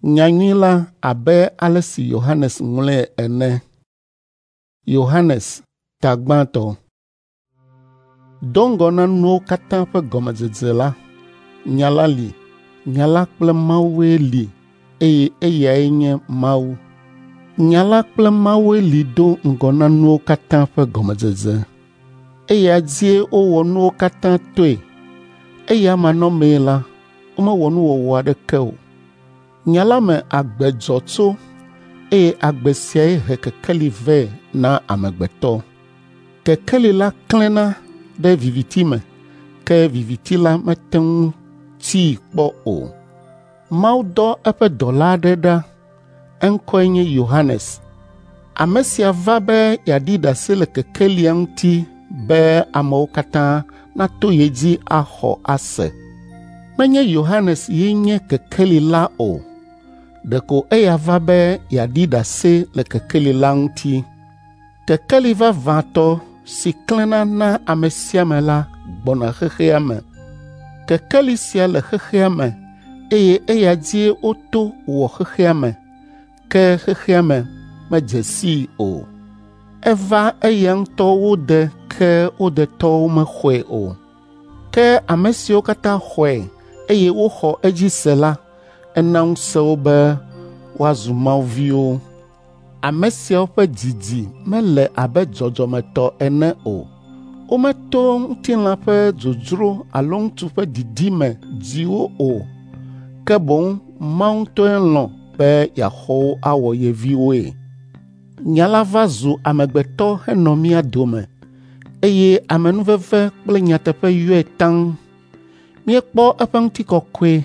Nyanyui la abe ale si Yohanes ŋlɔe ene. Yohanes ta gbãtɔ. Do ŋgɔ na nuwo katã ƒe gɔmedzedze la, Nya la li, Nya la kple Mawue li eye eyae nye Mawu. Nya la kple Mawue li do ŋgɔ na nuwo katã ƒe gɔmedzedze. Eya dzie wowɔ nuwo katã toe. Eya manɔmee la, womewɔ nuwɔwɔ aɖeke o. Nya la me agbe dzɔ tso eye agbe siae he kekeli vɛ na amegbetɔ. Kekeli la klẽna ɖe viviti me, ke viviti la mete ŋu tii kpɔ o. Mawu dɔ eƒe dɔla aɖe ɖa, eŋkɔe nye Yohanes. Ame sia va be yeaɖi ɖase le kekelia ŋuti be amewo katã nato ye dzi axɔ ase. Menye Yohanes ye nye kekeli la o, ɖeko eya va be yeaɖi ɖase le kekeli la ŋuti. Kekeli vavãtɔ si klẽna na ame sia ame la gbɔna xexea me. Kekeli sia le xexea me eye eya dzie woto wɔ xexea me, ke xexea me medze sii o. Eva eya ŋutɔ wo de ke wo detɔwo mexɔe o. Ke ame siwo katã xɔe eye woxɔ edzi se la, ena ŋusẽ wo be woazu Mawu viwo. Ame siawo ƒe didi mele abe dzɔdzɔmetɔ ene o. Wometo ŋutilã ƒe dzodzro alo ŋutsu ƒe didi me dzi wo o, ke boŋ Mawu ŋutɔe lɔ̃ be yeaxɔ wo awɔ ye viwoe. Nya la va zu amegbetɔ henɔ mía dome eye amenuveve kple nyateƒe yɔe taŋ. Míekpɔ eƒe ŋutikɔkɔe,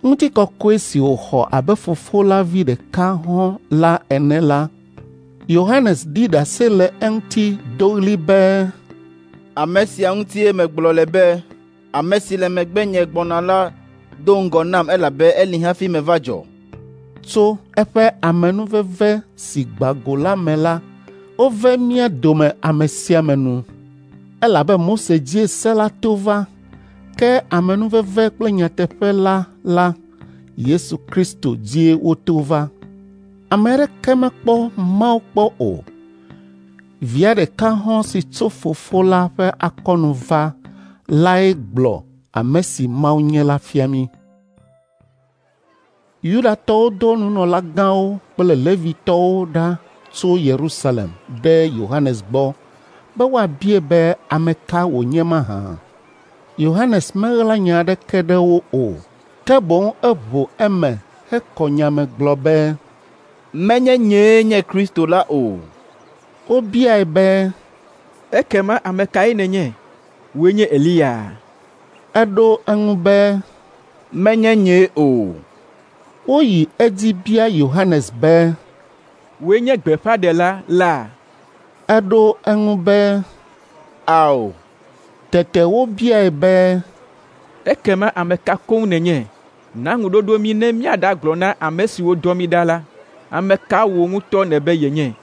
ŋutikɔkɔe si wòxɔ abe Fofo la vi ɖeka hɔ̃ la ene la. Yohanes ɖi ɖase le eŋuti do ɣli be, Ame sia ŋutie megblɔ le be, ame si le megbenye gbɔna la do ŋgɔ nam elabe eli hafi meva dzɔ. Tso eƒe amenuveve si gbã go la me la, wove mía dome ame sia ame nu. Elabe Mose dzie se la to va, ke amenuveve kple nyateƒe la la, Yesu Kristo dzie woto va. Ame aɖeke mekpɔ Mawu kpɔ o. Via ɖeka hɔ̃ si tso Fofo la ƒe akɔnu va lae gblɔ ame si Mawu nye la fia mí. Yudatɔwo do nunɔlagãwo kple Levitɔwo ɖa tso Yerusalem ɖe Yohanes gbɔ be woabiae be ame ka wònye mahã. Yohanes meɣla nya aɖeke ɖe wo o, ke boŋ eʋu eme hekɔ nya me gblɔ be, Menye nyee nye Kristo la o. Wobiae be, Ekema ame kae nènye? Wòe nye Eliya? Eɖo eŋu be, Menye nyee o. Woyi edzi bia Yohanes be, Wòe nye gbeƒãɖela la? Eɖo eŋu be, Ao. Tete wobiae be, Ekema ame ka koŋ nènye? Na ŋuɖoɖo mí ne míaɖagblɔ na ame siwo dɔ mí ɖa la. Ame ka wò ŋutɔ nèbe yenye?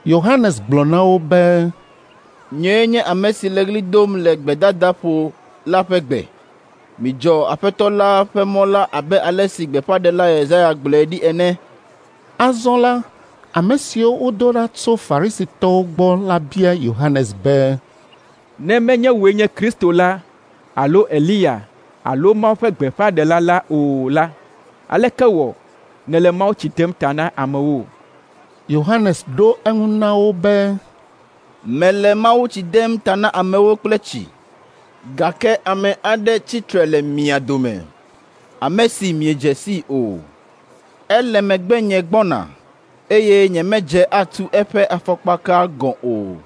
Yohanes gblɔ na wo be, Nyee nye ame si le ɣli dom le gbedadaƒo la ƒe gbe. Midzɔ Aƒetɔ la ƒe mɔ la abe ale si gbeƒãɖela Yesaya gblɔe ɖi ene. Azɔ la, ame siwo wodo ɖa tso Farisitɔwo gbɔ la bia Yohanes be, Ne menye wòe nye Kristo la alo Eliya alo Mawu ƒe gbeƒãɖela la o la, aleke wɔ nèle mawutsi dem ta na amewo? Yohanes ɖo eŋu na wo be, Mele mawutsi dem ta na amewo kple tsi, gake ame aɖe tsi tre le mia dome, ame si miedze sii o. Ele megbenye gbɔna, eye nyemedze atu eƒe afɔkpaka gɔ̃ o.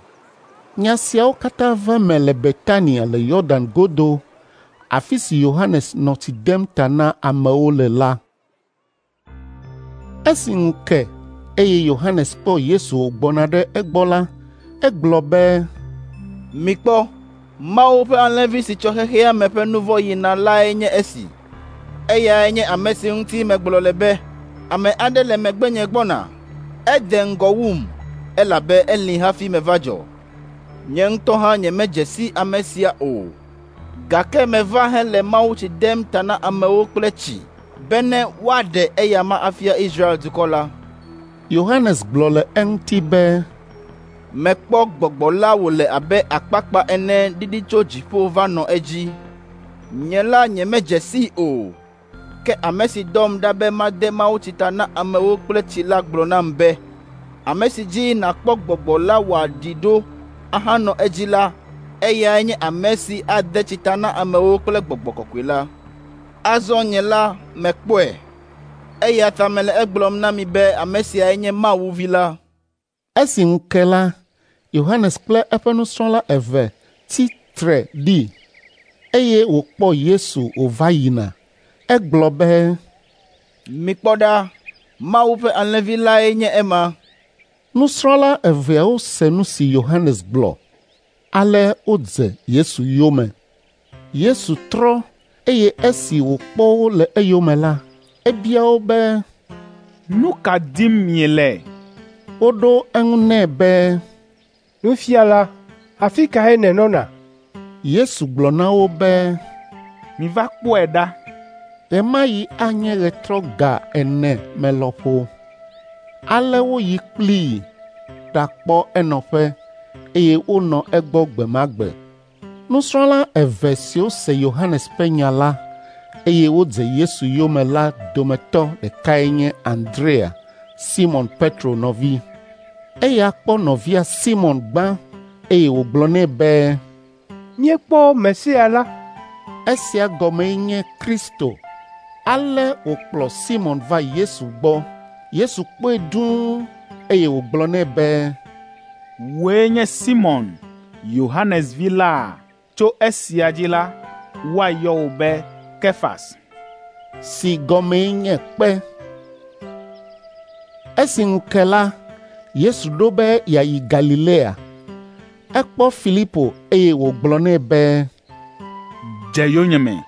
Nya siawo katã va eme le Betania le Yɔdan godo, afi si Yohanes nɔ tsi dem ta na amewo le la. Esi ŋu ke eye Yohanes kpɔ Yesu wògbɔna ɖe egbɔ la, egblɔ be, Mikpɔ, Mawu ƒe Alẽvi si tsɔ xexea me ƒe nu vɔ̃ yina lae nye esi. Eyae nye ame si ŋuti megblɔ le be, ame aɖe le megbenye gbɔna, ede ŋgɔ wum, elabe eli hafi meva dzɔ. Nye ŋutɔ hã nyemedze si ame sia o, gake meva hele mawutsi dem ta na amewo kple tsi. bene woaɖe eyama afia Israel dukɔ la. Yohanes gblɔ le eŋuti be, Mekpɔ Gbɔgbɔ la wòle abe akpakpa ene ɖiɖi tso dziƒo va nɔ edzi. Nye la nyemedze sii o, ke ame si dɔm ɖa be made mawutsi ta na amewo kple tsi la gblɔ nam be, ame si dzi nàkpɔ Gbɔgbɔ la wòaɖi ɖo ahanɔ edzi la, eyae nye ame si ade tsi ta na amewo kple Gbɔgbɔ Kɔkɔe la. Azɔ nye la mekpɔe, eya ta mele egblɔm na mi be ame siae nye Mawu Vi la. Esi ŋu ke la, Yohanes kple eƒe nusrɔ̃la eve tsi tre ɖi, eye wòkpɔ Yesu wòva yina. Egblɔ be, Mikpɔ ɖa, Mawu ƒe Alẽvi lae nye ema. Nusrɔ̃la eveawo se nu si Yohanes gblɔ, ale wodze Yesu yome. Yesu trɔ, eye esi wòkpɔ wo le eyome la, ebia wo be, Nu ka dim miele? Woɖo eŋu nɛ be, Nufiala, afi kae nènɔna? Yesu gblɔ na wo be, Miva kpɔe ɖa. Ɣe ma ɣi anye ɣetrɔ ga ene me lɔƒo. Ale woyi kplii ɖakpɔ enɔƒe, eye wonɔ egbɔ gbe ma gbe. Nusrɔ̃la eve siwo se Yohanes ƒe nya la, eye wodze Yesu yome la dometɔ ɖekae nye Andrea, Simɔn Petro nɔvi. Eya kpɔ nɔvia Simɔn gbã, eye wògblɔ nɛ be, Míekpɔ Mesia la. Esia gɔmee nye Kristo. Ale wòkplɔ Simɔn va Yesu gbɔ. Yesu kpɔe dũu, eye wògblɔ nɛ be, Wòe nye Simɔn, Yohanes vi laa? Tso esia dzi la, woayɔ wò be Kefas. Si gɔmee nye kpe. Esi ŋu ke la, Yesu ɖo be yeayi Galilea. Ekpɔ Filipo eye wògblɔ nɛ be, Dze yonyeme.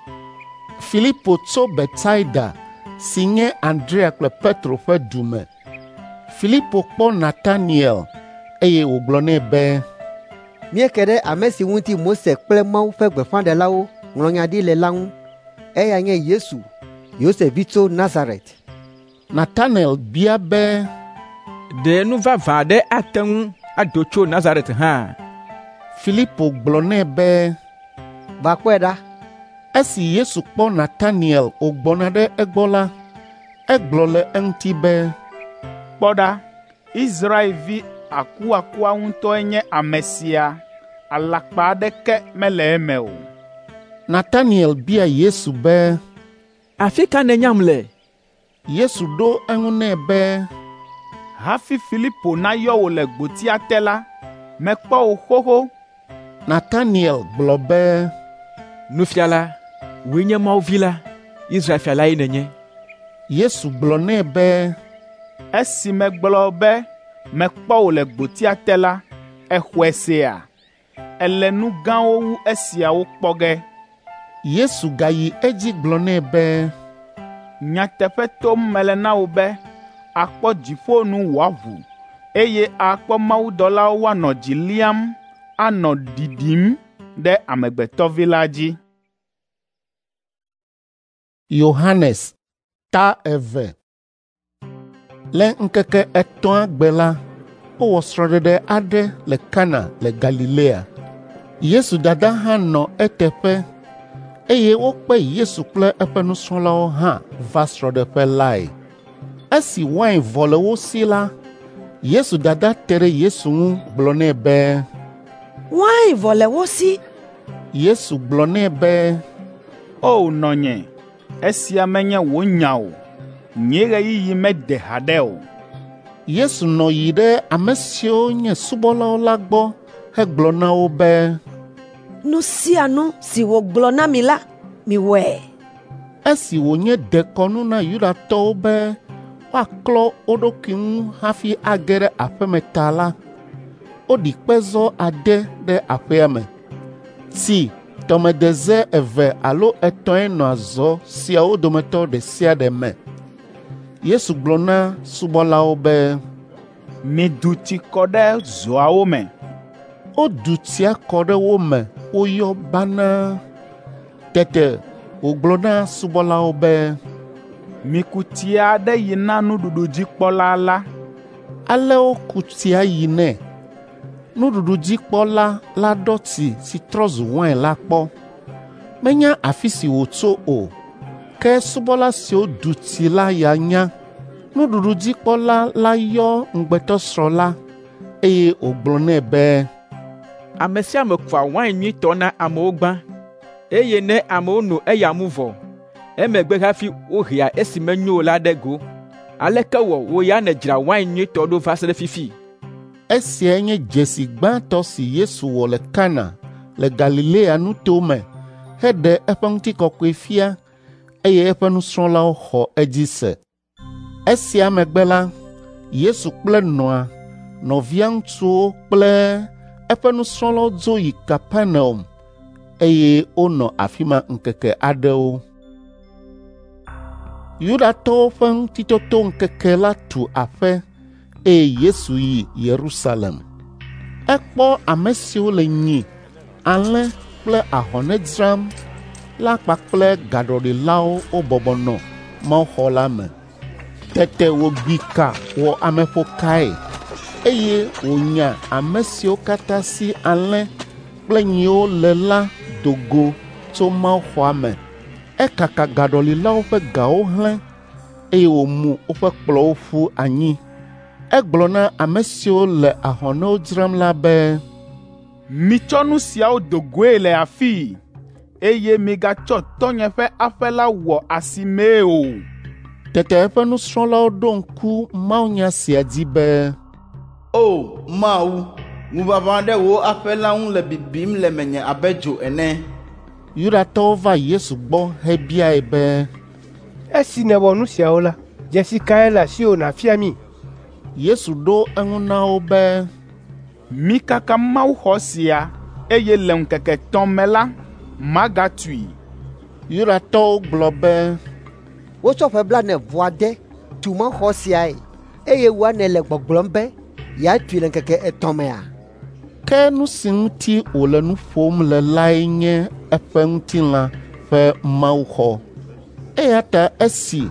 Filipo tso Betsaida si nye Andrea kple Petro ƒe du me. Filipo kpɔ Nataniel eye wògblɔ nɛ be, Míeke ɖe ame si ŋuti Mose kple Mawu ƒe gbeƒãɖelawo ŋlɔ nya ɖi le la ŋu. Eya nye Yesu, Yosef vi tso Nazaret. Nataniel bia be, Ɖe nu vavã aɖe ate ŋu ado tso Nazaret hã? Filipo gblɔ nɛ be, Va kpɔe ɖa. Esi Yesu kpɔ Nataniel wògbɔna ɖe egbɔ la, egblɔ le eŋuti be, Kpɔ ɖa, Israelvi akuakua ŋutɔe nye ame sia, alakpa aɖeke mele eme o. Nataniel bia Yesu be, Afi ka nènyam le? Yesu ɖo eŋu nɛ be, Hafi Filipo nayɔ wò le gbotia te la, mekpɔ wò xoxo. Nataniel gblɔ be, Nufiala, wòe nye Mawu vi la, Israel fia lae nènye. Yesu gblɔ nɛ be, Esi megblɔ be mekpɔ wò le gbotia te la, èxɔe sea? Èle nu gãwo wu esiawo kpɔ ge. Yesu gayi edzi gblɔ nɛ be, Nyateƒe tom mele na wò be, àkpɔ dziƒo nu wòaʋu, eye àkpɔ mawudɔlawo woanɔ dzi liam, anɔ ɖiɖim ɖe Amegbetɔvi la dzi. Yohanes ta 2. Le ŋkeke etɔ̃a gbe la, wowɔ srɔ̃ɖeɖe aɖe le Kana le Galilea. Yesu dada hã nɔ eteƒe, eye wokpe Yesu kple eƒe nusrɔ̃lawo hã va srɔ̃ɖeƒe lae. Esi wain vɔ le wo si la, Yesu dada te ɖe Yesu ŋu gblɔ nɛ be, Wain vɔ le wo si. Yesu gblɔ nɛ be, O nɔnye, esia menye wò nya o. Nye ɣeyiɣi mede haɖe o. Yesu nɔ yi ɖe ame siwo nye subɔlawo la gbɔ hegblɔ na wo be, Nu sia nu si wògblɔ na mi la, miwɔe. Esi wònye dekɔnu na Yudatɔwo be woaklɔ wo ɖokui ŋu hafi age ɖe aƒeme ta la, woɖi kpezɔ ade ɖe aƒea me. Tsi tɔmedeze 2 alo 3 nɔa zɔ siawo dometɔ ɖe sia ɖe me. Yesu gblɔ na subɔlawo be, Midu tsi kɔ ɖe zɔawo me. Wodu tsia kɔ ɖe wo me woyɔ banaa. Tete wògblɔ na subɔlawo be, Miku tsia aɖe yi na nuɖuɖudzikpɔla la.” Ale woku tsia yi nɛ. Nuɖuɖudzikpɔla la ɖɔ tsi si trɔ zu wain la kpɔ. Menya afi si wòtso o, ke subɔla siwo du tsi la ya nya. Nuɖuɖudzikpɔla la yɔ ŋugbetɔsrɔ̃ la, eye wògblɔ nɛ be, “Ame sia ame kua wain nyuitɔ na amewo gbã, eye ne amewo no eya mu vɔ, emegbe hafi wohea esi menyo o la ɖe go. Aleke wɔ wò ya nèdzra wain nyuitɔ ɖo va se ɖe fifi?” Esiae nye dzesi gbãtɔ si Yesu wɔ le Kana le Galilea nuto me heɖe eƒe ŋutikɔkɔe fia eye eƒe nusrɔ̃lawo xɔ edzi se. Esia megbe la, Yesu kple nɔa, nɔvia ŋutsuwo kple eƒe nusrɔ̃lawo dzo yi Kapernaum eye wonɔ afi ma ŋkeke aɖewo. Yudatɔwo ƒe Ŋutitotoŋkeke la tu aƒe eye Yesu yi Yerusalem. Ekpɔ ame siwo le nyi, alẽ kple ahɔne dzram la kpakple gaɖɔlilawo wobɔbɔ nɔ mawuxɔ la me. Tete wògbi ka wɔ ameƒokae, eye wònya ame siwo katã si alẽ kple nyiwo le la do go tso mawuxɔa me. Ekaka gaɖɔlilawo ƒe gawo hlẽ, eye wòmu woƒe kplɔ̃wo ƒu anyi. Egblɔ na ame siwo le ahɔnewo dzram la be, “Mitsɔ nu siawo do goe le afii, eye migatsɔ tɔ́nye ƒe aƒe la wɔ asimee o.” Tete eƒe nusrɔ̃lawo ɖo ŋku mawunya sia dzi be, “O Mawu, ŋuʋaʋã ɖe wò aƒe la ŋu le bibim le menye abe dzo ene.” Yudatɔwo va Yesu gbɔ hebiae be, “Esi nèwɔ nu siawo la, dzesi kae le asiwò nàfia mí?” Yesu ɖo eŋu na wo be, “Mikaka mawuxɔ sia, eye le ŋkeke etɔ̃ me la, magatui.” Yudatɔwo gblɔ be, “Wotsɔ ƒe blaene-vɔ-ade tu mawuxɔ siae, eye wòa nèle gbɔgblɔm be yeatui le ŋkeke etɔ̃ mea?” Ke nu si ŋuti wòle nu ƒom le lae nye eƒe ŋutilã ƒe mawuxɔ. Eya ta esi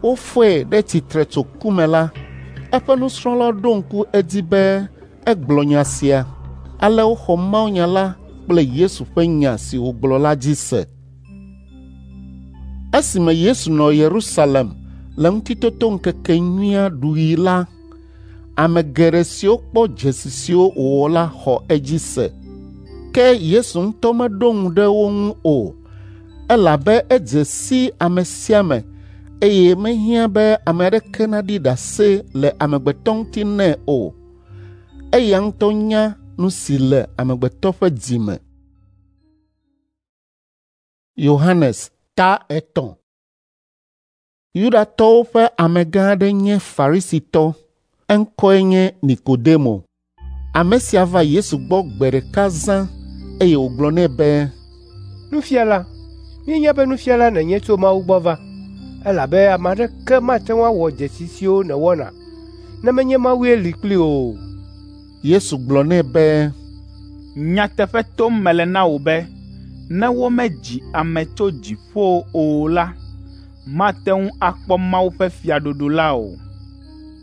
wofɔe ɖe tsitre tso ku me la, eƒe nusrɔ̃lawo ɖo ŋku edzi be egblɔ nya sia. Ale woxɔ mawunya la kple Yesu ƒe nya si wògblɔ la dzi se. Esime Yesu nɔ Yerusalem le Ŋutitotoŋkekenyuia ɖuɣi la, ame geɖe siwo kpɔ dzesi siwo wòwɔ la xɔ edzi se. Ke Yesu ŋutɔ meɖo ŋu ɖe wo ŋu o, elabe edze si ame sia ame eye mehiã be ame aɖeke naɖi ɖase le amegbetɔ ŋuti nɛ o. Eya ŋutɔ nya nu si le amegbetɔ ƒe dzi me. Yohanes ta etɔ̃. Yudatɔwo ƒe amegã aɖe nye Farisitɔ, eŋkɔe nye Nikodemo. Ame sia va Yesu gbɔ gbe ɖeka zã eye wògblɔ nɛ be, “Nufiala, míenya be nufiala nènye tso Mawu gbɔ va, elabe ame aɖeke mate ŋu awɔ dzesi siwo nèwɔna ne menye Mawue li kplii o.” Yesu gblɔ nɛ be, “Nyateƒe tom mele na wò be, ne womedzi ame tso dziƒo o la, mate ŋu akpɔ Mawu ƒe fiaɖuɖu la o.”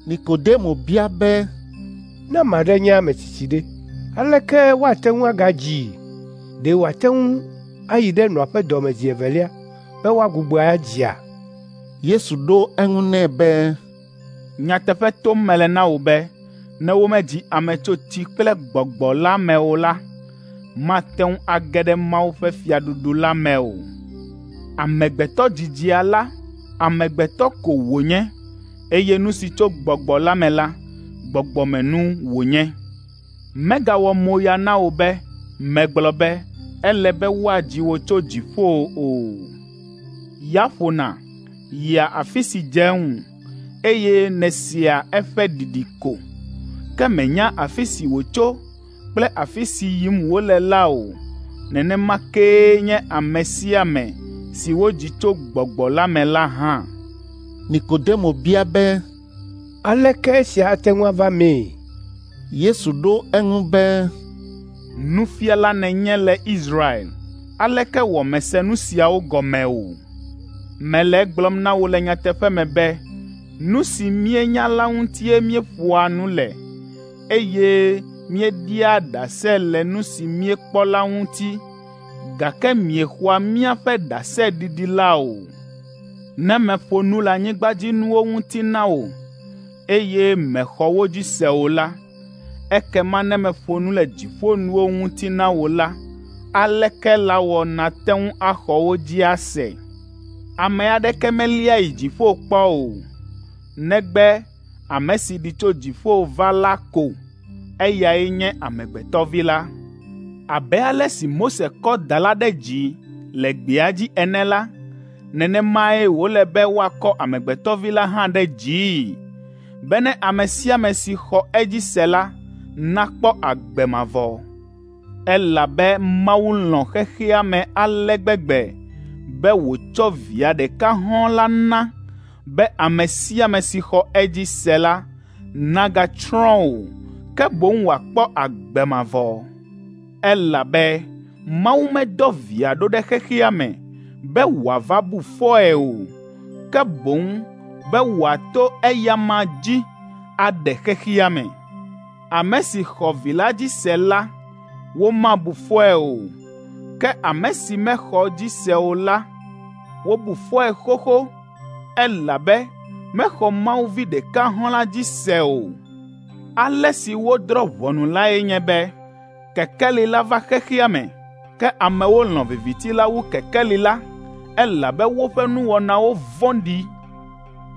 Nikodemo bia be, “Ne ame aɖe nye ame tsitsi ɖe, aleke woate ŋu agadzii? Ɖe wòate ŋu ayi ɖe nɔa ƒe dɔ me zi evelia be woagbugbɔe adzia?” Yesu ɖo eŋu nɛ be, “Nyateƒe tom mele na wò be, ne womedzi ame tso tsi kple Gbɔgbɔ la me o la, mate ŋu age ɖe Mawu ƒe fiaɖuɖu la me o. Amegbetɔ dzidzia la, amegbetɔ ko wònye, eye nu si tso Gbɔgbɔ la me la, gbɔgbɔmenu wònye. Megawɔ moya na wò be megblɔ be ele be woadzi wò tso dziƒo o. Ya ƒona yia afi si dze eŋu, eye nèsea eƒe ɖiɖi ko, ke mènya afi si wòtso kple afi si yim wòle la o. Nenema kee nye ame sia ame si wodzi tso Gbɔgbɔ la me la hã.” Nikodemo bia be, “Aleke esia ate ŋu ava emee?” Yesu ɖo eŋu be, “Nufiala nènye le Israel, aleke wɔ mèse nu siawo gɔme o? Mele egblɔm na wò le nyateƒe me be nu si míenya la ŋutie míeƒoa nu le, eye míeɖia ɖase le nu si míekpɔ la ŋuti, gake miexɔa míaƒe ɖaseɖiɖi la o. Ne meƒo nu le anyigbadzinuwo ŋuti na wò, eye mèxɔ wo dzi se o la, ekema ne meƒo nu le dziƒonuwo ŋuti na wò la, aleke lawɔ nàte ŋu axɔ wo dzi ase? Ame aɖeke melia yi dziƒo kpɔ o, negbe ame si ɖi tso dziƒo va la ko, eyae nye Amegbetɔvi la. Abe ale si Mose kɔ da la ɖe dzi le gbea dzi ene la, nenemae wòle be woakɔ Amegbetɔvi la hã ɖe dzii, bene ame sia ame si xɔ edzi se la nakpɔ agbe mavɔ. Elabe Mawu lɔ̃ xexea me ale gbegbe be wòtsɔ Via ɖeka hɔ̃ɔ la na be ame sia ame si xɔ edzi se la nagatsrɔ̃ o, ke boŋ wòakpɔ agbe mavɔ. Elabe Mawu medɔ Via ɖo ɖe xexea me be wòava bu fɔe o, ke boŋ be wòato eyama dzi aɖe xexea me. Ame si xɔ Vi la dzi se la, womabu fɔe o, ke ame si mexɔ edzi se o la, wobu fɔe xoxo, elabe mexɔ Mawu Vi ɖeka hɔ̃ la dzi se o. Ale si wodrɔ̃ ʋɔnu lae nye be kekeli la va xexea me, ke amewo lɔ̃ viviti la wu kekeli la, elabe woƒe nuwɔnawo vɔ̃ɖi.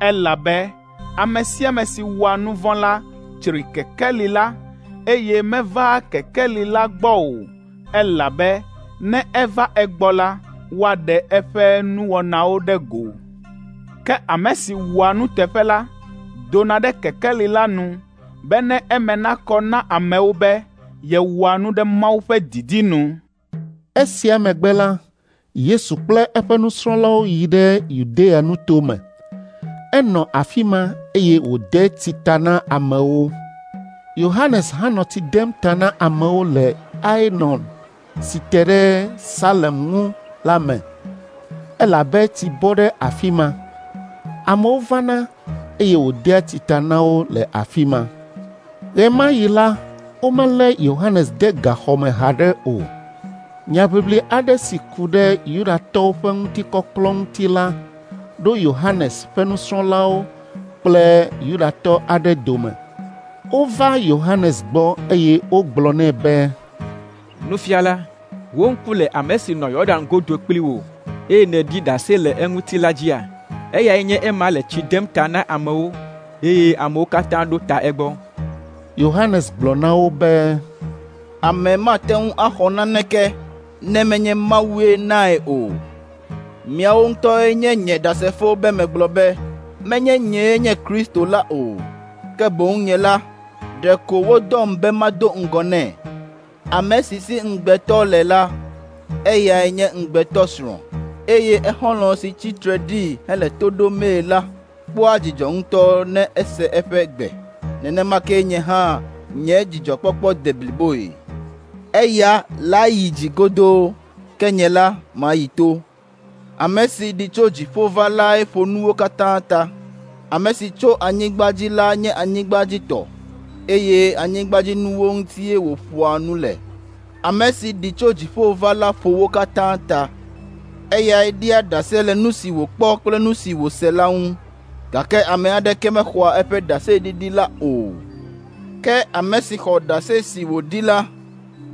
Elabe ame sia ame si wɔa nu vɔ̃ la tsri kekeli la, eye mevaa kekeli la gbɔ o, elabe ne eva egbɔ la, woaɖe eƒe nuwɔnawo ɖe go. Ke ame si wɔa nuteƒe la dona ɖe kekeli la nu bene eme nakɔ na amewo be yewɔa nu ɖe Mawu ƒe didi nu. Esia megbe la, Yesu kple eƒe nusrɔ̃lawo yi ɖe Yudea nuto me. Enɔ afi ma eye wòde tsi ta na amewo. Yohanes hã nɔ tsi dem ta na amewo le Aenon si te ɖe Salem ŋu la me, elabe tsi bɔ ɖe afi ma. Amewo vana eye wòdea tsi ta na wo le afi ma. Ɣe ma ɣi la, womelé Yohanes de gaxɔ me haɖe o. Nyaʋiʋli aɖe si ku ɖe Yudatɔwo ƒe ŋutikɔklɔ ŋuti la ɖo Yohanes ƒe nusrɔ̃lawo kple Yudatɔ aɖe dome. Wova Yohanes gbɔ eye wogblɔ nɛ be, “Nufiala, wò ŋku le ame si nɔ Yɔdan godo kpli wò, eye nèɖi ɖase le eŋuti la dzia? Eyae nye ema le tsi dem ta na amewo, eye amewo katã ɖo ta egbɔ.” Yohanes gblɔ na wo be, “Ame mate ŋu axɔ naneke ne menye Mawue nae o. Miawo ŋutɔe nye nye ɖasefo be megblɔ be, menye nyee nye Kristo la o, ke boŋ nye la, ɖeko wodɔm be mado ŋgɔ nɛ. Ame si si ŋugbetɔ le la, eyae nye ŋugbetɔsrɔ̃, eye exɔlɔ̃ si tsi tre ɖii hele to ɖomee la kpɔa dzidzɔ ŋutɔ ne ese eƒe gbe. Nenema ke nye hã nye dzidzɔkpɔkpɔ de bliboe. Eya layi dzi godoo, ke nye la mayi to. Ame si ɖi tso dziƒo va lae ƒo nuwo katã ta. Ame si tso anyigba dzi la nye anyigbadzitɔ, eye anyigbadzinuwo ŋutie wòƒoa nu le. Ame si ɖi tso dziƒo va la ƒo wo katã ta. Eyae ɖia ɖase le nu si wòkpɔ kple nu si wòse la ŋu, gake ame aɖeke mexɔa eƒe ɖaseɖiɖi la o. Ke ame si xɔ ɖase si wòɖi la,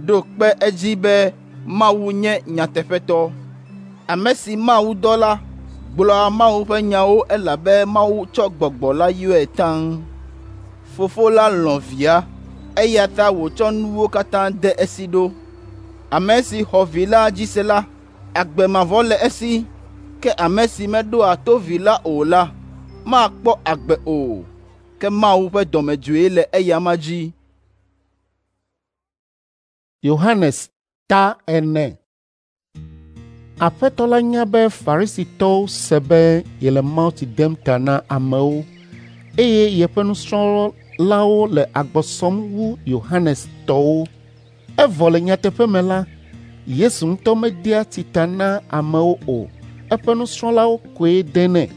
ɖo kpe edzi be Mawu nye nyateƒetɔ. Ame si Mawu dɔ la gblɔa Mawu ƒe nyawo elabe Mawu tsɔ Gbɔgbɔ la yɔe taŋ. Fofo la lɔ̃ Via, eya ta wòtsɔ nuwo katã de esi ɖo. Ame si xɔ Vi la dzi se la, agbe mavɔ le esi, ke ame si meɖoa to Vi la o la, makpɔ agbe o, ke Mawu ƒe dɔmedzoe le eyama dzi. Yohanes ta ene. Aƒetɔ la nya be Farisitɔwo se be yele mawutsi dem ta na amewo eye yeƒe nusrɔ̃lawo le agbɔ sɔm wu Yohanes tɔwo. Evɔ le nyateƒe me la, Yesu ŋutɔ medea tsi ta na amewo o, eƒe nusrɔ̃lawo koe denɛ.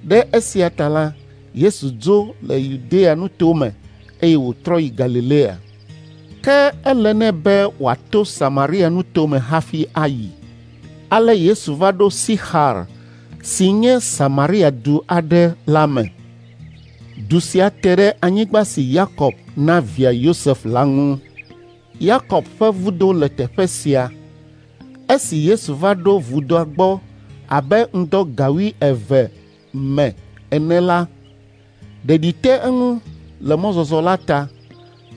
Ɖe esia ta la, Yesu dzo le Yudea nutome eye wòtrɔ yi Galilea. Ke ele nɛ be wòato Samaria nutome hafi ayi. Ale Yesu va ɖo Sixar si nye Samaria du aɖe la me. Du sia te ɖe anyigba si Yakob na via Yosef la ŋu. Yakob ƒe vudo le teƒe sia. Esi Yesu va ɖo vudoa gbɔ abe ŋdɔ ga wuieve me ene la, ɖeɖi te eŋu le mɔzɔzɔ la ta,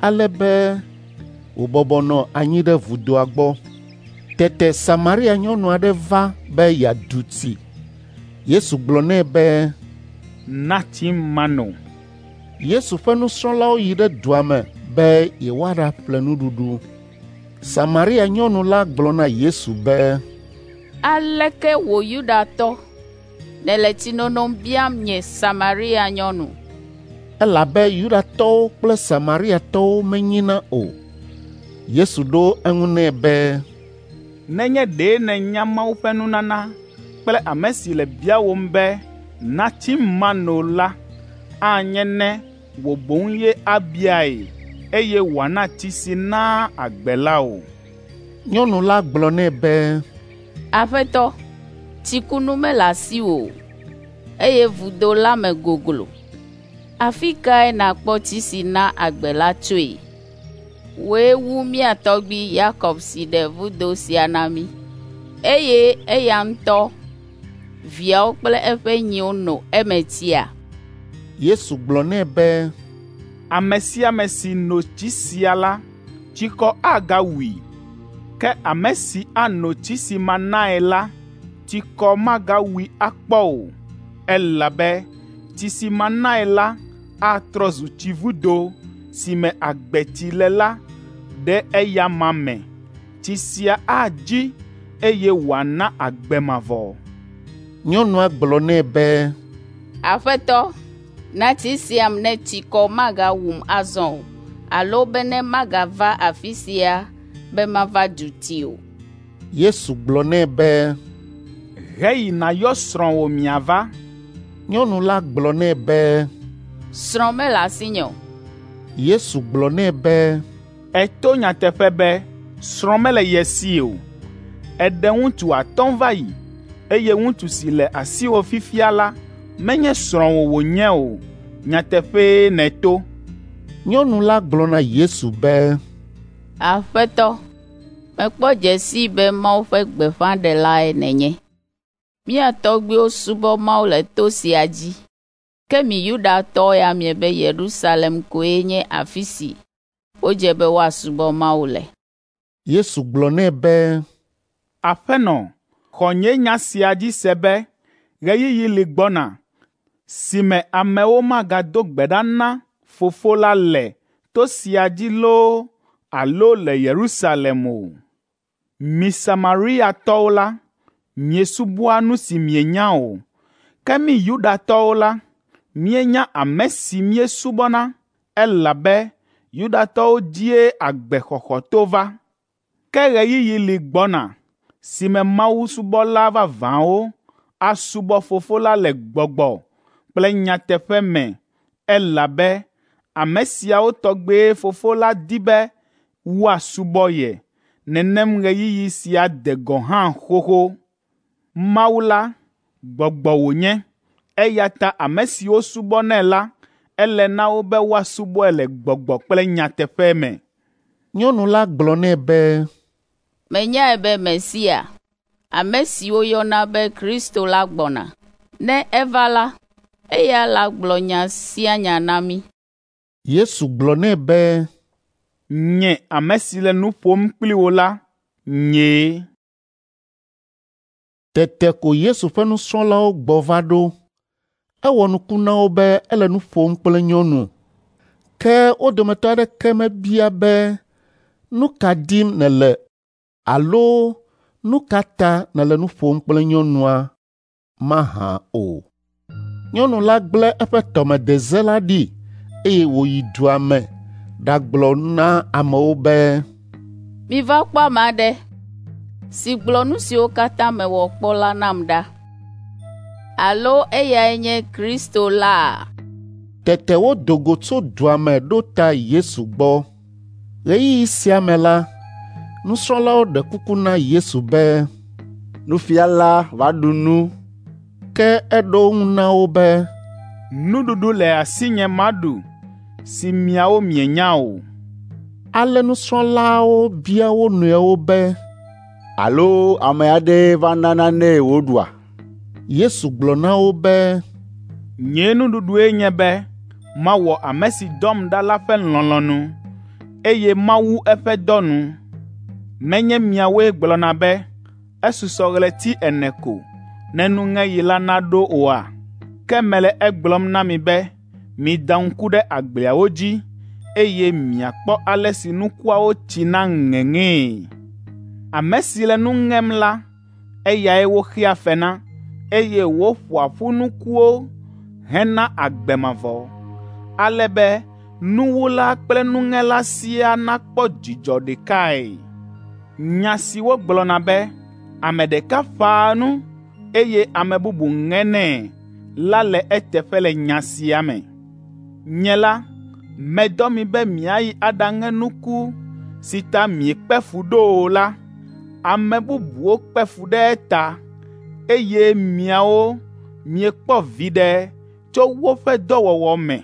ale be wòbɔbɔ nɔ anyi ɖe vudoa gbɔ. Tete Samaria nyɔnu aɖe va be yeadu tsi. Yesu gblɔ nɛ be, “Na tsim mano.” Yesu ƒe nusrɔ̃lawo yi ɖe dua me be yewoaɖaƒle nuɖuɖu. Samaria nyɔnu la gblɔ na Yesu be, “Aleke wò Yudatɔ nèle tsinono biam nye Samaria nyɔnu?” Elabe Yudatɔwo kple Samariatɔwo menyina o. Yesu ɖo eŋu nɛ be, “Nenye ɖe nènya Mawu ƒe nunana kple ame si le biawòm be, ‘Na tsim mano’ la, anye ne wò boŋ ye abiae, eye wòana tsi si naa agbe la wò.” Nyɔnu la gblɔ nɛ be, “Aƒetɔ, tsikunu mele asiwò o, eye vudo la me goglo. Afi kae nàkpɔ tsi si naa agbe la tsoe? Wòe wu mía tɔgbui Yakob si ɖe vudo sia na mí, eye eya ŋutɔ, viawo kple eƒe nyiwo no eme tsia?” Yesu gblɔ nɛ be, “Ame sia ame si no tsi sia la, tsikɔ agawui. Ke ame si ano tsi si manae la, tsikɔ magawui akpɔ o, elabe tsi si manae la atrɔ zu tsivudo si me agbetsi le la ɖe eya me. Tsi sia adzi, eye wòana agbe mavɔ.” Nyɔnua gblɔ nɛ be, “Aƒetɔ, na tsi siam ne tsikɔ magawum azɔ o, alo bene magava afi sia be mava du tsi o.” Yesu gblɔ nɛ be, “Heyi nàyɔ srɔ̃wò miava.” Nyɔnu la gblɔ nɛ be, “Srɔ̃ mele asinye o.” Yesu gblɔ nɛ be, “Èto nyateƒe be srɔ̃ mele ye si o. Èɖe ŋutsu atɔ̃ va yi, eye ŋutsu si le asiwò fifia la menye srɔ̃wò wònye o. Nyateƒee nèto.” Nyɔnu la gblɔ na Yesu be, “Aƒetɔ, mekpɔ dze sii be Mawu ƒe gbeƒãɖelae nènye. Mía tɔgbuiwo subɔ Mawu le to sia dzi, ke mi Yudatɔwo ya miebe Yerusalem koe nye afi si wodze be woasubɔ Mawu le.” Yesu gblɔ nɛ be, “Aƒenɔ, xɔ nye nya sia dzi se be ɣeyiɣi li gbɔna si me amewo magado gbe ɖa na Fofo la le to sia dzi loo alo le Yerusalem o. Mi Samariatɔwo la, miesubɔa nu si mienya o, ke mí Yudatɔwo la, míenya ame si míesubɔna, elabe Yudatɔwo dzie agbexɔxɔ to va. Ke ɣeyiɣi li gbɔna si me mawusubɔla vavãwo asubɔ Fofo la le gbɔgbɔ kple nyateƒe me elabe ame siawo tɔgbee Fofo la di be woasubɔ ye. Nenem ɣeyiɣi sia de gɔ̃ hã xoxo. Mawu la, gbɔgbɔ wònye, eya ta ame siwo subɔnɛ la, ele na wo be woasubɔe le gbɔgbɔ kple nyateƒe me.” Nyɔnu la gblɔ nɛ be, “Menyae be Mesia, ame si woyɔna be Kristo la gbɔna. Ne eva la, eya lagblɔ nya sia nya na mí.” Yesu gblɔ nɛ be, “Nye ame si le nu ƒom kpli wò la, nyee.” Tete ko Yesu ƒe nusrɔ̃lawo gbɔ va ɖo. Ewɔ nuku na wo be ele nu ƒom kple nyɔnu. Ke wo dometɔ aɖeke mebia be, “Nu ka dim nèle?” alo “Nu ka ta nèle nu ƒom kple nyɔnua?” mahã o. Nyɔnu la gblẽ eƒe tɔmedeze la ɖi eye wòyi dua me ɖagblɔ na amewo be, “Miva kpɔ ame aɖe si gblɔ nu siwo katã mewɔ kpɔ la nam ɖa. Alo eyae nye Kristo laa? Tete wodo go tso dua me ɖo ta Yesu gbɔ. Ɣeyiɣi sia me la, nusrɔ̃lawo ɖe kuku na Yesu be, “Nufiala, va ɖu nu.” Ke eɖo eŋu na wo be, “Nuɖuɖu le asinye maɖu si miawo mienya o.” Ale nusrɔ̃laawo bia wo nɔewo be, “Alo ame aɖee va na nanee wòɖua?” Yesu gblɔ na wo be, “Nye nuɖuɖue nye be mawɔ ame si dɔm ɖa la ƒe lɔlɔ̃nu, eye mawu eƒe dɔ nu. Menye miawoe gblɔna be, ‘Esusɔ ɣleti ene ko ne nuŋeɣi la naɖo oa?’ Ke mele egblɔm na mi be mida ŋku ɖe agbleawo dzi, eye miakpɔ ale si nukuawo tsina ŋeŋee. Ame si le nu ŋem la, eyae woxea fe na, eye wòƒoa ƒu nukuwo hena agbe mavɔ, ale be nuwula kple nuŋela siaa nakpɔ dzidzɔ ɖekae. Nya si wogblɔna be, ‘Ame ɖeka ƒãa nu, eye ame bubu ŋenɛ’ la le eteƒe le nya sia me. Nye la, medɔ mi be miayi aɖaŋe nuku si ta miekpe fu ɖo o la. Ame bubuwo kpe fu ɖe eta, eye miawo miekpɔ viɖe tso woƒe dɔwɔwɔ me.”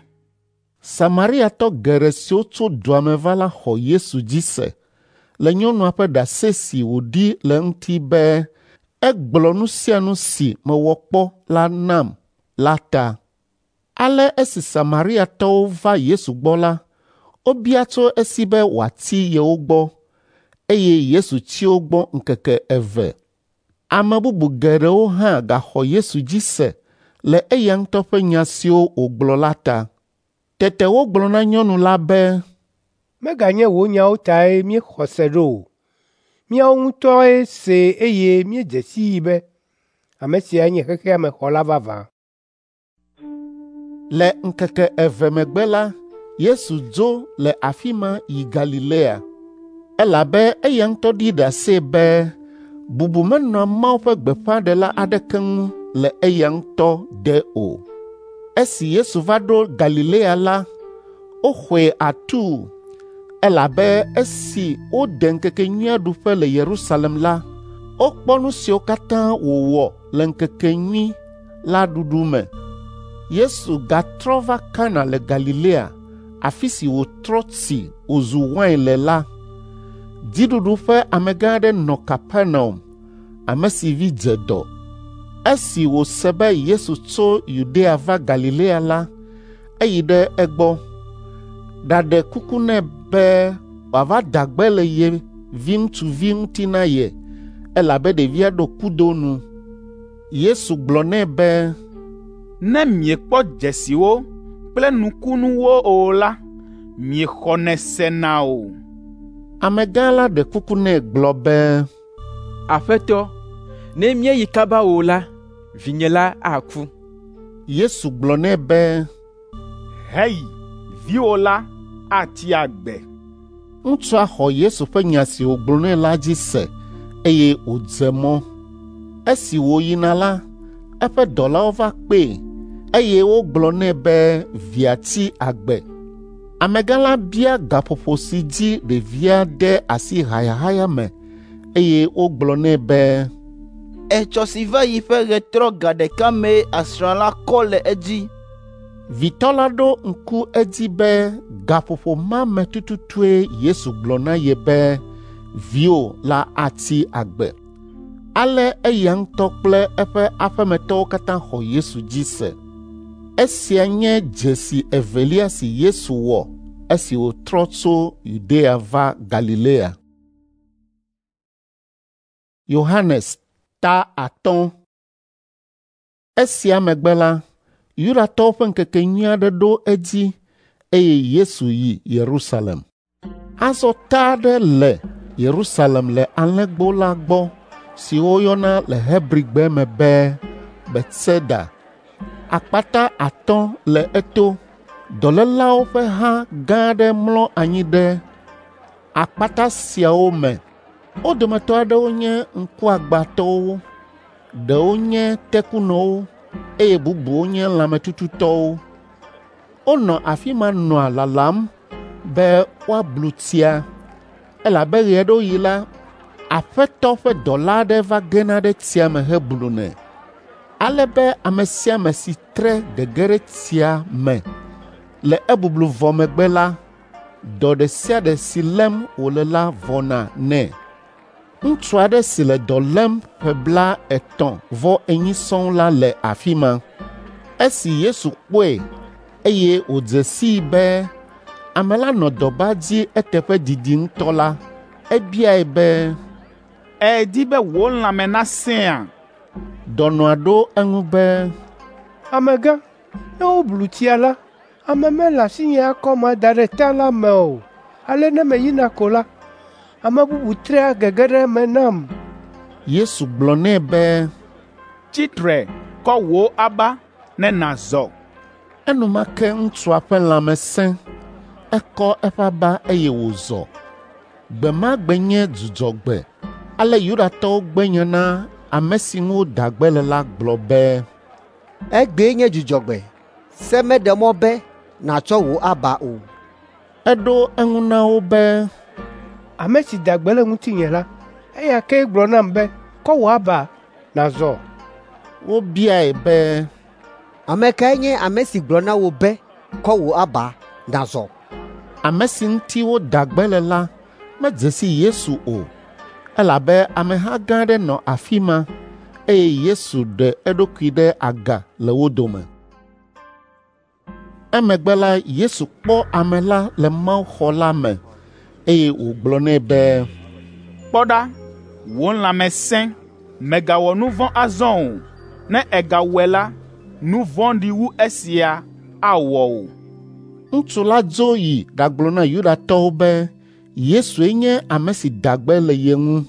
Samariatɔ geɖe siwo tso dua me va la xɔ Yesu dzi se le nyɔnua ƒe ɖase si wòɖi le eŋuti be egblɔ nu sia nu si mewɔ kpɔ la nam la ta. Ale esi Samariatɔwo va Yesu gbɔ la, wobia tso esi be wòatsi yewo gbɔ, eye Yesu tsi wo gbɔ ŋkeke eve. Ame bubu geɖewo hã gaxɔ Yesu dzi se le eya ŋutɔ ƒe nya siwo wògblɔ la ta. Tete wogblɔ na nyɔnu la be, “Meganye wò nyawo tae míexɔ se ɖo o. Míawo ŋutɔe see eye míedze sii be ame siae nye xexea me xɔla vavã.” Le ŋkeke eve megbe la, Yesu dzo le afi ma yi Galilea, elabe eya ŋutɔ ɖi ɖase be bubu menɔa Mawu ƒe gbeƒãɖela aɖeke ŋu le eya ŋutɔ de o. Esi Yesu va ɖo Galilea la, woxɔe atuu, elabe esi wode ŋkekenyuia ɖuƒe le Yerusalem la, wokpɔ nu siwo katã wòwɔ le ŋkekenyui la ɖuɖu me. Yesu gatrɔ va Kana le Galilea, afi si wòtrɔ tsi wòzu wain le la. Dziɖuɖu ƒe amegã aɖe nɔ Kapernaum, ame si vi dze dɔ. Esi wòse be Yesu tso Yudea va Galilea la, eyi ɖe egbɔ, ɖaɖe kuku nɛ be wòava da gbe le ye viŋutsuvi ŋuti na ye, elabe ɖevia ɖo kudo nu. Yesu gblɔ nɛ be, “Ne miekpɔ dzesiwo kple nukunuwo o la, miexɔnɛ sena o.” Amegã la ɖe kuku nɛ gblɔ be, “Aƒetɔ, ne míeyi kaba o la, vinye la aku.” Yesu gblɔ nɛ be, “Heyi, viwò la atsi agbe.” Ŋutsua xɔ Yesu ƒe nya si wògblɔ nɛ la dzi se eye wòdze mɔ. Esi wòyina la, eƒe dɔlawo va kpee eye wogblɔ nɛ be via tsi agbe. Amegã la bia gaƒoƒo si dzi ɖevia de asi hayahaya me eye wogblɔ nɛ be, “Etsɔ si va yi ƒe ɣetrɔ ga ɖeka mee asrã la kɔ le edzi.” Vitɔ la ɖo ŋku edzi be gaƒoƒo ma me tututue Yesu gblɔ na ye be viwò la atsi agbe. Ale eya ŋutɔ kple eƒe aƒemetɔwo katã xɔ Yesu dzi se. Esia nye dzesi evelia si Yesu wɔ esi wòtrɔ tso Yudea va Galilea. Yohanes ta 5. Esia megbe la, Yudatɔwo ƒe ŋkekenyui aɖe ɖo edzi eye Yesu yi Yerusalem. Azɔ ta aɖe le Yerusalem le alẽgbo la gbɔ si woyɔna le Hebrigbe me be Betseda. Akpata 5 le eto. Dɔlélawo ƒe ha gã aɖe mlɔ anyi ɖe akpata siawo me. Wo dometɔ aɖewo nye ŋkuagbãtɔwo, ɖewo nye tekunɔwo, eye bubuwo nye lãmetututɔwo. Wonɔ afi ma nɔa lalam be woablu tsia, elabe ɣe aɖewo ɣi la, Aƒetɔ ƒe dɔla aɖe va gena ɖe tsia me heblunɛ, ale be ame sia ame si tre gege ɖe tsia me le ebublu vɔ megbe la, dɔ ɖe sia ɖe si lém wòle la vɔna nɛ. Ŋutsu aɖe si le dɔ lém ƒe 34 sɔŋ la le afi ma. Esi Yesu kpɔe eye wòdze sii be ame la nɔ dɔba dzi eteƒe didi ŋutɔ la, ebiae be, “Èdi be wò lãme nasẽa?” Dɔnɔa ɖo eŋu be, “Amegã, ne woblu tsia la, ame mele asinye akɔm ada ɖe ta la me o. Ale ne meyina ko la, ame bubu trea gege ɖe eme nam.” Yesu gblɔ nɛ be, “Tsi tre, kɔ wò aba ne nàzɔ.” Enumake ŋutsua ƒe lãme sẽ, ekɔ eƒe aba eye wòzɔ. Gbe ma gbe nye Dzudzɔgbe. Ale Yudatɔwo gbe nya na ame si ŋu woda gbe le la gblɔ be, “Egbee nye Dzudzɔgbe, se meɖe mɔ be nàtsɔ wò aba o.” Eɖo eŋu na wo be, “Ame si da gbe le ŋutinye la, eya kee gblɔ nam be, ‘Kɔ wò aba nàzɔ.’ ” Wobiae be, “Ame kae nye ame si gblɔ na wò be, ‘Kɔ wò aba nàzɔ?’ ” Ame si ŋuti woda gbe le la medze si Yesu o, elabe ameha gã aɖe nɔ afi ma, eye Yesu ɖe eɖokui ɖe aga le wo dome. Emegbe la Yesu kpɔ ame la le mawuxɔ la me, eye wògblɔ nɛ be, “Kpɔ ɖa, wò lãme sẽ, mègawɔ nu vɔ̃ azɔ o. Ne ègawɔe la, nu vɔ̃ɖi wu esia awɔ wò.” Ŋutsu la dzo yi ɖagblɔ na Yudatɔwo be Yesue nye ame si da gbe le ye ŋu.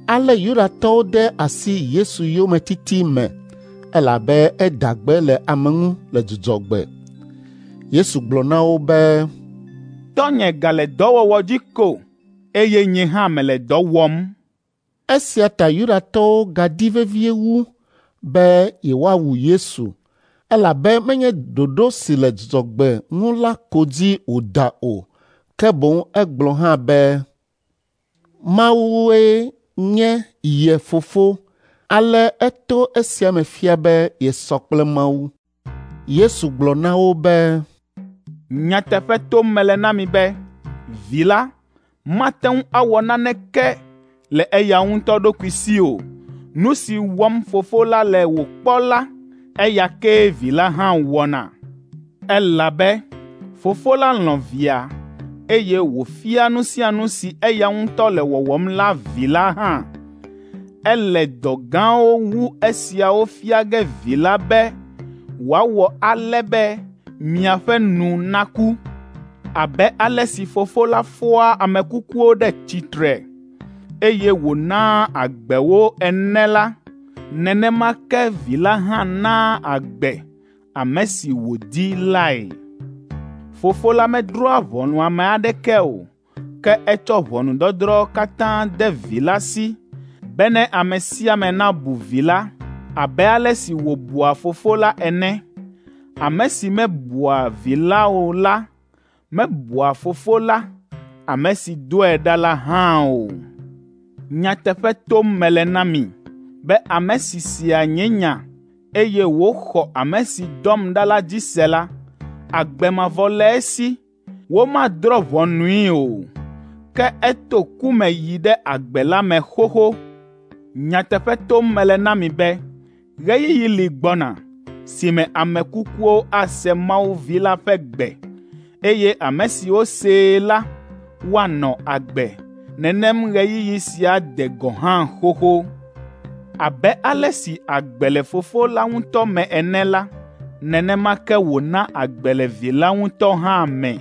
Ale Yudatɔwo de asi Yesu yometiti me elabe eda gbe le ame ŋu le Dzudzɔgbe. Yesu gblɔ na wo be, “Tɔnye gale dɔwɔwɔ dzi ko, eye nye hã mele dɔ wɔm.” Esia ta Yudatɔwo gadi vevie wu be yewoawu Yesu, elabe menye ɖoɖo si le Dzudzɔgbe ŋu la ko dzi wòda o, ke boŋ egblɔ hã be Mawue nye ye fofo, ale eto esia me fia be yesɔ kple Mawu. Yesu gblɔ na wo be, “Nyateƒe tom mele na mi be Vi la mate ŋu awɔ naneke le eya ŋutɔ ɖokui si o. Nu si wɔm Fofo la le wòkpɔ la, eya kee Vi la hã wɔna. Elabe Fofo la lɔ̃ Via, eye wòfia nu sia nu si eya ŋutɔ le wɔwɔm la Vi la hã. Ele dɔ gãwo wu esiawo fia ge Vi la be wòawɔ ale be miaƒe nu naku. Abe ale si Fofo la fɔa ame kukuwo ɖe tsitre, eye wònaa agbe wo ene la, nenema ke Vi la hã naa agbe ame si wòdi lae. Fofo la medrɔ̃a ʋɔnu ame aɖeke o, ke etsɔ ʋɔnudɔdrɔ̃ katã de Vi la si, bene ame sia ame nabu Vi la abe ale si wòbua Fofo la ene. Ame si mebua Vi la o la, mebua Fofo la, ame si dɔe ɖa la hã o. Nyateƒe tom mele na mi be ame si sea nye nya, eye wòxɔ ame si dɔm ɖa la dzi se la, agbe mavɔ le esi. Womadrɔ̃ ʋɔnui o, ke eto ku me yi ɖe agbe la me xoxo. Nyateƒe tom mele na mi be ɣeyiɣi li gbɔna si me ame kukuwo ase Mawu Vi la ƒe gbe, eye ame siwo see la woanɔ agbe. Nenem ɣeyiɣi sia de gɔ̃ hã xoxo. Abe ale si agbe le Fofo la ŋutɔ me ene la, nenema ke wòna agbe le Vi la ŋutɔ hã me.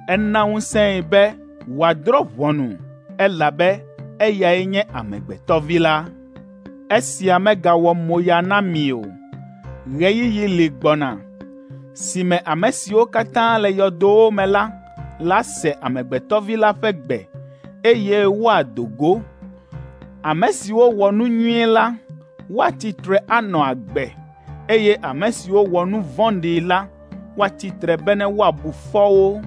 Ena ŋusẽe be wòadrɔ̃ ʋɔnu, elabe eyae nye Amegbetɔ Vi la. Esia megawɔ moya na mi o. Ɣeyiɣi li gbɔna si me ame siwo katã le yɔdowo me la lase Amegbetɔ Vi la ƒe gbe, eye woado go. Ame siwo wɔ nu nyui la, woatsi tre anɔ agbe, eye ame siwo wɔ nu vɔ̃ɖi la woatsi tre bene woabu fɔ wo.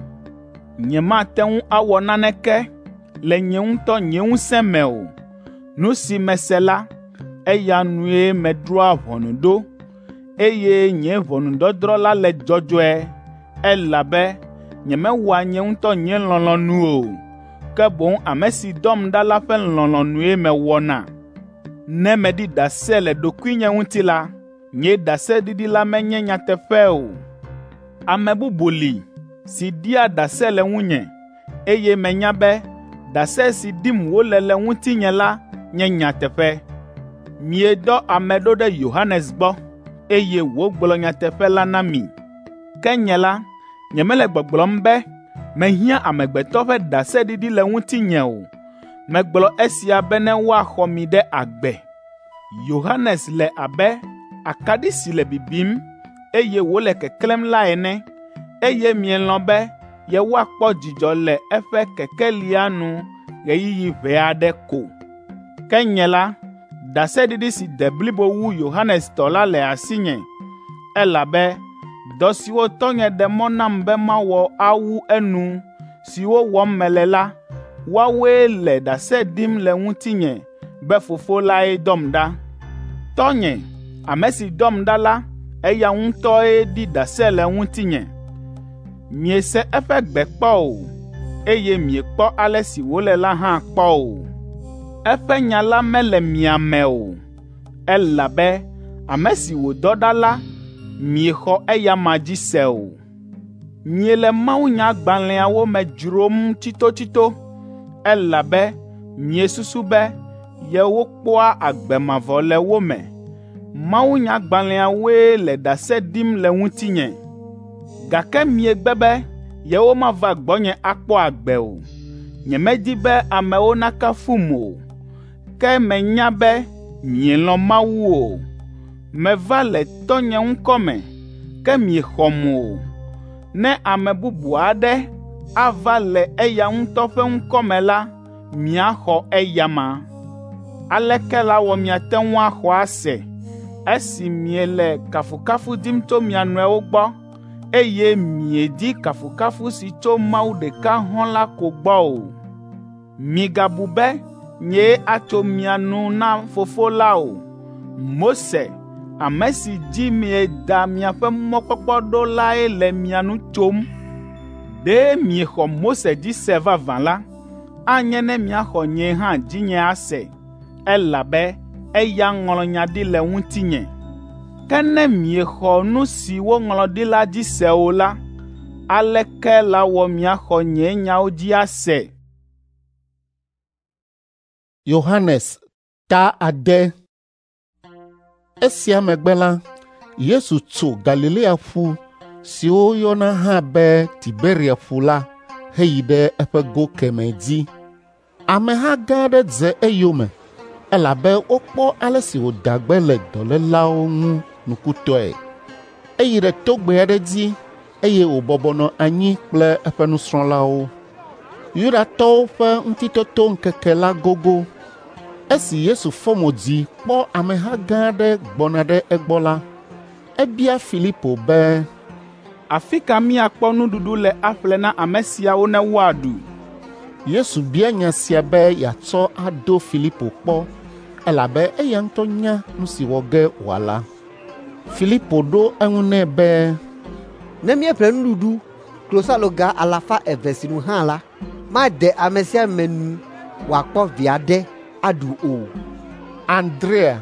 Nyemate ŋu awɔ naneke le nye ŋutɔ nye ŋusẽ me o. Nu si mese la, eya nue medrɔ̃a ʋɔnu ɖo, eye nye ʋɔnudɔdrɔ̃ la le dzɔdzɔe, elabe nyemewɔa nye ŋutɔ nye lɔlɔ̃nu o, ke boŋ ame si dɔm ɖa la ƒe lɔlɔ̃nue mewɔna. Ne meɖi ɖase le ɖokuinye ŋuti la, nye ɖaseɖiɖi la menye nyateƒe o. Ame bubu li si ɖia ɖase le ŋunye, eye menya be ɖase si ɖim wole le ŋutinye la nye nyateƒe. Miedɔ ame ɖo ɖe Yohanes gbɔ, eye wògblɔ nyateƒe la na mi. Ke nye la, nyemele gbɔgblɔm be mehiã amegbetɔ ƒe ɖaseɖiɖi le ŋutinye o. Megblɔ esia bene woaxɔ mi ɖe agbe. Yohanes le abe akaɖi si le bibim, eye wòle keklẽm la ene, eye mielɔ̃ be yewoakpɔ dzidzɔ le eƒe kekelia nu ɣeyiɣi ʋɛ aɖe ko. Ke nye la, ɖaseɖiɖi si de blibo wu Yohanes tɔ la le asinye, elabe dɔ siwo tɔnye ɖe mɔ nam be mawɔ awu enu, siwo wɔm mele la, woawoe le ɖase ɖim le ŋutinye be Fofo lae dɔm ɖa. Tɔnye, ame si dɔm ɖa la, eya ŋutɔe ɖi ɖase le ŋutinye. Miese eƒe gbe kpɔ o, eye miekpɔ ale si wòle la hã kpɔ o. Eƒe nya la mele mia me o, elabe ame si wòdɔ ɖa la, miexɔ eyama dzi se o. Miele mawunyagbalẽawo me dzrom tsitotsito, elabe miesusu be yewokpɔa agbe mavɔ le wo me. Mawunyagbalẽawoe le ɖase ɖim le ŋutinye, gake miegbe be yewomava gbɔnye akpɔ agbe o. Nyemedi be amewo nakafum o, ke menya be mielɔ̃ Mawu o. Meva le tɔnye ŋkɔ me, ke miexɔm o. Ne ame bubu aɖe ava le eya ŋutɔ ƒe ŋkɔ me la, miaxɔ eyama. Aleke lawɔ miate ŋu axɔ ase esi miele kafukafu dim tso mia nɔewo gbɔ, eye miedi kafukafu si tso Mawu ɖeka hɔ̃ la ko gbɔ o? Migabu be nyee atso mia nu na Fofo la o. Mose, ame si dzi mieda miaƒe mɔkpɔkpɔ ɖo lae le mia nu tsom. Ɖe miexɔ Mose dzi se vavã la, anye ne miaxɔ nye hã dzinye ase, elabe eya ŋlɔ nya ɖi le ŋutinye. Ke ne miexɔ nu si woŋlɔ ɖi la dzi se o la, aleke lawɔ miaxɔ nye nyawo dzi ase? Yohanes ta 6. Esia megbe la, Yesu tso Galilea ƒu si woyɔna hã be Tiberia ƒu la heyi ɖe eƒe go kemɛ dzi. Ameha gã aɖe dze eyome, elabe wokpɔ ale si wòda gbe le dɔlélawo ŋu nukutɔe. Eyi ɖe togbɛ aɖe dzi eye wòbɔbɔ nɔ anyi kple eƒe nusrɔ̃lawo. Yudatɔwo ƒe Ŋutitotoŋkeke la gogo. Esi Yesu fɔ mo dzi kpɔ ameha gã aɖe gbɔna ɖe egbɔ la, ebia Filipo be, “Afi ka míakpɔ nuɖuɖu le aƒle na ame siawo ne woaɖu?” Yesu bia nya sia be yeatsɔ ado Filipo kpɔ, elabe eya ŋutɔ nya nu si wɔ ge wòala. Filipo ɖo eŋu nɛ be, “Ne míeƒle nuɖuɖu klosaloga 200 sinu hã la, made ame sia ame nu wòakpɔ vi aɖe aɖu o.” Andrea,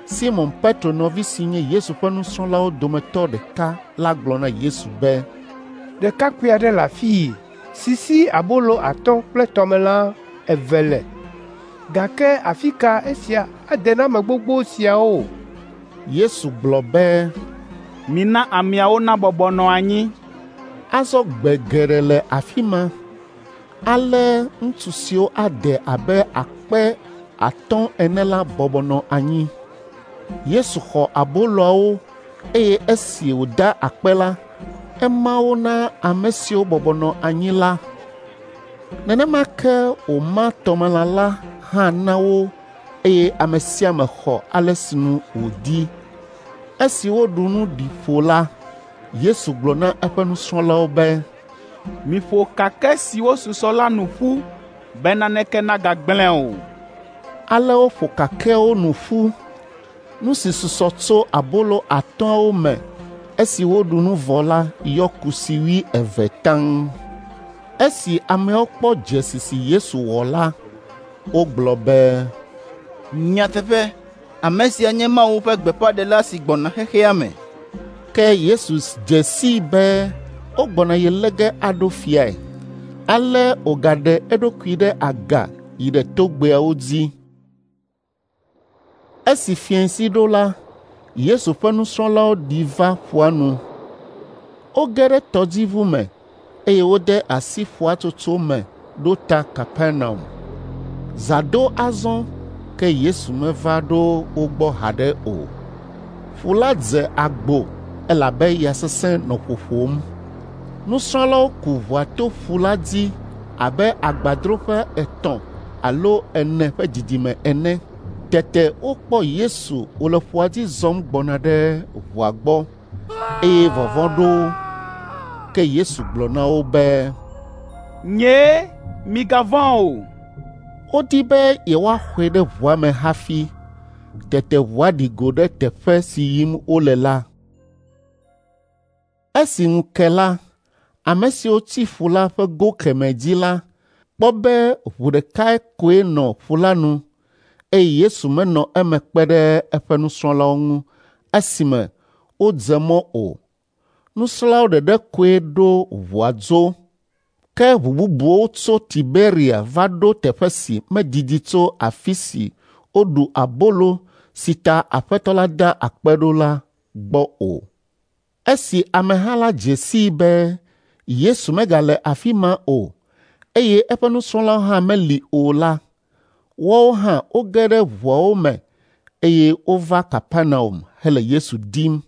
Simɔn Petro nɔvi si nye Yesu ƒe nusrɔ̃lawo dometɔ ɖeka la gblɔ na Yesu be, “Ɖekakpui aɖe le afii si si abolo 5 kple tɔmelã 2 le, gake afi ka esia ade na ame gbogbo siawo?” Yesu gblɔ be, “Mina ameawo nabɔbɔ nɔ anyi.” Azɔ gbe geɖe le afi ma. Ale ŋutsu siwo ade abe 3,000 ene la bɔbɔ nɔ anyi. Yesu xɔ aboloawo eye esi wòda akpe la, ema wo na ame siwo bɔbɔ nɔ anyi la. Nenema ke wòma tɔmelã la hã na wo eye ame sia ame xɔ ale sinu wòdi. Esi woɖu nu ɖi ƒo la, Yesu gblɔ na eƒe nusrɔ̃lawo be, “Miƒo kakɛ siwo susɔ la nu ƒu be naneke nagagblẽ o.” Ale woƒo kakɛawo nu ƒu. Nu si susɔ tso abolo atɔ̃awo me esi woɖu nu vɔ la yɔ kusi 20 taŋ. Esi ameawo kpɔ dzesi si Yesu wɔ la, wogblɔ be, “Nyateƒe, ame sia nye Mawu ƒe gbeƒãɖela si gbɔna xexea me.” Ke Yesu dze sii be wogbɔna ye lé ge aɖo fiae. Ale wògaɖe eɖokui ɖe aga yi ɖe togbɛawo dzi. Esi fiẽsi ɖo la, Yesu ƒe nusrɔ̃lawo ɖi va ƒua nu. Woge ɖe tɔdziʋu me eye wode asi ƒua tsotso me ɖo ta Kapernaum. Zã do azɔ ke Yesu meva ɖo wo gbɔ haɖe o. Ƒu la dze agbo elabe ya sesẽ nɔ ƒoƒom. Nusrɔ̃lawo ku ʋua to ƒu la dzi abe agbadroƒe 3 alo 4 ƒe didime ene. Tete wokpɔ Yesu wòle ƒua dzi zɔm gbɔna ɖe ʋua gbɔ eye vɔvɔ̃ ɖo wo. Ke Yesu gblɔ na wo be, “Nyee, migavɔ̃ o.” Wodi be yewoaxɔe ɖe ʋua me hafi. Tete ʋua ɖi go ɖe teƒe si yim wole la. Esi ŋu ke la, ame siwo tsi ƒu la ƒe go kemɛ dzi la kpɔ be ʋu ɖekae koe nɔ ƒu la nu eye Yesu menɔ eme kpe ɖe eƒe nusrɔ̃lawo ŋu esime wodze mɔ o. Nusrɔ̃lawo ɖeɖe koe ɖo ʋua dzo. Ke ʋu bubuwo tso Tiberia va ɖo teƒe si medidi tso afi si woɖu abolo si ta Aƒetɔ la da akpe ɖo la gbɔ o. Esi ameha la dze sii be Yesu megale afi ma o eye eƒe nusrɔ̃lawo hã meli o la, woawo hã woge ɖe ʋuawo me eye wova Kapernaum hele Yesu dim.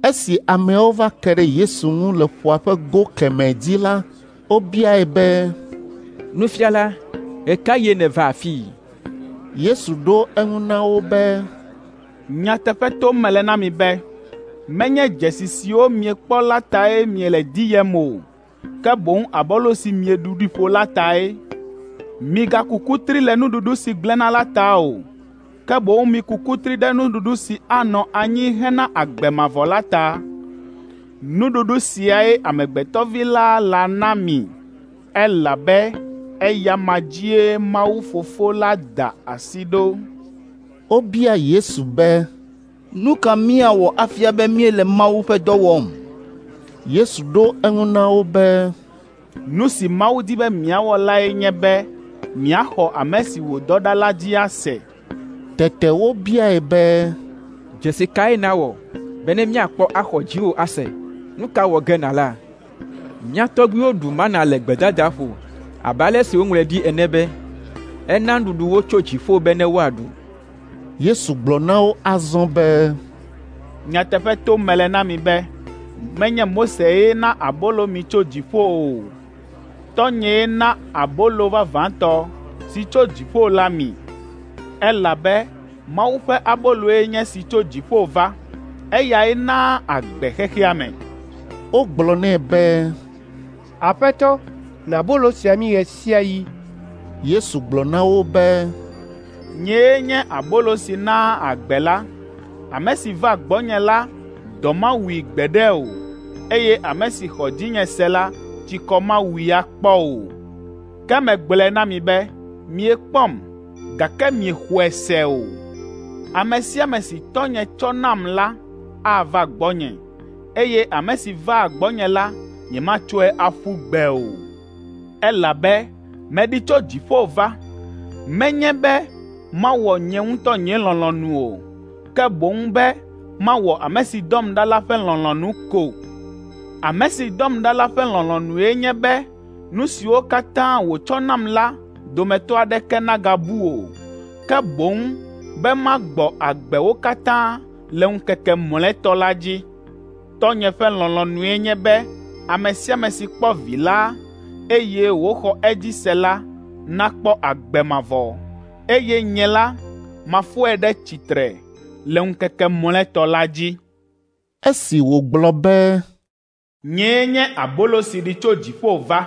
Esi ameawo va ke ɖe Yesu ŋu le ƒua ƒe go kemɛ dzi la, wobiae be, “Nufiala, ɣe ka ɣie nèva afii?” Yesu ɖo eŋu na wo be, “Nyateƒe tom mele na mi be, menye dzesi siwo miekpɔ la tae miele diyem o, ke boŋ abolo si mieɖu ɖi ƒo la tae. Migaku kutri le nuɖuɖu si gblẽna la ta o, ke boŋ miku kutri ɖe nuɖuɖu si anɔ anyi hena agbe mavɔ la ta. Nuɖuɖu siae Amegbetɔvi la lana mi, elabe eya ma dzie Mawu Fofo la da asi ɖo.” Wobia Yesu be, “Nu ka míawɔ afia be míele Mawu ƒe dɔ wɔm?” Yesu ɖo eŋu na wo be, “Nu si Mawu di be miawɔ lae nye be miaxɔ ame si wòdɔ ɖa la dzi ase.” Tete wobiae be, “Dzesi kae nàwɔ bene míakpɔ axɔ dziwò ase? Nu ka wɔ ge nàla? Mía tɔgbuiwo ɖu mana le gbedadaƒo abe ale si woŋlɔe ɖi ene be, ‘Ena nuɖuɖu wo tso dziƒo bene woaɖu.’ ” Yesu gblɔ na wo azɔ be, “Nyateƒe tom mele na mi be, menye Mosee na abolo mi tso dziƒo o. Tɔ́nyee na abolo vavãtɔ si tso dziƒo la mi. Elabe Mawu ƒe aboloe nye esi tso dziƒo va, eyae naa agbe xexea me.” Wogblɔ nɛ be, “Aƒetɔ, na abolo sia mí ɣe sia ɣi.” Yesu gblɔ na wo be, “Nyee nye abolo si naa agbe la. Ame si va gbɔnye la, dɔ mawui gbeɖe o, eye ame si xɔ dzinye se la, tsikɔ mawui akpɔ o. Ke megblɔe na mi be miekpɔm, gake miexɔe se o. Ame sia ame si Tɔ́nye tsɔ nam la ava gbɔnye, eye ame si vaa gbɔnye la, nyematsɔe aƒu gbe o. Elabe meɖi tso dziƒo va, menye be mawɔ nye ŋutɔ nye lɔlɔ̃nu o, ke boŋ be mawɔ ame si dɔm ɖa la ƒe lɔlɔ̃nu ko. Ame si dɔm ɖa la ƒe lɔlɔ̃nue nye be nu siwo katã wòtsɔ nam la dometɔ aɖeke nagabu o, ke boŋ be magbɔ agbe wo katã le ŋkeke mlɔetɔ la dzi. Tɔ́nye ƒe lɔlɔ̃nue nye be ame sia ame si kpɔ Vi la, eye wòxɔ edzi se la nakpɔ agbe mavɔ, eye nye la, mafɔe ɖe tsitre le ŋkeke mlɔetɔ la dzi.” Esi wògblɔ be, “Nyee nye abolo si ɖi tso dziƒo va”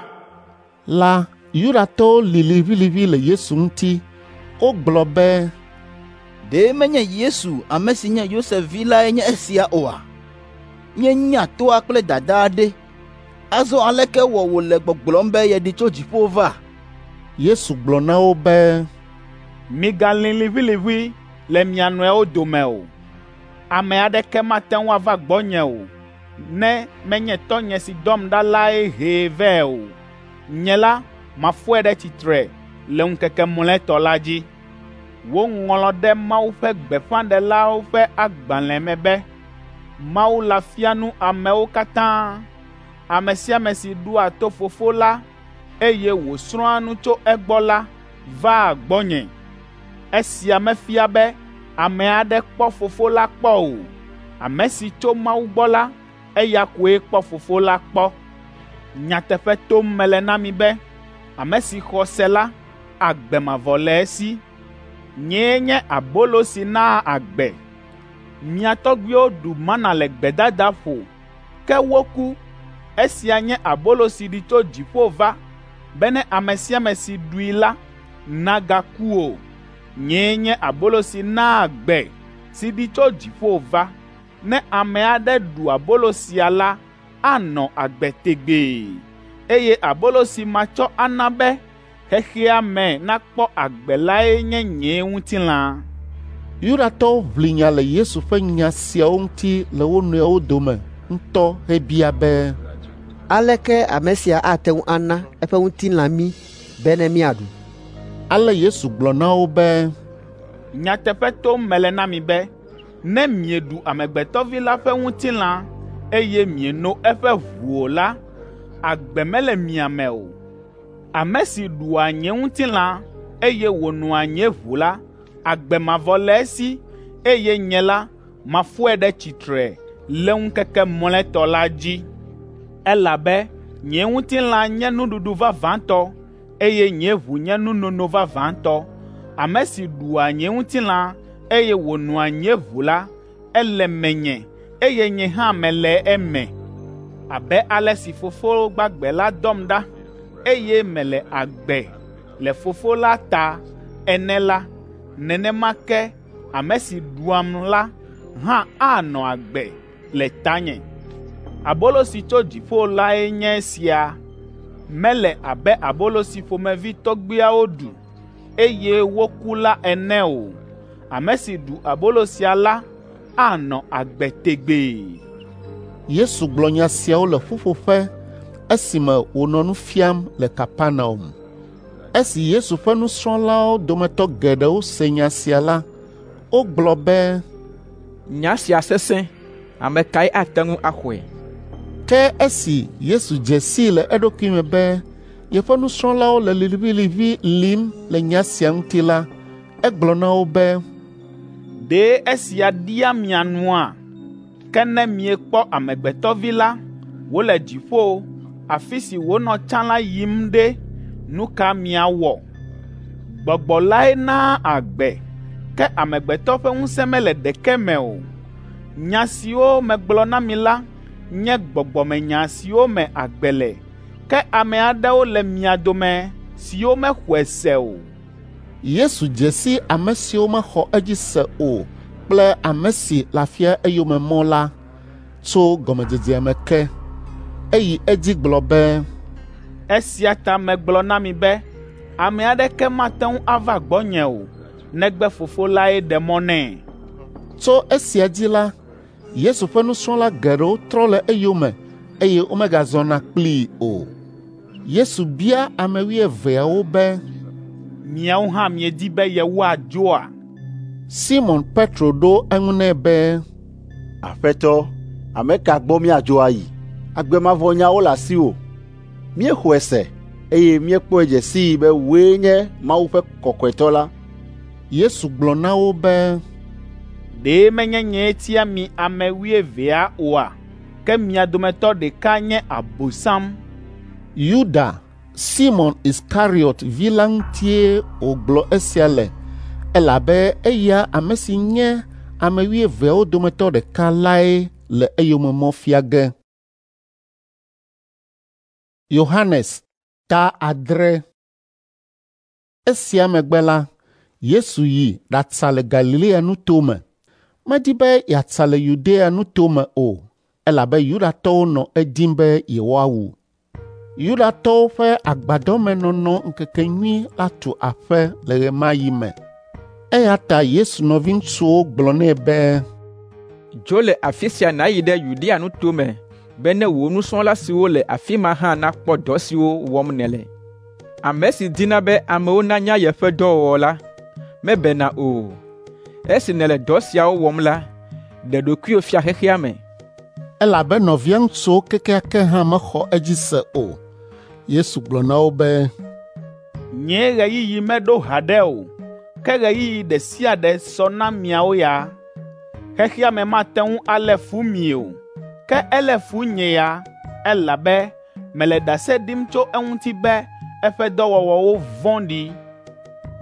la, Yudatɔwo li liʋĩliʋĩ le Yesu ŋuti. Wogblɔ be, “Ɖe menye Yesu, ame si nye Yosef vi lae nye esia oa? Míenya toa kple dadaa ɖe. Azɔ aleke wɔ wòle gbɔgblɔm be yeɖi tso dziƒo va?” Yesu gblɔ na wo be, “Migalĩ liʋĩliʋĩ le mia nɔewo dome o. Ame aɖeke mate ŋu ava gbɔnye o, ne menye Tɔ́nye si dɔm ɖa lae hee vɛ o. Nye la, mafɔe ɖe tsitre le ŋkeke mlɔetɔ la dzi. Woŋlɔ ɖe Mawu ƒe gbeƒãɖelawo ƒe agbalẽ me be, ‘Mawu la fia nu amewo katã.’ Ame sia ame si ɖoa to Fofo la, eye wòsrɔ̃a nu tso egbɔ la, vaa gbɔnye. Esia mefia be ame aɖe kpɔ Fofo la kpɔ o. Ame si tso Mawu gbɔ la, eya koe kpɔ Fofo la kpɔ. Nyateƒe tom mele na mi be, ame si xɔ se la, agbe mavɔ le esi. Nyee nye abolo si naa agbe. Mia tɔgbuiwo ɖu mana le gbedadaƒo, ke woku. Esia nye abolo si ɖi tso dziƒo va, bene ame sia ame si ɖui la nagaku o. Nyee nye abolo si naa agbe, si ɖi tso dziƒo va. Ne ame aɖe ɖu abolo sia la, anɔ agbe tegbee. Eye abolo si matsɔ ana be xexea me nakpɔ agbe lae nye nye ŋutilã.” Yudatɔwo ʋli nya le Yesu ƒe nya siawo ŋuti le wo nɔewo dome ŋutɔ hebia be, “Aleke ame sia ate ŋu ana eƒe ŋutilã mí bene míaɖu?” Ale Yesu gblɔ na wo be, “Nyateƒe tom mele na mi be, ne mieɖu Amegbetɔ Vi la ƒe ŋutilã, eye mieno eƒe ʋu o la, agbe mele mia me o. Ame si ɖua nye ŋutilã, eye wònoa nye ʋu la, agbe mavɔ le esi, eye nye la, mafɔe ɖe tsitre le ŋkeke mlɔetɔ la dzi. Elabe nye ŋutilã nye nuɖuɖu vavãtɔ, eye nye ʋu nye nunono vavãtɔ. Ame si ɖua nye ŋutilã, eye wònoa nye ʋu la, ele menye, eye nye hã mele eme. Abe ale si Fofo gbagbe la dɔm ɖa, eye mele agbe le Fofo la ta ene la, nenema ke ame si ɖuam la hã anɔ agbe le tanye. Abolo si tso dziƒo lae nye esia. Mele abe abolo si ƒomevi tɔgbuiawo ɖu, eye woku la ene o. Ame si ɖu abolo sia la anɔ agbe tegbee.” Yesu gblɔ nya siawo le ƒuƒoƒe esime wònɔ nu fiam le Kapernaum. Esi Yesu ƒe nusrɔ̃lawo dometɔ geɖewo se nya sia la, wogblɔ be, “Nya sia sesẽ, ame kae ate ŋu axɔe?” Ke esi Yesu dze sii le eɖokui me be yeƒe nusrɔ̃lawo le liʋĩliʋĩ lim le nya sia ŋuti la, egblɔ na wo be, “Ɖe esia ɖia mia nua? Ke ne miekpɔ Amegbetɔ Vi la wòle dziƒo, afi si wònɔ tsã la yim ɖe, nu ka miawɔ? Gbɔgbɔ lae naa agbe, ke amegbetɔ ƒe ŋusẽ mele ɖeke me o. Nya siwo megblɔ na mi la nye gbɔgbɔmenya siwo me agbe le, ke ame aɖewo le mia dome siwo mexɔe se o.” Yesu dze si ame siwo mexɔ edzi se o kple ame si le afia eyome mɔ la tso gɔmedzedzea me ke. Eyi edzi gblɔ be, “Esia ta megblɔ na mi be ame aɖeke mate ŋu ava gbɔnye o, negbe Fofo lae ɖe mɔ nɛ.” Tso esia dzi la, Yesu ƒe nusrɔ̃la geɖewo trɔ le eyome eye womegazɔna kplii o. Yesu bia ame wuieveawo be, “Miawo hã miedi be yewoadzoa?” Simɔn Petro ɖo eŋu nɛ be, “Aƒetɔ, ame ka gbɔ míadzo ayi? Agbe mavɔ nyawo le asiwò. Míexɔe se, eye míekpɔe dze sii be wòe nye Mawu ƒe Kɔkɔetɔ la.” Yesu gblɔ na wo be, “Ɖe menye nyee tia mi ame wuievea oa? Ke mia dometɔ ɖeka nye Abosam.” Yuda, Simɔn Iskariɔt vi la ŋutie wògblɔ esia le, elabe eya ame si nye ame wuieveawo dometɔ ɖeka lae le eyome mɔ fia ge. Yohanes ta 6. Esia megbe la, Yesu yi ɖatsa le Galilea nutome. Medi be yeatsa le Yudea nutome o, elabe Yudatɔwo nɔ edim be yewoawu. Yudatɔwo ƒe agbadɔmenɔnɔ ŋkekenyui la tu aƒe le ɣe ma ɣi me. Eya ta Yesu nɔviŋutsuwo gblɔ nɛ be, “Dzo le afi sia nàyi ɖe Yudea nutome be ne wò nusrɔ̃la siwo le afi ma hã nakpɔ dɔ siwo wɔm nèle. Ame si dina be amewo nanya yeƒe dɔwɔwɔ la, mebena o. Esi nèle dɔ siawo wɔm la, ɖe ɖokuiwò fia xexea me.” Elabe nɔvia ŋutsuwo kekeake hã mexɔ edzi se o. Yesu gblɔ na wo be, “Nye ɣeyiɣi meɖo haɖe o, ke ɣeyiɣi ɖe sia ɖe sɔ na miawo ya. Xexea me mate ŋu alé fu mi o, ke elé fu nye ya, elabe mele ɖase ɖim tso eŋuti be eƒe dɔwɔwɔwo vɔ̃ɖi.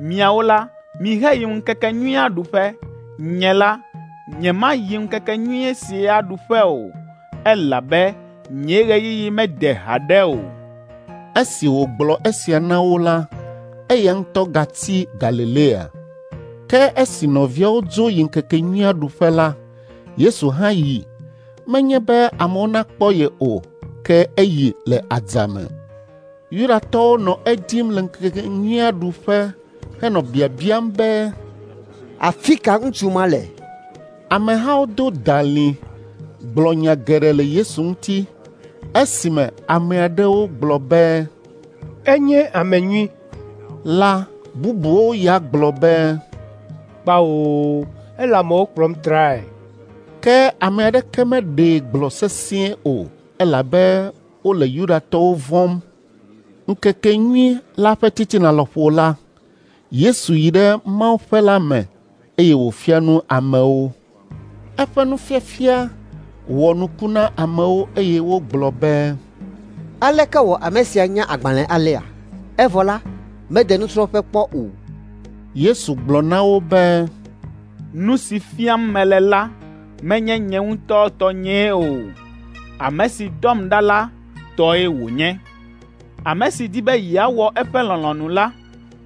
Miawo la, miheyi ŋkekenyuia ɖuƒe. Nye la, nyemayi ŋkekenyui sia ɖuƒe o, elabe nye ɣeyiɣi mede haɖe o.” Esi wògblɔ esia na wo la, eya ŋutɔ gatsi Galilea. Ke esi nɔviawo dzo yi ŋkekenyuia ɖuƒe la, Yesu hã yi, menye be amewo nakpɔ ye o, ke eyi le adzame. Yudatɔwo nɔ edim le ŋkekenyuia ɖuƒe henɔ biabiam be, “Afi ka ŋutsu ma le?” Amehawo do dalĩ gblɔ nya geɖe le Yesu ŋuti esime ame aɖewo gblɔ be, “Enye ame nyui” la, bubuwo ya gblɔ be, “Kpao, ele amewo kplɔm trae.” Ke ame aɖeke meɖee gblɔ sesĩe o, elabe wole Yudatɔwo vɔ̃m. Ŋkekenyui la ƒe titina lɔƒo la, Yesu yi ɖe mawuƒe la me eye wòfia nu amewo. Eƒe nufiafia wɔ nuku na amewo eye wogblɔ be, “Aleke wɔ ame sia nya agbalẽ alea? Evɔ la, mede nusrɔ̃ƒe kpɔ o.” Yesu gblɔ na wo be, “Nu si fiam mele la menye nye ŋutɔ tɔnyee o. Ame si dɔm ɖa la tɔe wònye. Ame si di be yeawɔ eƒe lɔlɔ̃nu la,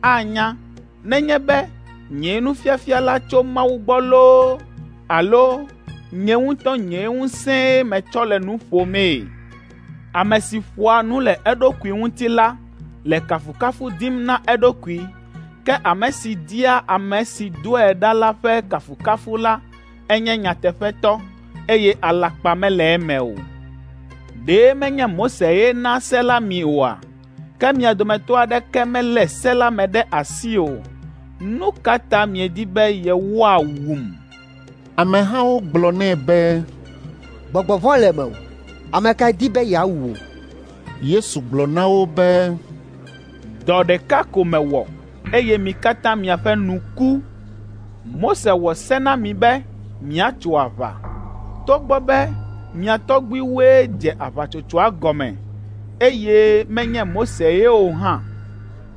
anya nenye be nye nufiafia la tso Mawu gbɔ loo alo nye ŋutɔ nye ŋusẽe metsɔ le nu ƒomee. Ame si ƒoa nu le eɖokui ŋuti la le kafukafu dim na eɖokui, ke ame si dia ame si dɔe ɖa la ƒe kafukafu la enye nyateƒetɔ, eye alakpa mele eme o. Ɖe menye Mose ye na se la mi oa? Ke mia dometɔ aɖeke melé se la me ɖe asi o. Nu ka ta miedi be yewoawum?” Amehawo gblɔ nɛ be, “Gbɔgbɔ vɔ̃ le mewò. Ame kae di be yeawu wò?” Yesu gblɔ na wo be, “Dɔ ɖeka ko mewɔ, eye mi katã miaƒe nu ku. Mose wɔ se na mi be miatso aʋa, togbɔ be mia tɔgbuiwoe dze aʋatsotsoa gɔme, eye menye Mose ye o hã,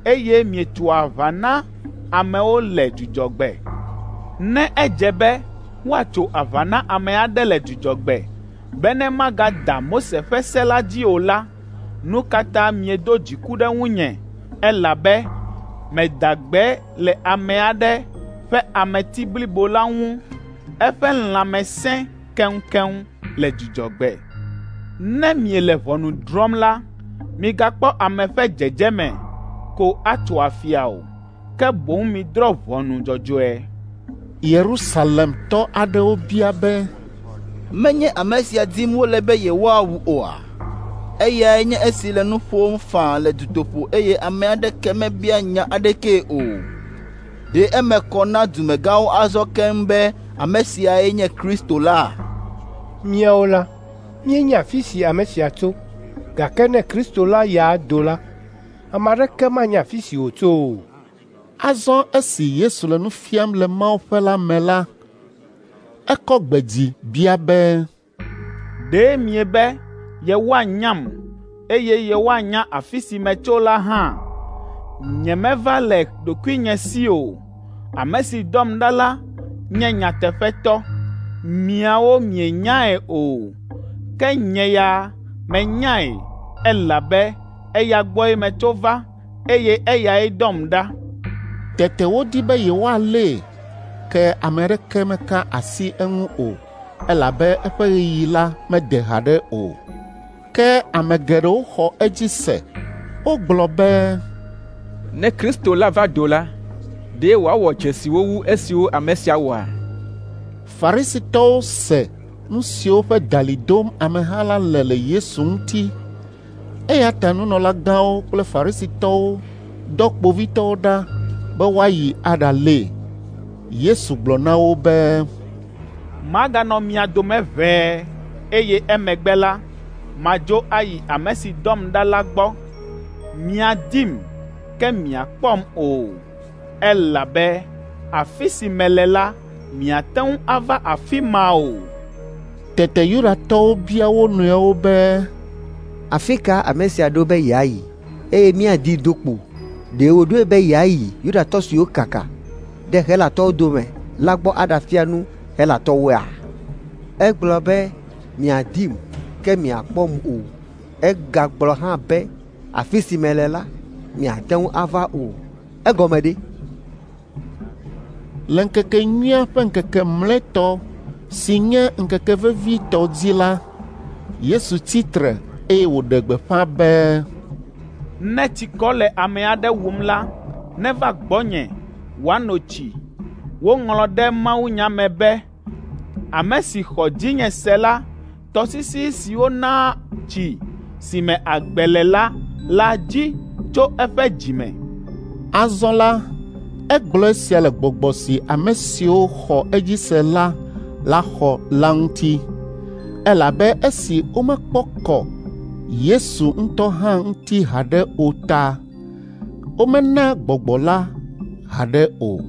eye mietso aʋa na amewo le Dzudzɔgbe. Ne edze be woatso aʋa na ame aɖe le Dzudzɔgbe bene magada Mose ƒe se la dzi o la, nu ka ta miedo dziku ɖe ŋunye elabe meda gbe le ame aɖe ƒe ameti blibo la ŋu eƒe lãme sẽ keŋkeŋ le Dzudzɔgbe? Ne miele ʋɔnu drɔ̃m la, migakpɔ ame ƒe dzedzeme ko atso afia o, ke boŋ midrɔ̃ ʋɔnu dzɔdzɔe.” Yerusalemtɔ aɖewo bia be, “Menye ame sia dim wole be yewoawu oa? Eyae nye esi le nu ƒom faa le dutoƒo eye ame aɖeke mebia nya aɖekee o. Ɖe eme kɔ na dumegãwo azɔ keŋ be ame siae nye Kristo la?” Míawo la, míenya afi si ame sia tso, gake ne Kristo la ya do la, ame aɖeke manya afi si wòtso o. Azɔ esi Yesu le nu fiam le mawuƒe la me la, ekɔ gbe dzi bia be, “Ɖe miebe yewoanyam eye yewoanya afi si metso la hã? Nyemeva le ɖokuinye si o. Ame si dɔm ɖa la nye nyateƒetɔ. Miawo mienyae o, ke nye ya menyae, elabe eya gbɔe metso va, eye eyae dɔm ɖa.” Tete wodi be yewoalée, ke ame aɖeke meka asi eŋu o, elabe eƒe ɣeyiɣi la mede haɖe o. Ke ame geɖewo xɔ edzi se. Wogblɔ be, “Ne Kristo la va do la, ɖe wòawɔ dzesiwo wu esiwo ame sia wɔa?” Farisitɔwo se nu siwo ƒe dalĩ dom ameha la le le Yesu ŋuti. Eya ta nunɔlagãwo kple Farisitɔwo dɔ kpovitɔwo ɖa be woayi aɖalée. Yesu gblɔ na wo be, “Maganɔ mia dome ʋɛe, eye emegbe la, madzo ayi ame si dɔm ɖa la gbɔ. Miadim, ke miakpɔm o, elabe afi si mele la, miate ŋu ava afi ma o.” Tete Yudatɔwo bia wo nɔewo be, “Afi ka ame sia ɖo be yeayi eye míadii do kpo? Ɖe wòɖoe be yeayi Yudatɔ siwo kaka ɖe Helatɔwo dome la gbɔ aɖafia nu Helatɔwoea? Egblɔ be, ‘Miadim, ke miakpɔm o.’ Egagblɔ hã be, ‘Afi si mele la, miate ŋu ava o.’ Egɔme ɖe?” Le ŋkekenyuia ƒe ŋkeke mlɔetɔ si nye ŋkeke vevitɔ dzi la, Yesu tsi tre eye wòɖe gbeƒã be, “Ne tsikɔ le ame aɖe wum la, neva gbɔnye wòano tsi. Woŋlɔ ɖe mawunya me be, ‘Ame si xɔ dzinye se la, tɔsisi siwo naa tsi si me agbe le la la dzi tso eƒe dzi me.’ ” Azɔ la, egblɔ esia le gbɔgbɔ si ame siwo xɔ edzi se la laxɔ la ŋuti, elabe esi womekpɔ kɔ Yesu ŋutɔ hã ŋuti haɖe o ta, womena gbɔgbɔ la haɖe o.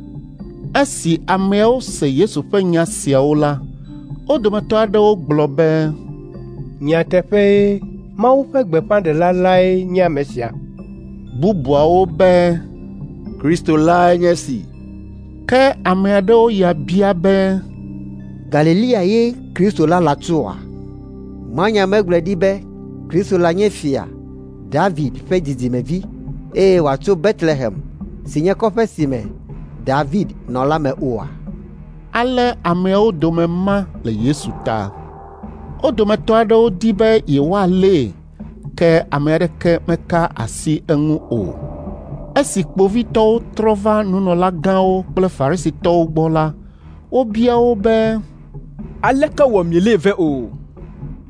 Esi ameawo se Yesu ƒe nya siawo la, wo dometɔ aɖewo gblɔ be, “Nyateƒee, Mawu ƒe gbeƒãɖela lae nye ame sia.” Bubuawo be, “Kristo lae nye esi.” Ke ame aɖewo ya bia be, “Galilea ye Kristo la latsoa? Mawunya megblɔe ɖi be Kristo la nye fia, David ƒe dzidzimevi, eye wòatso Betlehem si nye kɔƒe si me David nɔ la me oa?” Ale ameawo dome ma le Yesu ta. Wo dometɔ aɖewo di be yewoalée, ke ame aɖeke meka asi eŋu o. Esi kpovitɔwo trɔ va nunɔlagãwo kple Farisitɔwo gbɔ la, wobia wo be, “Aleke wɔ mielée vɛ o?”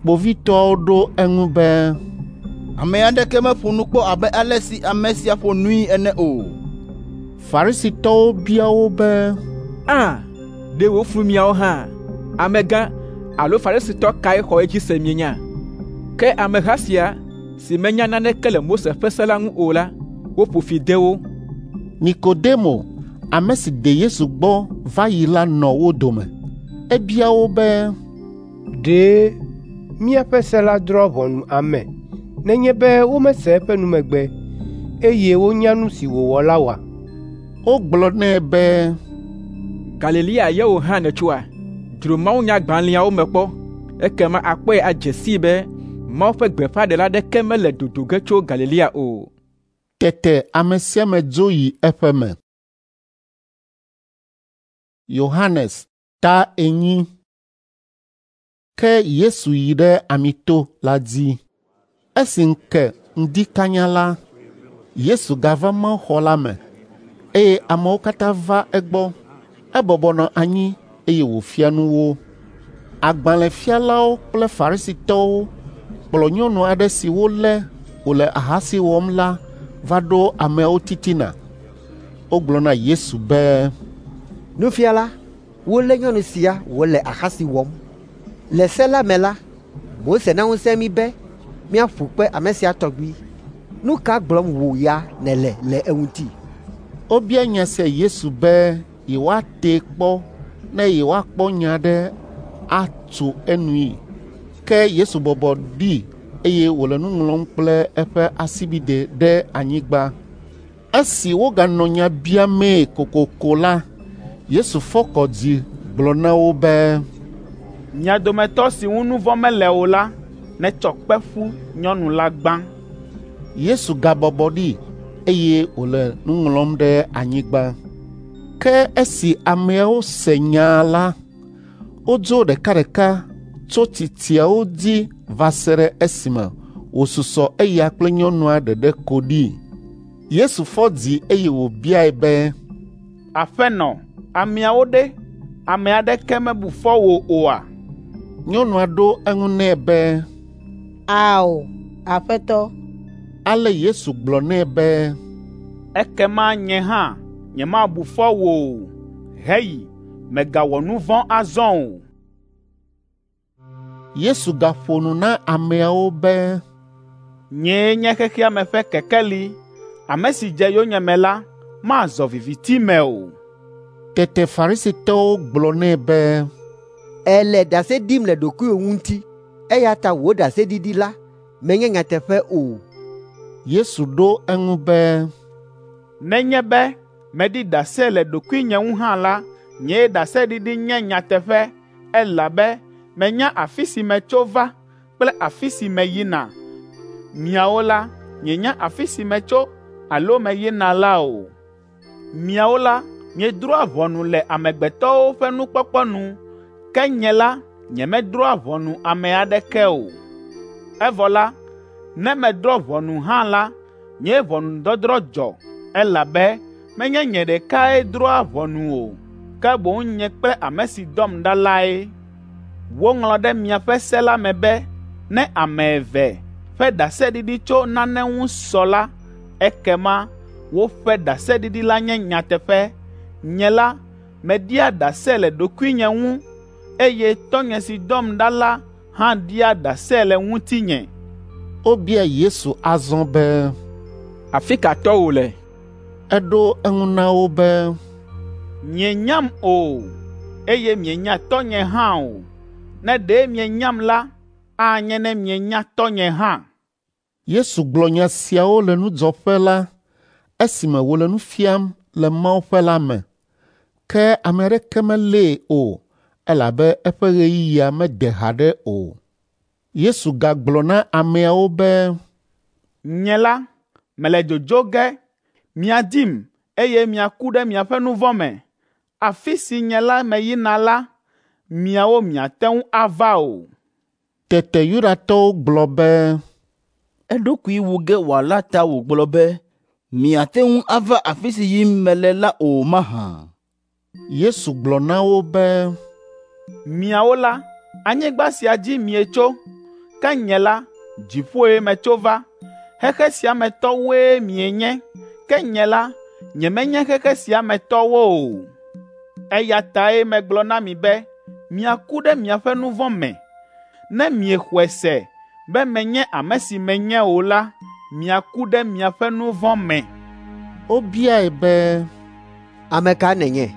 Kpovitɔawo ɖo eŋu be, “Ame aɖeke meƒo nu kpɔ abe ale si ame sia ƒo nui ene o.” Farisitɔwo bia wo be, “Ã, ɖe wòflu miawo hã? Amegã alo Farisitɔ kae xɔ edzi se mienya? Ke ameha sia si menya naneke le Mose ƒe se la ŋu o la, woƒo fi de wo.” Nikodemo, ame si de Yesu gbɔ va yi la nɔ wo dome. Ebia wo be, “Ɖe míaƒe se la drɔ̃a ʋɔnu ame nenye be womese eƒe numegbe, eye wonya nu si wòwɔ la oa?” Wogblɔ nɛ be, “Galilea ye wò hã nètsoa? Dzro mawunyagbalẽawo me kpɔ, ekema àkpɔe adze sii be Mawu ƒe gbeƒãɖela aɖeke mele dodo ge tso Galilea o.” Tete ame sia ame dzo yi eƒe me. Yohanes ta 4. Ke Yesu yi ɖe Amito la dzi. Esi ŋu ke ŋdi kanya la, Yesu gava mawuxɔ la me, eye amewo katã va egbɔ. Ebɔbɔ nɔ anyi eye wòfia nu wo. Agbalẽfialawo kple Farisitɔwo kplɔ nyɔnu aɖe si wolé wòle ahasi wɔm la va ɖo ameawo titina. Wogblɔ na Yesu be, “Nufiala, wolé nyɔnu sia wòle ahasi wɔm. Le se la me la, Mose na ŋusẽ mí be míaƒu kpe ame sia tɔgbi. Nu ka gblɔm wò ya nèle le eŋuti?” Wobia nya sia Yesu be yewoatee kpɔ ne yewoakpɔ nya aɖe atso enui. Ke Yesu bɔbɔ ɖi eye wòle nu ŋlɔm kple eƒe asibidɛ ɖe anyigba. Esi woganɔ nya biamee kokoko la, Yesu fɔ kɔ dzi gblɔ na wo be, Mia dometɔ si ŋu nu vɔ̃ mele o la, netsɔ kpe ƒu nyɔnu la gbã.” Yesu gabɔbɔ ɖi, eye wòle nu ŋlɔm ɖe anyigba. Ke esi ameawo se nyaa la, wodzo ɖekaɖeka tso tsitsiawo dzi va se ɖe esime wòsusɔ eya kple nyɔnua ɖeɖe ko ɖi. Yesu fɔ dzi eye wòbiae be, “Aƒenɔ, ameawo ɖe? Ame aɖeke mebu fɔ wò oa?” Nyɔnua ɖo eŋu nɛ be, “Ao, Aƒetɔ.” Ale Yesu gblɔ nɛ be, “Ekema nye hã nyemabu fɔ wò o. Heyi, mègawɔ nu vɔ̃ azɔ o.” Yesu gaƒo nu na ameawo be, “Nyee nye xexea me ƒe kekeli. Ame si dze yonyeme la, mazɔ viviti me o.” Tete Farisitɔwo gblɔ nɛ be, “Èle ɖase ɖim le ɖokuiwò ŋuti, eya ta wò ɖaseɖiɖi la menye nyateƒe o.” Yesu ɖo eŋu be, “Nenye be meɖi ɖase le ɖokuinye ŋu hã la, nye ɖaseɖiɖi nye nyateƒe, elabe menya afi si metso va kple afi si meyina. Miawo la, mienya afi si metso alo meyina la o. Miawo la, miedrɔ̃a ʋɔnu le amegbetɔwo ƒe nukpɔkpɔ nu, ke nye la, nyemedrɔ̃a ʋɔnu ame aɖeke o. Evɔ la, ne medrɔ̃ ʋɔnu hã la, nye ʋɔnudɔdrɔ̃ dzɔ, elabe menye nye ɖekae drɔ̃a ʋɔnu o, ke boŋ nye kple ame si dɔm ɖa lae. Woŋlɔ ɖe miaƒe se la me be ne ame eve ƒe ɖaseɖiɖi tso nane ŋu sɔ la, ekema woƒe ɖaseɖiɖi la nye nyateƒe. Nye la, meɖia ɖase le ɖokuinye ŋu, eye Tɔ́nye si dɔm ɖa la hã ɖia ɖase le ŋutinye.” Wobia Yesu azɔ be, “Afi ka tɔwò le?” Eɖo eŋu na wo be, “Mienyam o, eye mienya Tɔ́nye hã o. Ne ɖe mienyam la, anye ne mienya Tɔ́nye hã.” Yesu gblɔ nya siawo le nudzɔƒe la esime wòle nu fiam le mawuƒe la me. Ke ame aɖeke melée o, elabe eƒe ɣeyiɣia mede haɖe o. Yesu gagblɔ na ameawo be, “Nye la, mele dzodzo ge, miadim, eye miaku ɖe miaƒe nu vɔ̃ me. Afi si nye la meyina la, miawo miate ŋu ava o.” Tete Yudatɔwo gblɔ be, “Eɖokui wu ge wòala ta wògblɔ be, ‘Miate ŋu ava afi si yim mele la o mahã?’ ” Yesu gblɔ na wo be, “Miawo la, anyigba sia dzi mietso, ke nye la, dziƒoe metso va. Xexe sia me tɔwoe mienye, ke nye la, nyemenye xexe sia me tɔwo o. Eya tae megblɔ na mi be miaku ɖe miaƒe nu vɔ̃ me. Ne miexɔe se be menye ame si menye o la, miaku ɖe miaƒe nu vɔ̃ me.” Wobiae be, “Ame ka nènye?”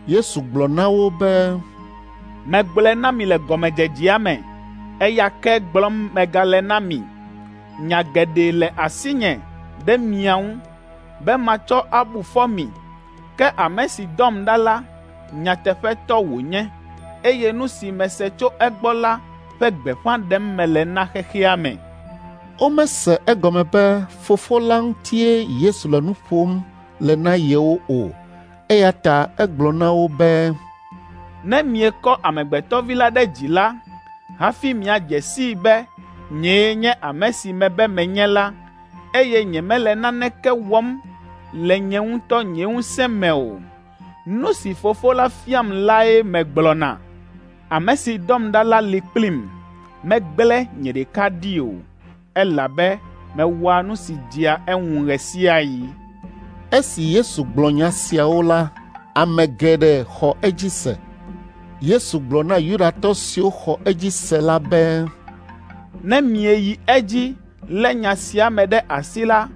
Yesu gblɔ na wo be, “Megblɔe na mi le gɔmedzedzea me, eya ke gblɔm megale na mi. Nya geɖe le asinye ɖe mia ŋu be matsɔ abu fɔ mi, ke ame si dɔm ɖa la, nyateƒetɔ wònye, eye nu si mese tso egbɔ la ƒe gbeƒã ɖem mele na xexea me.” Womese egɔme be Fofo la ŋutie Yesu le nu ƒom le na yewo o, eya ta egblɔ na wo be, “Ne miekɔ Amegbetɔ Vi la ɖe dzi la, hafi miadze sii be nyee nye ame si mebe menye la, eye nyemele naneke wɔm le nye ŋutɔ nye ŋusẽ me o. Nu si Fofo la fiam lae megblɔna. Ame si dɔm ɖa la li kplim, megblẽ nye ɖeka ɖi o, elabe mewɔa nu si dzea eŋu ɣe sia ɣi.” Esi Yesu gblɔ nya siawo la, ame geɖe xɔ edzi se. Yesu gblɔ na Yudatɔ siwo xɔ edzi se la be, “Ne mieyi edzi lé nya sia me ɖe asi la,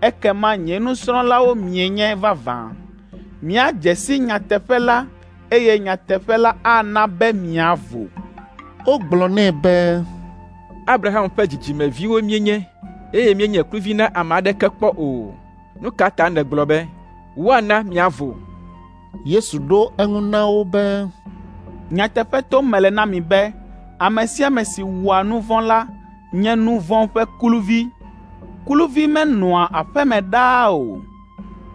ekema nye nusrɔ̃lawo mienye vavã. Miadze si nyateƒe la, eye nyateƒe la ana be miavo.” Wogblɔ nɛ be, “Abraham ƒe dzidzimeviwo míenye, eye míenye kluvi na ame aɖeke kpɔ o. Nu ka ta nègblɔ be, ‘Woana miavo?’ ” Yesu ɖo eŋu na wo be, Nyateƒe tom mele na mi be ame sia ame si wɔa nu vɔ̃ la nye nu vɔ̃ ƒe kluvi. Kluvi menɔa aƒe me ɖaa o,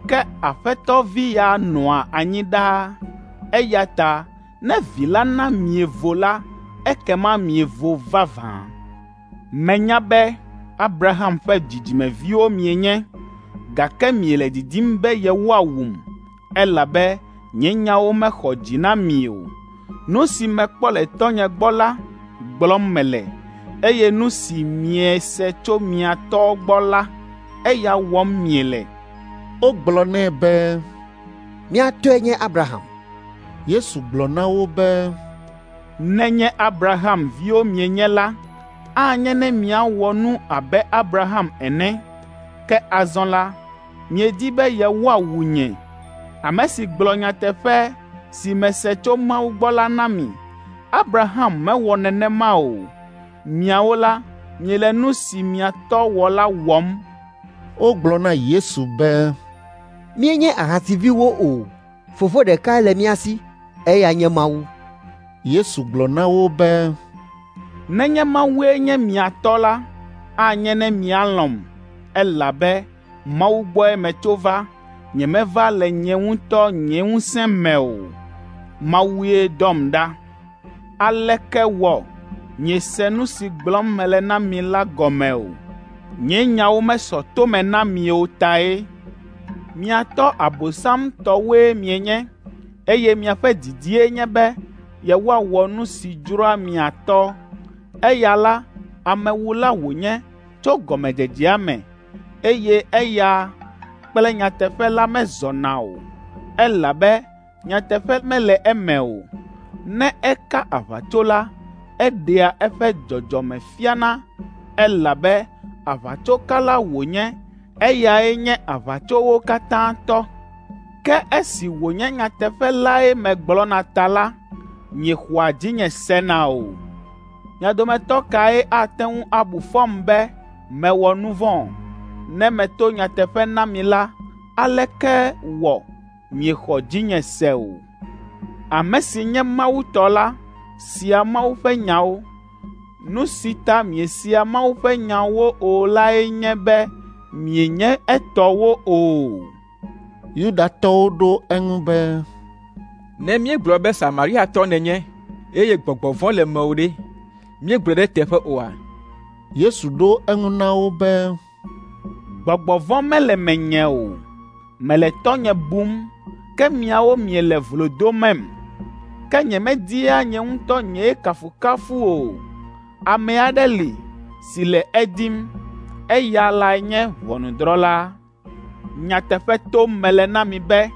ke aƒetɔ vi ya nɔa anyi ɖaa. Eya ta ne Vi la na mievo la, ekema mievo vavã. Menya be Abraham ƒe dzidzimeviwo mienye, gake miele didim be yewoawum, elabe nye nyawo mexɔ dzi na mi o. Nu si mekpɔ le Tɔ́nye gbɔ la gblɔm mele, eye nu si miese tso mia tɔ́ gbɔ la, eya wɔm miele.” Wogblɔ nɛ be, “Mía tɔe nye Abraham.” Yesu gblɔ na wo be, “Nenye Abraham viwo mienye la, anye ne miawɔ nu abe Abraham ene. Ke azɔ la, miedi be yewoawu nye, ame si gblɔ nyateƒe si mese tso Mawu gbɔ la na mi. Abraham mewɔ nenema o. Miawo la, miele nu si mia tɔ́ wɔ la wɔm.” Wogblɔ na Yesu be, “Míenye ahasiviwo o. Fofo ɖekae le mía si, eya nye Mawu.” Yesu gblɔ na wo be, “Nenye Mawue nye mia tɔ́ la, anye ne mialɔ̃m, elabe Mawu gbɔe metso va. Nyemeva le nye ŋutɔ nye ŋusẽ me o. Mawue dɔm ɖa. Aleke wɔ miese nu si gblɔm mele na mi la gɔme o? Nye nyawo mesɔ to me na mi o tae. Mia tɔ́ Abosam tɔwoe mienye, eye miaƒe didie nye be yewoawɔ nu si dzroa mia tɔ́. Eya la, amewula wònye tso gɔmedzedzea me, eye eya kple nyateƒe la mezɔna o, elabe nyateƒe mele eme o. Ne eka aʋatso la, eɖea eƒe dzɔdzɔme fiana, elabe aʋatsokala wònye, eyae nye aʋatsowo katã tɔ. Ke esi wònye nyateƒe lae megblɔna ta la, miexɔa dzinye sena o. Mia dometɔ kae ate ŋu abu fɔm be mewɔ nu vɔ̃? Ne meto nyateƒe na mi la, aleke wɔ miexɔ dzinye se o? Ame si nye Mawu tɔ la sea Mawu ƒe nyawo. Nu si ta miesea Mawu ƒe nyawo o lae nye be mienye etɔwo o.” Yudatɔwo ɖo eŋu be, “Ne míegblɔ be Samariatɔ nènye, eye gbɔgbɔ vɔ̃ le mewò ɖe, míegblɔe ɖe eteƒe oa?” Yesu ɖo eŋu na wo be, “Gbɔgbɔ vɔ̃ mele menye o. Mele Tɔ́nye bum, ke miawo miele vlo domem. Ke nyemedia nye ŋutɔ nye kafukafu o. Ame aɖe li si le edim, eya lae nye ʋɔnudrɔ̃la. Nyateƒe tom mele na mi be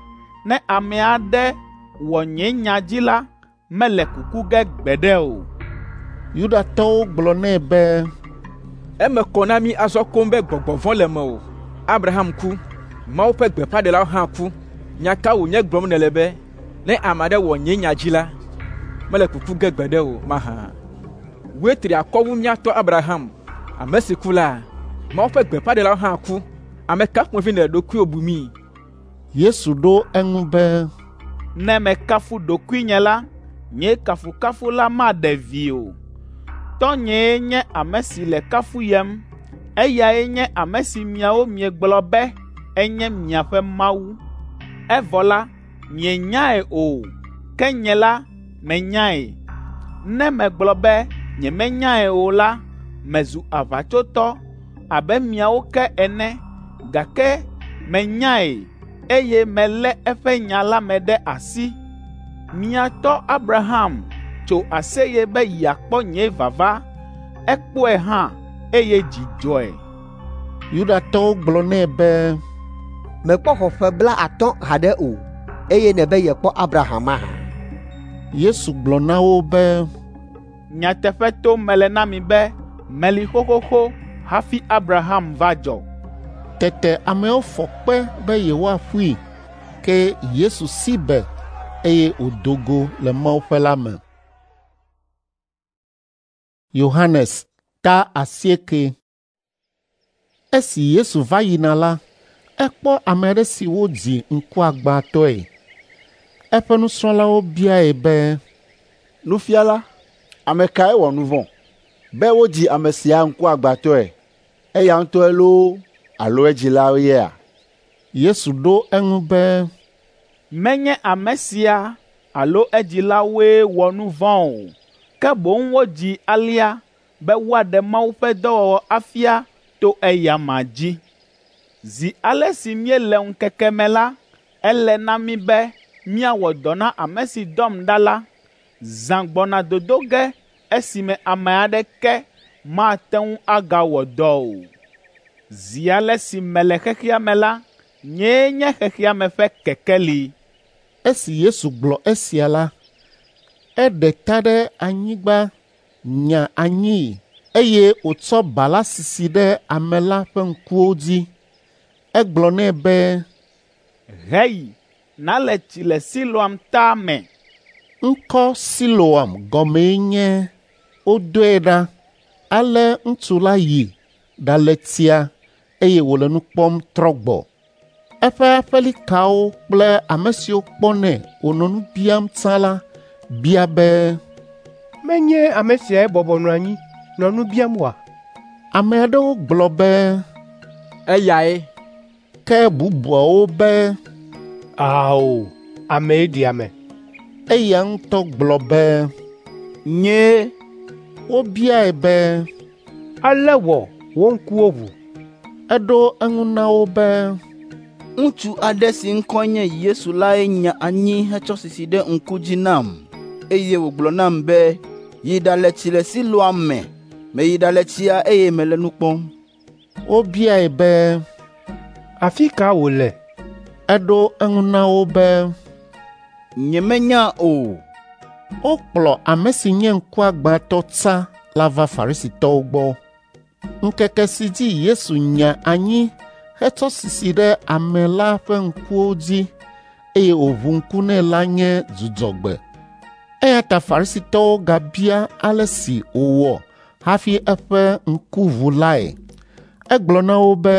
ne ame aɖe wɔ nye nya dzi la, mele kuku ge gbeɖe o.” Yudatɔwo gblɔ nɛ be, “Eme kɔ na mí azɔ koŋ be gbɔgbɔ vɔ̃ le mewò. Abraham ku, Mawu ƒe gbeƒãɖelawo hã ku. Nya ka wònye gblɔm nèle be, ‘Ne ame aɖe wɔ nye nya dzi la, mele kuku ge gbeɖe o’ mahã? Wòe tri akɔ wu mía tɔ́ Abraham, ame si ku la? Mawu ƒe gbeƒãɖelawo hã ku. Ame ka ƒomevi nèle ɖokuiwò bumii?” Yesu ɖo eŋu be, “Ne mekafu ɖokuinye la, nye kafukafu la maɖe vi o. Tɔ́nyee nye ame si le kafuyem. Eyae nye ame si miawo miegblɔ be enye miaƒe Mawu. Evɔ la, mienyae o, ke nye la, menyae. Ne megblɔ be nyemenyae o la, mezu aʋatsotɔ abe miawo ke ene, gake menyae, eye melé eƒe nya la me ɖe asi. Mia tɔ́ Abraham tso aseye be yeakpɔ nye vava. Ekpɔe hã, eye dzi dzɔe.” Yudatɔwo gblɔ nɛ be, “Mèkpɔ xɔ ƒe 50 haɖe o, eye nèbe yekpɔ Abraham mahã?” Yesu gblɔ na wo be, “Nyateƒe tom mele na mi be meli xoxoxo hafi Abraham va dzɔ.” Tete ameawo fɔ kpe be yewoaƒui, ke Yesu si be, eye wòdo go le mawuƒe la me. Yohanes ta 8. Esi Yesu va yina la, ekpɔ ame aɖe si wodzi ŋkuagbãtɔe. Eƒe nusrɔ̃lawo biae be, “Nufiala, ame kae wɔ nu vɔ̃, be wodzi ame sia ŋkuagbãtɔe? Eya ŋutɔe loo alo edzilawo yea?” Yesu ɖo eŋu be, “Menye ame sia alo edzilawoe wɔ nu vɔ̃ o, ke boŋ wodzii alea be woaɖe Mawu ƒe dɔwɔwɔ afia to eya amea dzi. Zi ale si míele ŋkeke me la, ele na mí be míawɔ dɔ na ame si dɔm ɖa la. Zã gbɔna dodo ge esime ame aɖeke mate ŋu agawɔ dɔ o. Zi ale si mele xexea me la, nyee nye xexea me ƒe kekeli.” Esi Yesu gblɔ esia la, eɖe ta ɖe anyigba nya anyii eye wòtsɔ ba la sisi ɖe ame la ƒe ŋkuwo dzi. Egblɔ nɛ be, “Heyi nàle tsi le Siloam ta me.” Ŋkɔ Siloam gɔmee nye wodɔe ɖa. Ale ŋutsu la yi ɖale tsia eye wòle nu kpɔm trɔ gbɔ. Eƒe aƒelikawo kple ame siwo kpɔnɛ wònɔ nu biam tsã la bia be, “Menye ame siae bɔbɔ nɔ anyi nɔ nu biam oa?” Ame aɖewo gblɔ be, “Eyae.” Ke bubuawo be, “Ao, amee ɖi ame.” Eya ŋutɔ gblɔ be, “Nyee.” Wobiae be, “Ale wɔ wò ŋkuwo ʋu?” Eɖo eŋu na wo be, “Ŋutsu aɖe si ŋkɔe nye Yesu lae nya anyi hetsɔ sisi ɖe ŋku dzi nam, eye wògblɔ nam be, ‘Yi ɖale tsi le Siloam me.’ Meyi ɖale tsia eye mele nu kpɔm.” Wobiae be, “Afi ka wòle?” Eɖo eŋu na wo be, “Nyemenya o.” Wokplɔ ame si nye ŋkuagbãtɔ tsã la va Farisitɔwo gbɔ. Ŋkeke si dzi Yesu nya anyi hetsɔ sisi ɖe ame la ƒe ŋkuwo dzi eye wòʋu ŋku nɛ la nye Dzudzɔgbe. Eya ta Farisitɔwo gabia ale si wòwɔ hafi eƒe ŋku ʋu lae. Egblɔ na wo be,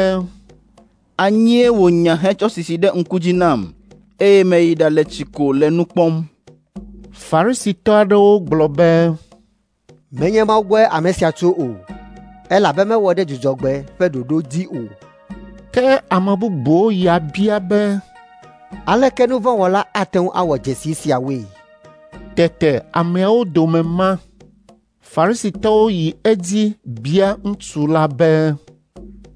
“Anyie wònya hetsɔ sisi ɖe ŋku dzi nam, eye meyi ɖale tsi ko le nu kpɔm.” Farisitɔ aɖewo gblɔ be, “Menye Mawu gbɔe ame sia tso o, elabe mewɔ ɖe Dzudzɔgbe ƒe ɖoɖo dzi o.” Ke ame bubuwo ya bia be, “Aleke nu vɔ̃ wɔla ate ŋu awɔ dzesi siawoe?” Tete ameawo dome ma. Farisitɔwo yi edzi bia ŋutsu la be,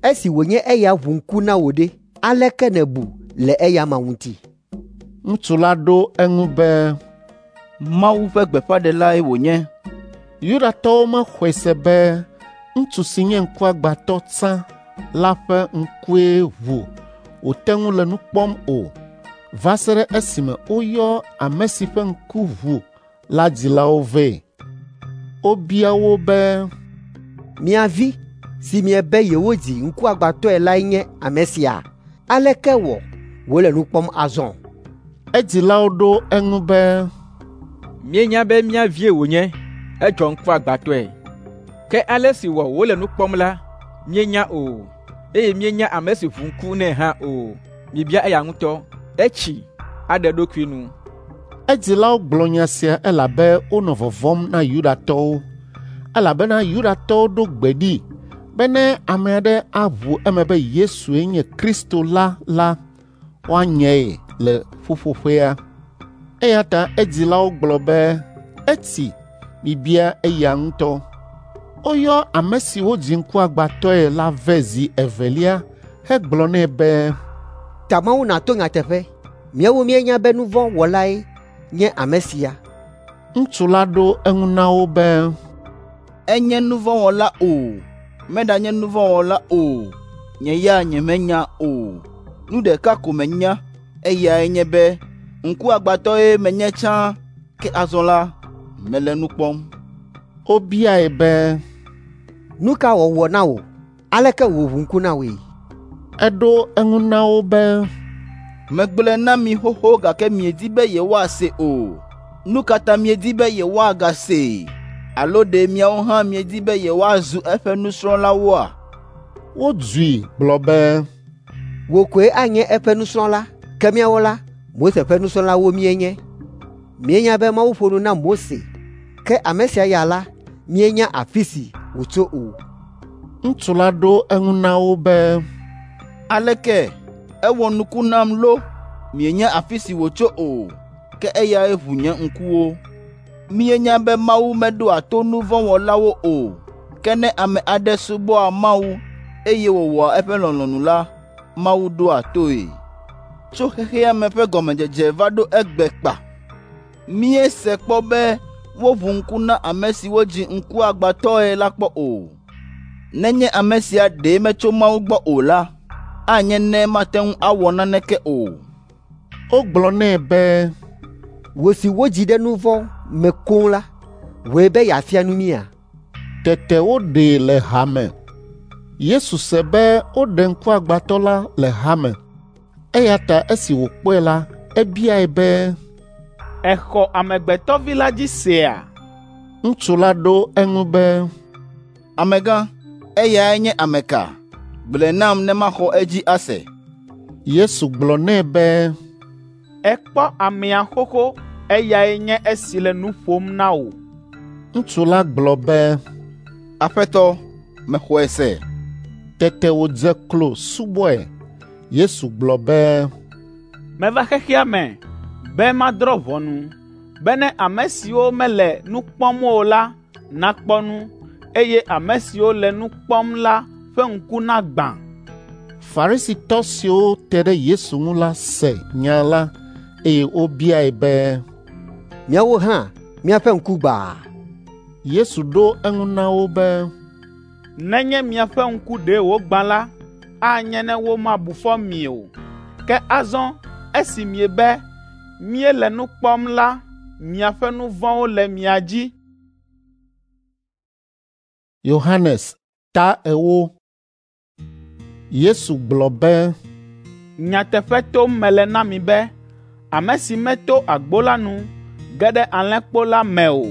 “Esi wònye eya ʋu ŋku na wò ɖe, aleke nèbu le eya amea ŋuti?” Ŋutsu la ɖo eŋu be, “Mawu ƒe gbeƒãɖelae wònye.” Yudatɔwo mexɔe se be ŋutsu si nye ŋkuagbãtɔ tsã la ƒe ŋkue ʋu wòte ŋu le nu kpɔm o va se ɖe esime woyɔ ame si ƒe ŋku ʋu la dzilawo vɛ. Wobia wo be, “Mia vi si miebe yewodzi ŋkuagbãtɔe lae nye ame sia? Aleke wɔ wòle nu kpɔm azɔ?” Edzilawo ɖo eŋu be, “Míenya be mía vie wònye, edzɔ ŋkuagbãtɔe. Ke ale si wɔ wòle nu kpɔm la, míenya o, eye míenya ame si ʋu ŋku nɛ hã o. Mibia eya ŋutɔ, etsi, aɖe eɖokui nu.” Edzilawo gblɔ nya sia elabe wonɔ vɔvɔ̃m na Yudatɔwo, elabena Yudatɔwo ɖo gbe ɖi be ne ame aɖe aʋu eme be Yesue nye Kristo la la, woanyae le ƒuƒoƒea. Eya ta edzilawo gblɔ be, “Etsi, mibia eya ŋutɔ.” Woyɔ ame si wodzi ŋkuagbãtɔe la vɛ zi evelia hegblɔ nɛ be, “Ta Mawu nàto nyateƒe. Míawo míenya be nu vɔ̃ wɔlae nye ame sia.” Ŋutsu la ɖo eŋu na wo be, “Enye nu vɔ̃ wɔla o, meɖanye nu vɔ̃ wɔla o, nye ya nyemenya o. Nu ɖeka ko menya, eyae nye be ŋkuagbãtɔe menye tsã, ke azɔ la, mele nu kpɔm.” Wobiae be, “Nu ka wòwɔ na wò? Aleke wòʋu ŋku na wòe?” Eɖo eŋu na wo be, “Megblɔe na mi xoxo gake miedi be yewoasee o. Nu ka ta miedi be yewoagasee? Alo ɖe miawo hã miedi be yewoazu eƒe nusrɔ̃lawoa?” Wodzui gblɔ be, “Wò koe anye eƒe nusrɔ̃la, ke míawo la, Mose ƒe nusrɔ̃lawo míenye. Míenya be Mawu ƒo nu na Mose, Ke ame sia ya la, míenya afi si wòtso o.” Ŋutsu la ɖo eŋu na wo be, “Aleke ewɔ nuku nam lo, mienya afi si wòtso o, ke eyae ʋu nye ŋkuwo. Míenya be Mawu meɖoa to nu vɔ̃ wɔlawo o, ke ne ame aɖe subɔa Mawu eye wòwɔa eƒe lɔlɔ̃nu la, Mawu ɖoa toe. Tso xexea me ƒe gɔmedzedze va ɖo egbe kpa, míese kpɔ be woʋu ŋku na ame si wodzi ŋkuagbãtɔe la kpɔ o. Nenye ame sia ɖe metso Mawu gbɔ o la, anye ne mate ŋu awɔ naneke o.” Wogblɔ nɛ be, “Wò si wodzi ɖe nu vɔ̃ me koŋ la, wòe be yeafia nu mía?” Tete woɖee le ha me. Yesu se be woɖe ŋkuagbãtɔ la le hame, eya ta esi wòkpɔe la, ebiae be, “Èxɔ Amegbetɔvi la dzi sea?” Ŋutsu la ɖo eŋu be, “Amegã, eyae nye ame ka? Gblɔe nam ne maxɔ edzi ase.” Yesu gblɔ nɛ be, “Èkpɔ amea xoxo, eyae nye esi le nu ƒom na wò.” Ŋutsu la gblɔ be, “Aƒetɔ, mexɔe se.” Tete wòdze klo subɔe. Yesu gblɔ be, “Meva xexea me be madrɔ̃ ʋɔnu, bene ame siwo mele nu kpɔm o la nakpɔ nu, eye ame siwo le nu kpɔm la ƒe ŋku nagbã.” Farisitɔ siwo te ɖe Yesu ŋu la se nya la, eye wobiae be, “Míawo hã míaƒe ŋku gbã?” Yesu ɖo eŋu na wo be, “Nenye miaƒe ŋku ɖe wògbã la, anye ne womabu fɔ mi o. Ke azɔ esi miebe míele nu kpɔm la, miaƒe nu vɔ̃wo le mia dzi.” Yohanes ta 4. Yesu gblɔ be, “Nyateƒe tom mele na mi be, ame si meto agbo la nu ge ɖe alẽkpo la me o,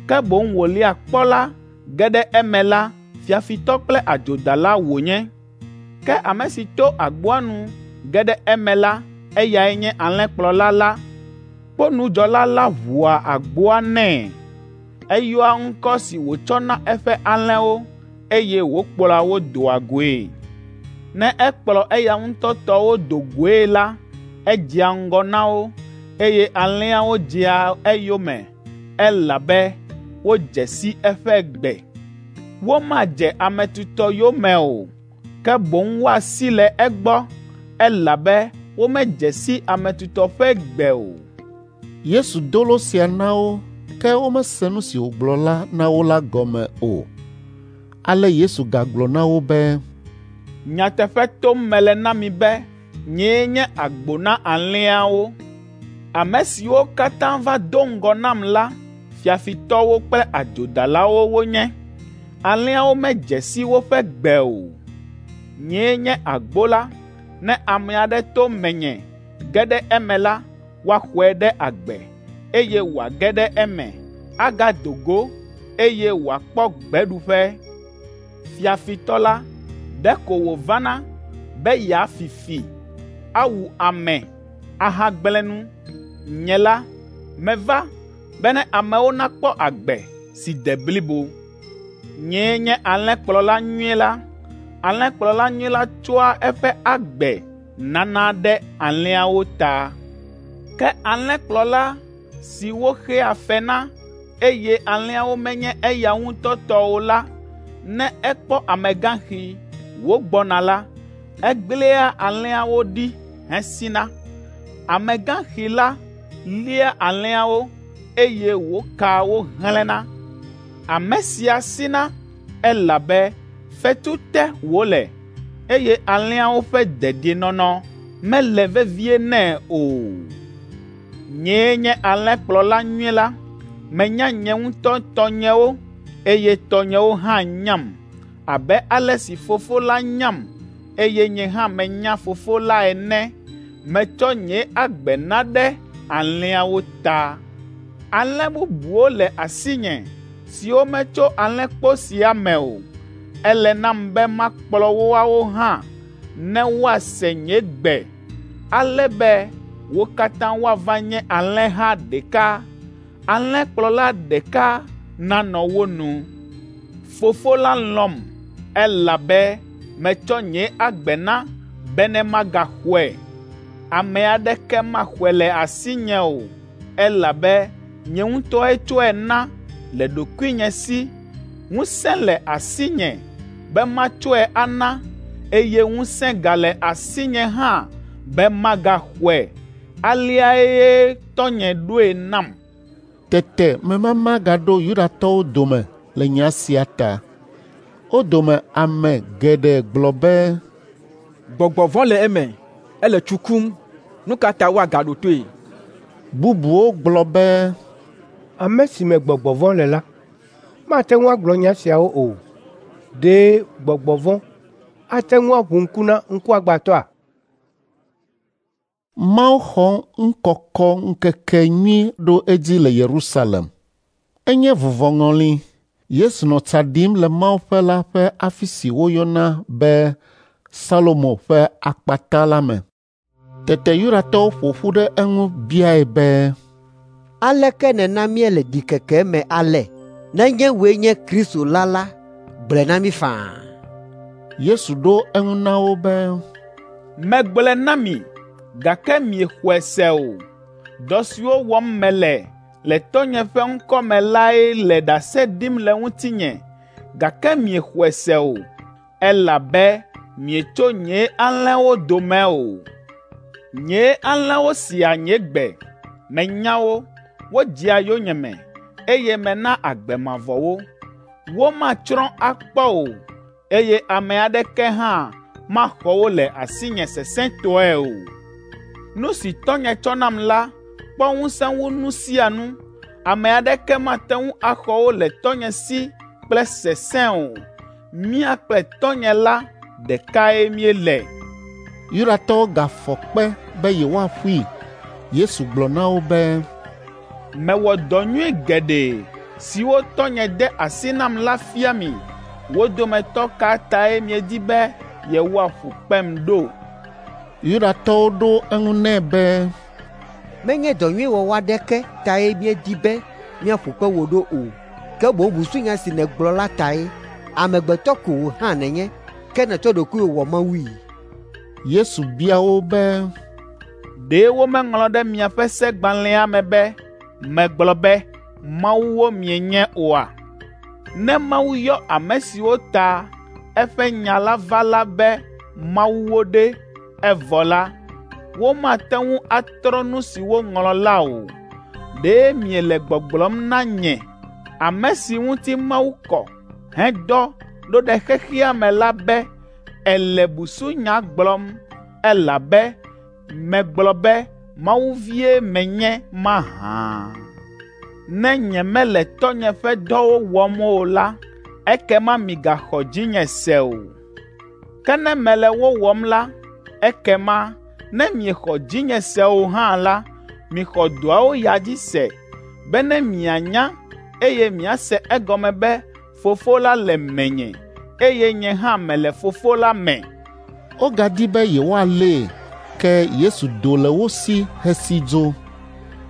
ke boŋ wòlia kpɔ la ge ɖe eme la, fiafitɔ kple adzodala wònye. Ke ame si to agboa nu ge ɖe eme la, eyae nye alẽkplɔla la. Kponudzɔla la ʋua agboa nɛ. Eyɔa ŋkɔ si wòtsɔ na eƒe alẽwo, eye wòkplɔa wo doa goe. Ne ekplɔ eya ŋutɔ tɔwo do goe la, edzea ŋgɔ na wo, eye alẽawo dzea eyome, elabe wodze si eƒe gbe. Womadze ame tutɔ yome o, ke boŋ woasi le egbɔ, elabe womedze si ame tutɔ ƒe gbe o.” Yesu do lo sia na wo, ke womese nu si wògblɔ la na wo la gɔme o. Ale Yesu gagblɔ na wo be, “Nyateƒe tom mele na mi be nyee nye agbo na alẽawo. Ame siwo katã va do ŋgɔ nam la, fiafitɔwo kple adzodalawo wonye. Alẽawo medze si woƒe gbe o. Nyee nye agbo la. Ne ame aɖe to menye ge ɖe eme la, woaxɔe ɖe agbe, eye wòage ɖe eme, agado go, eye wòakpɔ gbeɖuƒe. Fiafitɔ la, ɖeko wòvana be yeafi fi, awu ame, ahagblẽ nu. Nye la, meva bene amewo nakpɔ agbe si de blibo. Nyee nye alẽkplɔla nyui la. Alẽkplɔla nyui la tsɔa eƒe agbe nana ɖe alẽawo ta. Ke alẽkplɔla si woxea fe na, eye alẽawo menye eya ŋutɔ tɔ o la, ne ekpɔ amegãxi wògbɔna la, egblẽa alẽawo ɖi hesina. Amegãxi la lia alẽawo, eye wòkaa wo hlẽna. Ame sia sina, elabe fetu te wòle, eye alẽawo ƒe dedienɔnɔ mele vevie nɛ o. Nyee nye alẽkplɔla nyui la. Menya nye ŋutɔ tɔnyewo, eye tɔnyewo hã nyam, abe ale si Fofo la nyam, eye nye hã menya Fofo la ene. Metsɔ nye agbe na ɖe alẽawo ta. Alẽ bubuwo le asinye siwo metso alẽkpo sia me o. Ele nam be makplɔ woawo hã ne woase nye gbe, ale be wo katã woava nye alẽha ɖeka, alẽkplɔla ɖeka nanɔ wo nu. Fofo la lɔ̃m, elabe metsɔ nye agbe na bene magaxɔe. Ame aɖeke maxɔe le asinye o, elabe nye ŋutɔe tsɔe na le ɖokuinye si. Ŋusẽ le asinye be matsɔe ana, eye ŋusẽ gale asinye hã be magaxɔe. Aleae tɔnye ɖoe nam. Tete memama gaɖo Yudatɔwo dome le nya sia ta. Wo dome ame geɖe gblɔ be, “Gbɔgbɔ vɔ̃ le eme, ele tsu kum. Nu ka ta woagaɖo toe?” Bubuwo gblɔ be, “Ame si me gbɔgbɔ vɔ̃ le la, mate ŋu agblɔ nya siawo o. Ɖe gbɔgbɔ vɔ̃ ate ŋu aʋu ŋku na ŋkuagbãtɔa?” Mawuxɔŋukɔkɔŋkekenyui ɖo edzi le Yerusalem. Enye vuvɔŋɔli. Yesu nɔ tsa ɖim le mawuƒe la ƒe afi si woyɔna be Salomo ƒe akpata la me. Tete Yudatɔwo ƒo ƒu ɖe eŋu biae be, “Aleke nèna míele ɖikeke me ale? Nenye wòe nye Kristo la la, gblɔe na mí faa.” Yesu ɖo eŋu na wo be, “Megblɔe na mi, gake miexɔe se o. Dɔ siwo wɔm mele le Tɔnye ƒe ŋkɔ me lae le ɖase ɖim le ŋutinye, gake miexɔe se o, elabe mietso nye alẽwo dome o. Nye alẽwo sea nye gbe, menya wo, wodzea yonyeme, eye mena agbe mavɔ wo. Womatsrɔ̃ akpɔ o, eye ame aɖeke hã maxɔ wo le asinye sesẽtɔe o. Nu si Tɔnye tsɔ nam la kpɔ ŋusẽ wu nu sia nu. Ame aɖeke mate ŋu axɔ wo le Tɔnye si kple sesẽ o. Mía kple Tɔnye la ɖekae míele.” Yudatɔwo gafɔ kpe be yewoaƒui. Yesu gblɔ na wo be, “Mewɔ dɔ nyui geɖe siwo Tɔnye de asi nam la fia mi. Wo dometɔ ka tae miedi be yewoaƒu kpem ɖo?” Yudatɔwo ɖo eŋu nɛ be, “Menye dɔ nyui wɔwɔ aɖeke tae míedi be míaƒu kpe wò ɖo o, ke boŋ busunya si nègblɔ la tae. Amegbetɔ ko wò hã nènye, ke nètsɔ ɖokuiwò wɔ Mawui.” Yesu bia wo be, “Ɖe womeŋlɔ ɖe miaƒe segbalẽa me be, ‘Megblɔ be, mawuwo mienye’ oa? Ne Mawu yɔ ame siwo ta eƒe nya la va la be mawuwo ɖe, evɔ la, womate ŋu atrɔ nu si woŋlɔ la o. Ɖe miele gbɔgblɔm na nye, ame si ŋuti Mawu kɔ hedɔ ɖo ɖe xexea me la be ele busunya gblɔm, elabe megblɔ be Mawu vie menye mahã? Ne nyemele Tɔnye ƒe dɔwo wɔm o la, ekema migaxɔ dzinye se o. Ke ne mele wo wɔm la, ekema ne miexɔ dzinye se o hã la, mixɔ dɔawo ya dzi se, bene mianya, eye miase egɔme be Fofo la le menye, eye nye hã mele Fofo la me.” Wogadi be yewoalée, ke Yesu do le wo si hesi dzo.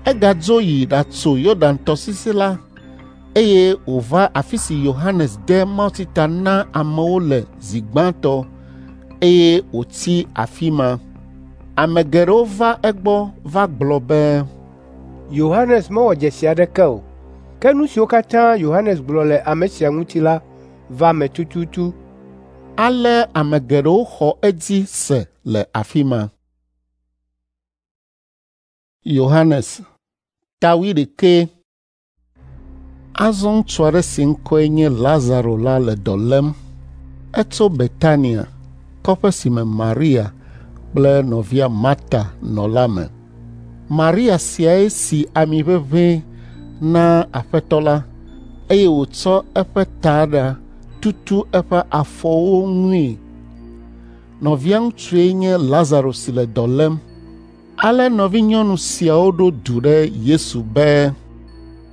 Egadzo yi ɖatso Yɔdan tɔsisi la, eye wòva afi si Yohanes de mawutsi ta na amewo le zi gbãtɔ, eye wòtsi afi ma. Ame geɖewo va egbɔ va gblɔ be, “Yohanes mewɔ dzesi aɖeke o, ke nu siwo katã Yohanes gblɔ le ame sia ŋuti la va eme tututu.” Ale ame geɖewo xɔ edzi se le afi ma. Yohanes ta wuiɖekɛ. Azɔ ŋutsu aɖe si ŋkɔe nye Lazaro la le dɔ lém. Etso Betania, kɔƒe si me Maria kple nɔvia Marta nɔ la me. Maria siae si ami ʋeʋĩ na Aƒetɔ la, eye wòtsɔ eƒe taɖa tutu eƒe afɔwo ŋui. Nɔvia ŋutsue nye Lazaro si le dɔ lém. Ale nɔvinyɔnu siawo ɖo du ɖe Yesu be,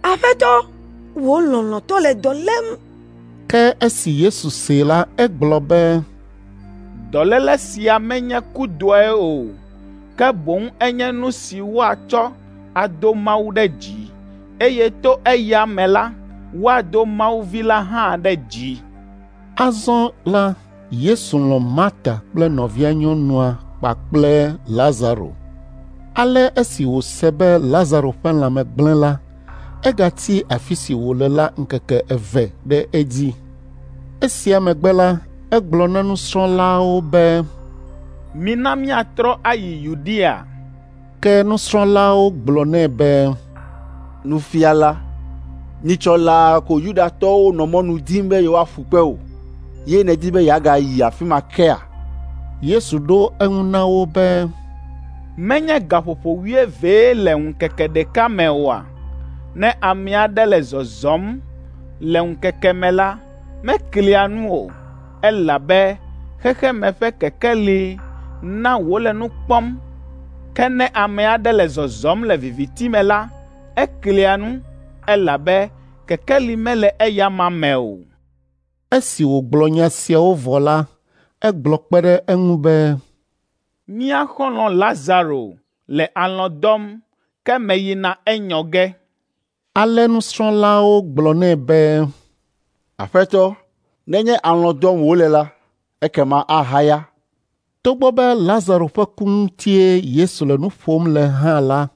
“Aƒetɔ, wò lɔlɔ̃tɔ le dɔ lém.” Ke esi Yesu see la, egblɔ be, “Dɔléle sia menye kudɔe o, ke boŋ enye nu si woatsɔ ado Mawu ɖe dzi, eye to eya me la, woado Mawu Vi la hã ɖe dzi. Azɔ la, Yesu lɔ̃ Marta kple nɔvia nyɔnua kpakple Lazaro. Ale esi wòse be Lazaro ƒe lãme gblẽ la, egatsi afi si wòle la ŋkeke eve ɖe edzi. Esia megbe la, egblɔ na nusrɔ̃lawo be, Mina míatrɔ ayi Yudea. Ke nusrɔ̃lawo gblɔ nɛ be, Nufiala, nyitsɔ laa ko Yudatɔwo nɔ mɔnu dim be yewoaƒu kpe wò, ye nèdi be yeagayi afi ma kea? Yesu ɖo eŋu na wo be, Menye gaƒoƒo wuievee le ŋkeke ɖeka me oa? Ne ame aɖe le zɔzɔm le ŋkeke me la, meklia nu o, elabe xexeme ƒe kekeli na wòle nu kpɔm. Ke ne ame aɖe le zɔzɔm le viviti me la, eklia nu, elabe kekeli mele eyama me o. Esi wògblɔ nya siawo vɔ la, egblɔ kpe ɖe eŋu be, Mía xɔlɔ̃ Lazaro le alɔ̃ dɔm, ke meyina enyɔ ge. Ale nusrɔ̃lawo gblɔ nɛ be, Aƒetɔ, nenye alɔ̃ dɔm wòle la, ekema ahaya. Togbɔ be Lazaro ƒe ku ŋutie Yesu le nu ƒom le hã la,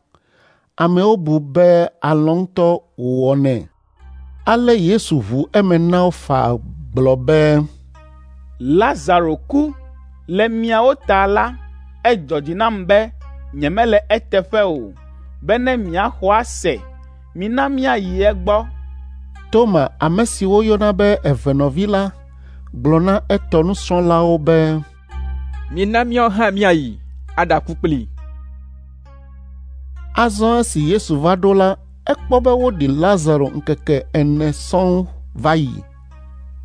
amewo bu be alɔ̃ ŋutɔ wòwɔnɛ. Ale Yesu ʋu eme na wo faa gblɔ be, Lazaro ku le miawo ta la, edzɔ dzi nam be nyemele eteƒe o, bene miaxɔ ase. Mina míayi egbɔ. Toma, ame si woyɔna be evenɔvi la, gblɔ na etɔ nusrɔ̃lawo be, Mina míawo hã míayi aɖaku kplii. Azɔ esi Yesu va ɖo la, ekpɔ be woɖi Lazaro ŋkeke ene sɔŋ va yi.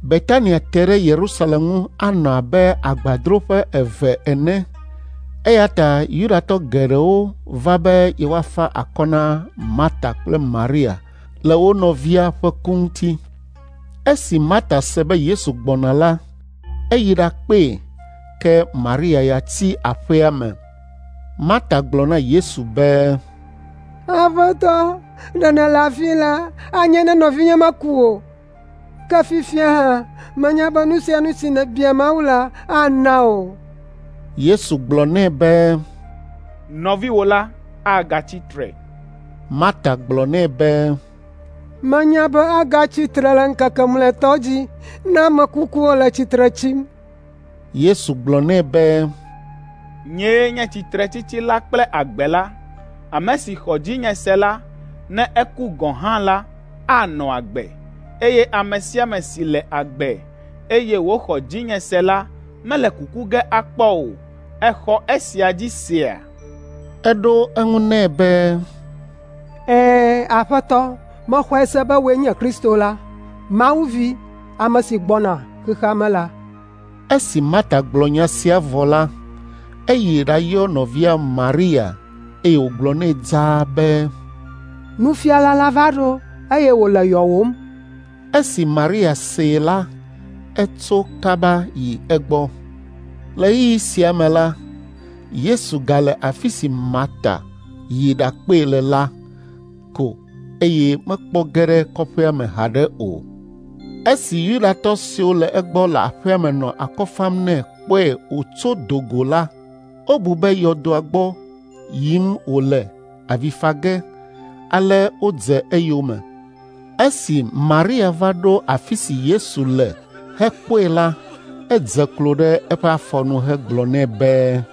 Betania te ɖe Yerusalem ŋu anɔ abe agbadroƒe eve ene. Eya ta Yudatɔ geɖewo va be yewoafa akɔ na Marta kple Maria le wo nɔvia ƒe ku ŋuti. Esi Marta se be Yesu gbɔna la, eyi ɖakpee, ke Maria ya tsi aƒea me. Marta gblɔ na Yesu be, Aƒetɔ, ɖe nèle afi la, anye ne nɔvinye meku o. Ke fifia hã, menya be nu sia nu si nèbia Mawu la, ana wò. Yesu gblɔ nɛ be, Nɔviwò la agatsi tre. Marta gblɔ nɛ be, Menya be agatsi tre le ŋkeke mlɔetɔ dzi ne ame kukuwo le tsitre tsim. Yesu gblɔ nɛ be, Nyee nye tsitretsitsi la kple agbe la. Ame si xɔ dzinye se la, ne eku gɔ̃ hã la, anɔ agbe, eye ame sia ame si le agbe, eye wòxɔ dzinye se la, mele kuku ge akpɔ o. Èxɔ esia dzi sea? Eɖo eŋu nɛ be, Ɛ̃, Aƒetɔ, mexɔe se be wòe nye Kristo la, Mawu Vi, ame si gbɔna xexea me la. Esi Marta gblɔ nya sia vɔ la, eyi ɖayɔ nɔvia Maria eye wògblɔ nɛ dzaa be, Nufiala la va ɖo eye wòle yɔwòm. Esi Maria see la, etso kaba yi egbɔ. Le ɣeyiɣi sia me la, Yesu gale afi si Marta yi ɖakpee le la ko eye mekpɔ ge ɖe kɔƒea me haɖe o. Esi Yudatɔ siwo le egbɔ le aƒea me nɔ akɔ fam nɛ kpɔe wòtso do go la, wobu be yɔdoa gbɔ yim wòle avi fa ge, ale wodze eyome. Esi Maria va ɖo afi si Yesu le hekpɔe la, edze klo ɖe eƒe afɔ nu hegblɔ nɛ be,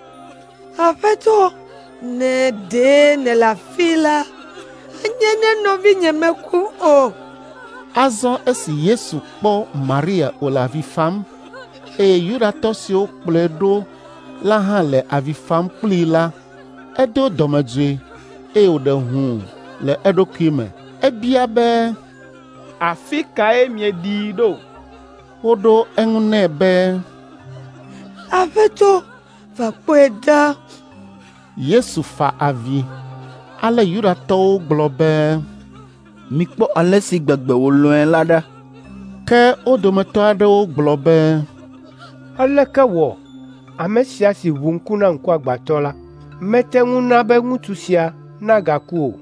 Aƒetɔ, ne ɖe nèle afi la, anye ne nɔvinye meku o. Azɔ esi Yesu kpɔ Maria wòle avi fam, eye Yudatɔ siwo kplɔe ɖo la hã le avi fam kplii la, edo dɔmedzoe eye wòɖe hũu le eɖokui me. Ebia be, Afi kae mieɖii ɖo? Woɖo eŋu nɛ be, Aƒetɔ, va kpɔe ɖa. Yesu fa avi. Ale Yudatɔwo gblɔ be, Mikpɔ ale si gbegbe wòlɔ̃e la ɖa. Ke wo dometɔ aɖewo gblɔ be, Aleke wɔ ame sia si ʋu ŋku na ŋkuagbãtɔ la mete ŋu na be ŋutsu sia nagaku o?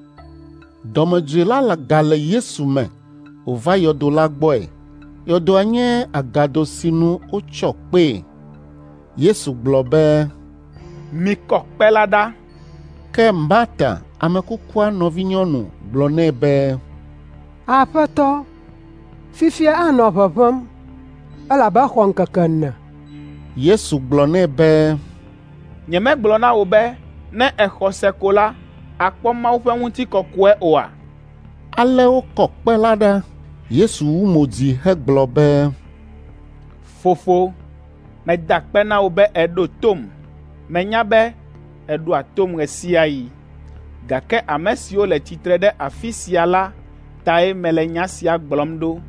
Dɔmedzoe la gale Yesu me wòva yɔdo la gbɔe. Yɔdoa nye agado si nu wotsɔ kpee. Yesu gblɔ be, “Mikɔ kpe la ɖa.” Ke Marta, ame kukua nɔvinyɔnu, gblɔ nɛ be, “Aƒetɔ, fifia anɔ ʋeʋẽm, elabe exɔ ŋkeke ene.” Yesu gblɔ nɛ be, “Nyemegblɔ na wò be ne èxɔ se ko la, àkpɔ Mawu ƒe ŋutikɔkɔe oa?” Ale wokɔ kpe la ɖa. Yesu wu mo dzi hegblɔ be, “Fofo, meda akpe na wò be èɖo tom. Menya be èɖoa tom ɣe sia ɣi, gake ame siwo le tsitre ɖe afi sia la tae mele nya sia gblɔm ɖo,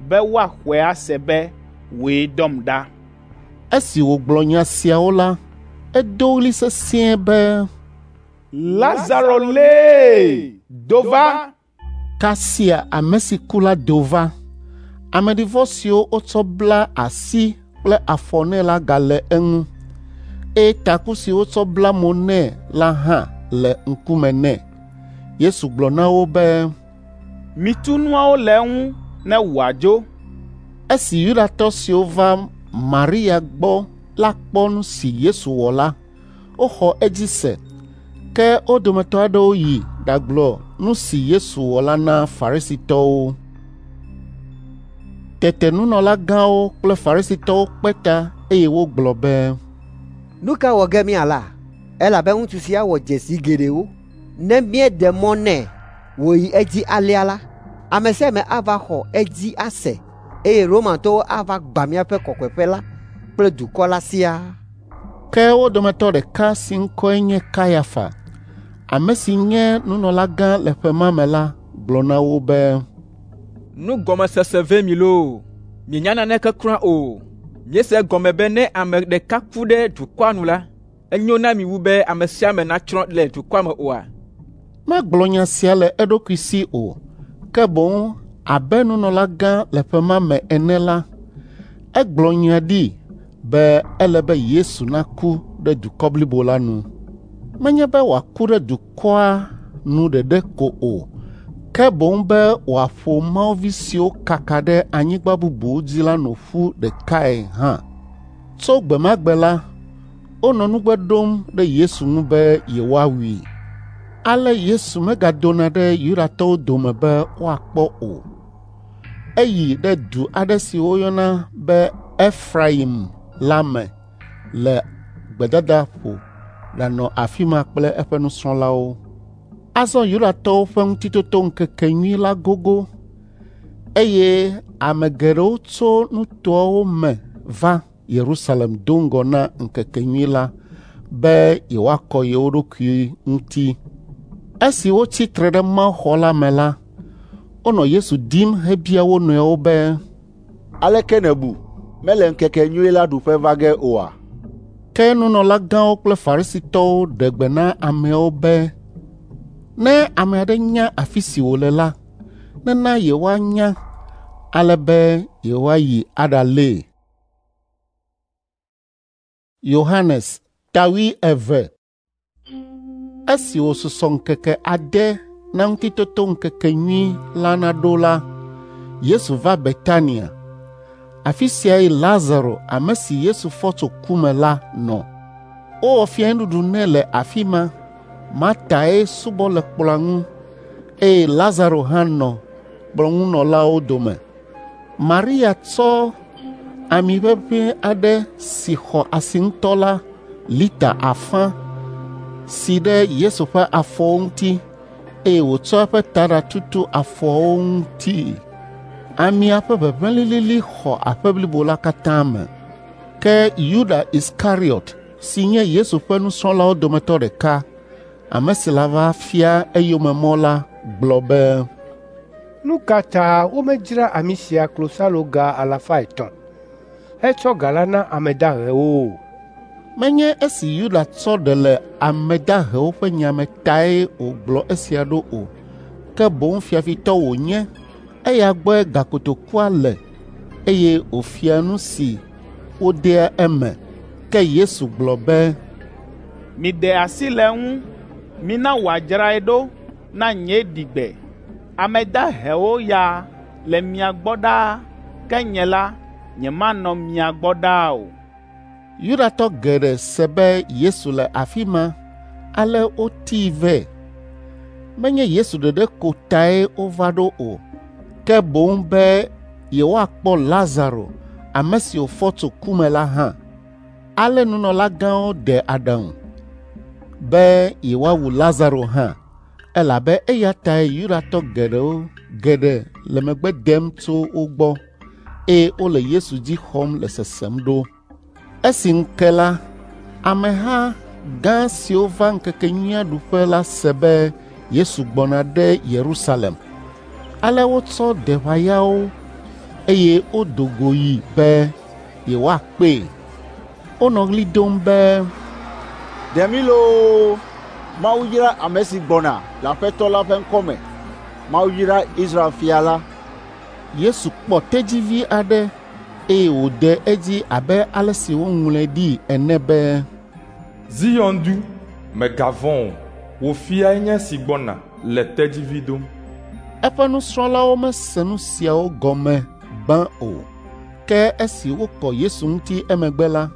be woaxɔe ase be wòe dɔm ɖa.” Esi wògblɔ nya siawo la, edo ɣli sesĩe be, “Lazaro lee, do va!” Kasia ame si ku la do va. Ameɖivɔ siwo wotsɔ bla asi kple afɔ nɛ la gale eŋu, eye taku si wotsɔ bla mo nɛ la hã le ŋkume nɛ. Yesu gblɔ na wo be, “Mitu nuawo le eŋu ne wòadzo.” Esi Yudatɔ siwo va Maria gbɔ la kpɔ nu si Yesu wɔ la, woxɔ edzi se. Ke wo dometɔ aɖewo yi ɖagblɔ nu si Yesu wɔ la na Farisitɔwo. Tete nunɔlagãwo kple Farisitɔwo kpe ta eye wogblɔ be, “Nu ka wɔ ge míala? Elabe ŋutsu sia wɔ dzesi geɖewo. Ne míeɖe mɔ nɛ wòyi edzi alea la, ame sia ame ava xɔ edzi ase eye Romatɔwo ava gbã míaƒe kɔkɔeƒe la kple dukɔ la siaa.” Ke wo dometɔ ɖeka si ŋkɔe nye Kayafa, ame si nye nunɔlagã le ƒe ma me la, gblɔ na wo be, “Nugɔmesese ve mi loo! Mienya naneke kura o. Miese egɔme be ne ame ɖeka ku ɖe dukɔa nu la, enyo na mi wu be ame sia ame natsrɔ̃ le dukɔa me oa?” Megblɔ nya sia le eɖokui si o, ke boŋ abe nunɔlagã le ƒe ma me ene la, egblɔ nya ɖi be ele be Yesu naku ɖe dukɔ blibo la nu. Menye be wòaku ɖe dukɔa nu ɖeɖe ko o, ke boŋ be wòaƒo Mawu vi siwo kaka ɖe anyigba bubuwo dzi la nu ƒu ɖekae hã. Tso gbe ma gbe la, wonɔ nugbe ɖom ɖe Yesu ŋu be yewoawui. Ale Yesu megadona ɖe Yudatɔwo dome be woakpɔ o. Eyi ɖe du aɖe si woyɔna be Efraim la me le gbedadaƒo ɖanɔ afi ma kple eƒe nusrɔ̃lawo. Azɔ Yudatɔwo ƒe Ŋutitotoŋkekenyui la gogo, eye ame geɖewo tso nutoawo me va Yerusalem do ŋgɔ na ŋkekenyui la be yewoakɔ yewo ɖokui ŋuti. Esi wotsi tre ɖe mawuxɔ la me la, wonɔ Yesu dim hebia wo nɔewo be, “Aleke nèbu? Mele ŋkekenyui la ɖuƒe va ge oa?” Ke nunɔlagãwo kple Farisitɔwo ɖe gbe na ameawo be ne ame aɖe nya afi si wòle la, nena yewoanya ale be yewoayi aɖalée. Yohanes ta wuieve. Esi wòsusɔ ŋkeke ade na Ŋutitotoŋkekenyui la naɖo la, Yesu va Betania. Afi siae Lazaro, ame si Yesu fɔ tso ku me la nɔ. Wowɔ fiẽnuɖuɖu nɛ le afi ma. Martae subɔ le kplɔ̃a ŋu, eye Lazaro hã nɔ kplɔ̃ŋunɔlawo dome. Maria tsɔ ami ʋeʋĩ aɖe si xɔ asi ŋutɔ la lita afã si ɖe Yesu ƒe afɔwo ŋuti eye wòtsɔ eƒe taɖa tutu afɔawo ŋuti. Amia ƒe ʋeʋẽ lilili xɔ aƒe blibo la katã me. Ke Yuda Iskariɔt si nye Yesu ƒe nusrɔ̃lawo dometɔ ɖeka, ame si la va fia eyome mɔ la, gblɔ be, “Nu ka ta womedzra ami sia klosaloga 300 hetsɔ ga la na ame dahewo o?” Menye esi Yuda tsɔ ɖe le ame dahewo ƒe nya me tae wògblɔ esia ɖo o, ke boŋ fiafitɔ wònye, eya gbɔe gakotokua le eye wòfia nu si wodea eme. Ke Yesu gblɔ be, “Miɖe asi le eŋu, mina wòadzrae ɖo na nye ɖigbe. Ame dahewo ya le mia gbɔ ɖaa, ke nye la, nyemanɔ mia gbɔ ɖaa o. Yudatɔ geɖe se be Yesu le afi ma, ale wotii vɛ. Menye Yesu ɖeɖe ko tae wova ɖo o, ke boŋ be yewoakpɔ Lazaro, ame si wòfɔ tso ku me la hã. Ale nunɔlagãwo de aɖaŋu be yewoawu Lazaro hã, elabe eya tae Yudatɔ geɖewo geɖe le megbe dem tso wo gbɔ, eye wole Yesu dzi xɔm le sesem ɖo. Esi ŋu ke la, ameha gã siwo va ŋkekenyuia ɖuƒe la se be Yesu gbɔna ɖe Yerusalem. Ale wotsɔ deʋayawo eye wodo go yi be yewoakpee. Wonɔ ɣli dom be, “Ɖe mí loo! Mawu yra ame si gbɔna le Aƒetɔ la ƒe ŋkɔ me. Mawu yra Israel fia la.” Yesu kpɔ tedzivi aɖe eye wòde edzi abe ale si woŋlɔe ɖi ene be, “Zion du, mègavɔ̃ o, wò fiae nye esi gbɔna le tedzivi dom.” Eƒe nusrɔ̃lawo mese nu siawo gɔme gbã o, ke esi wokɔ Yesu ŋuti emegbe la,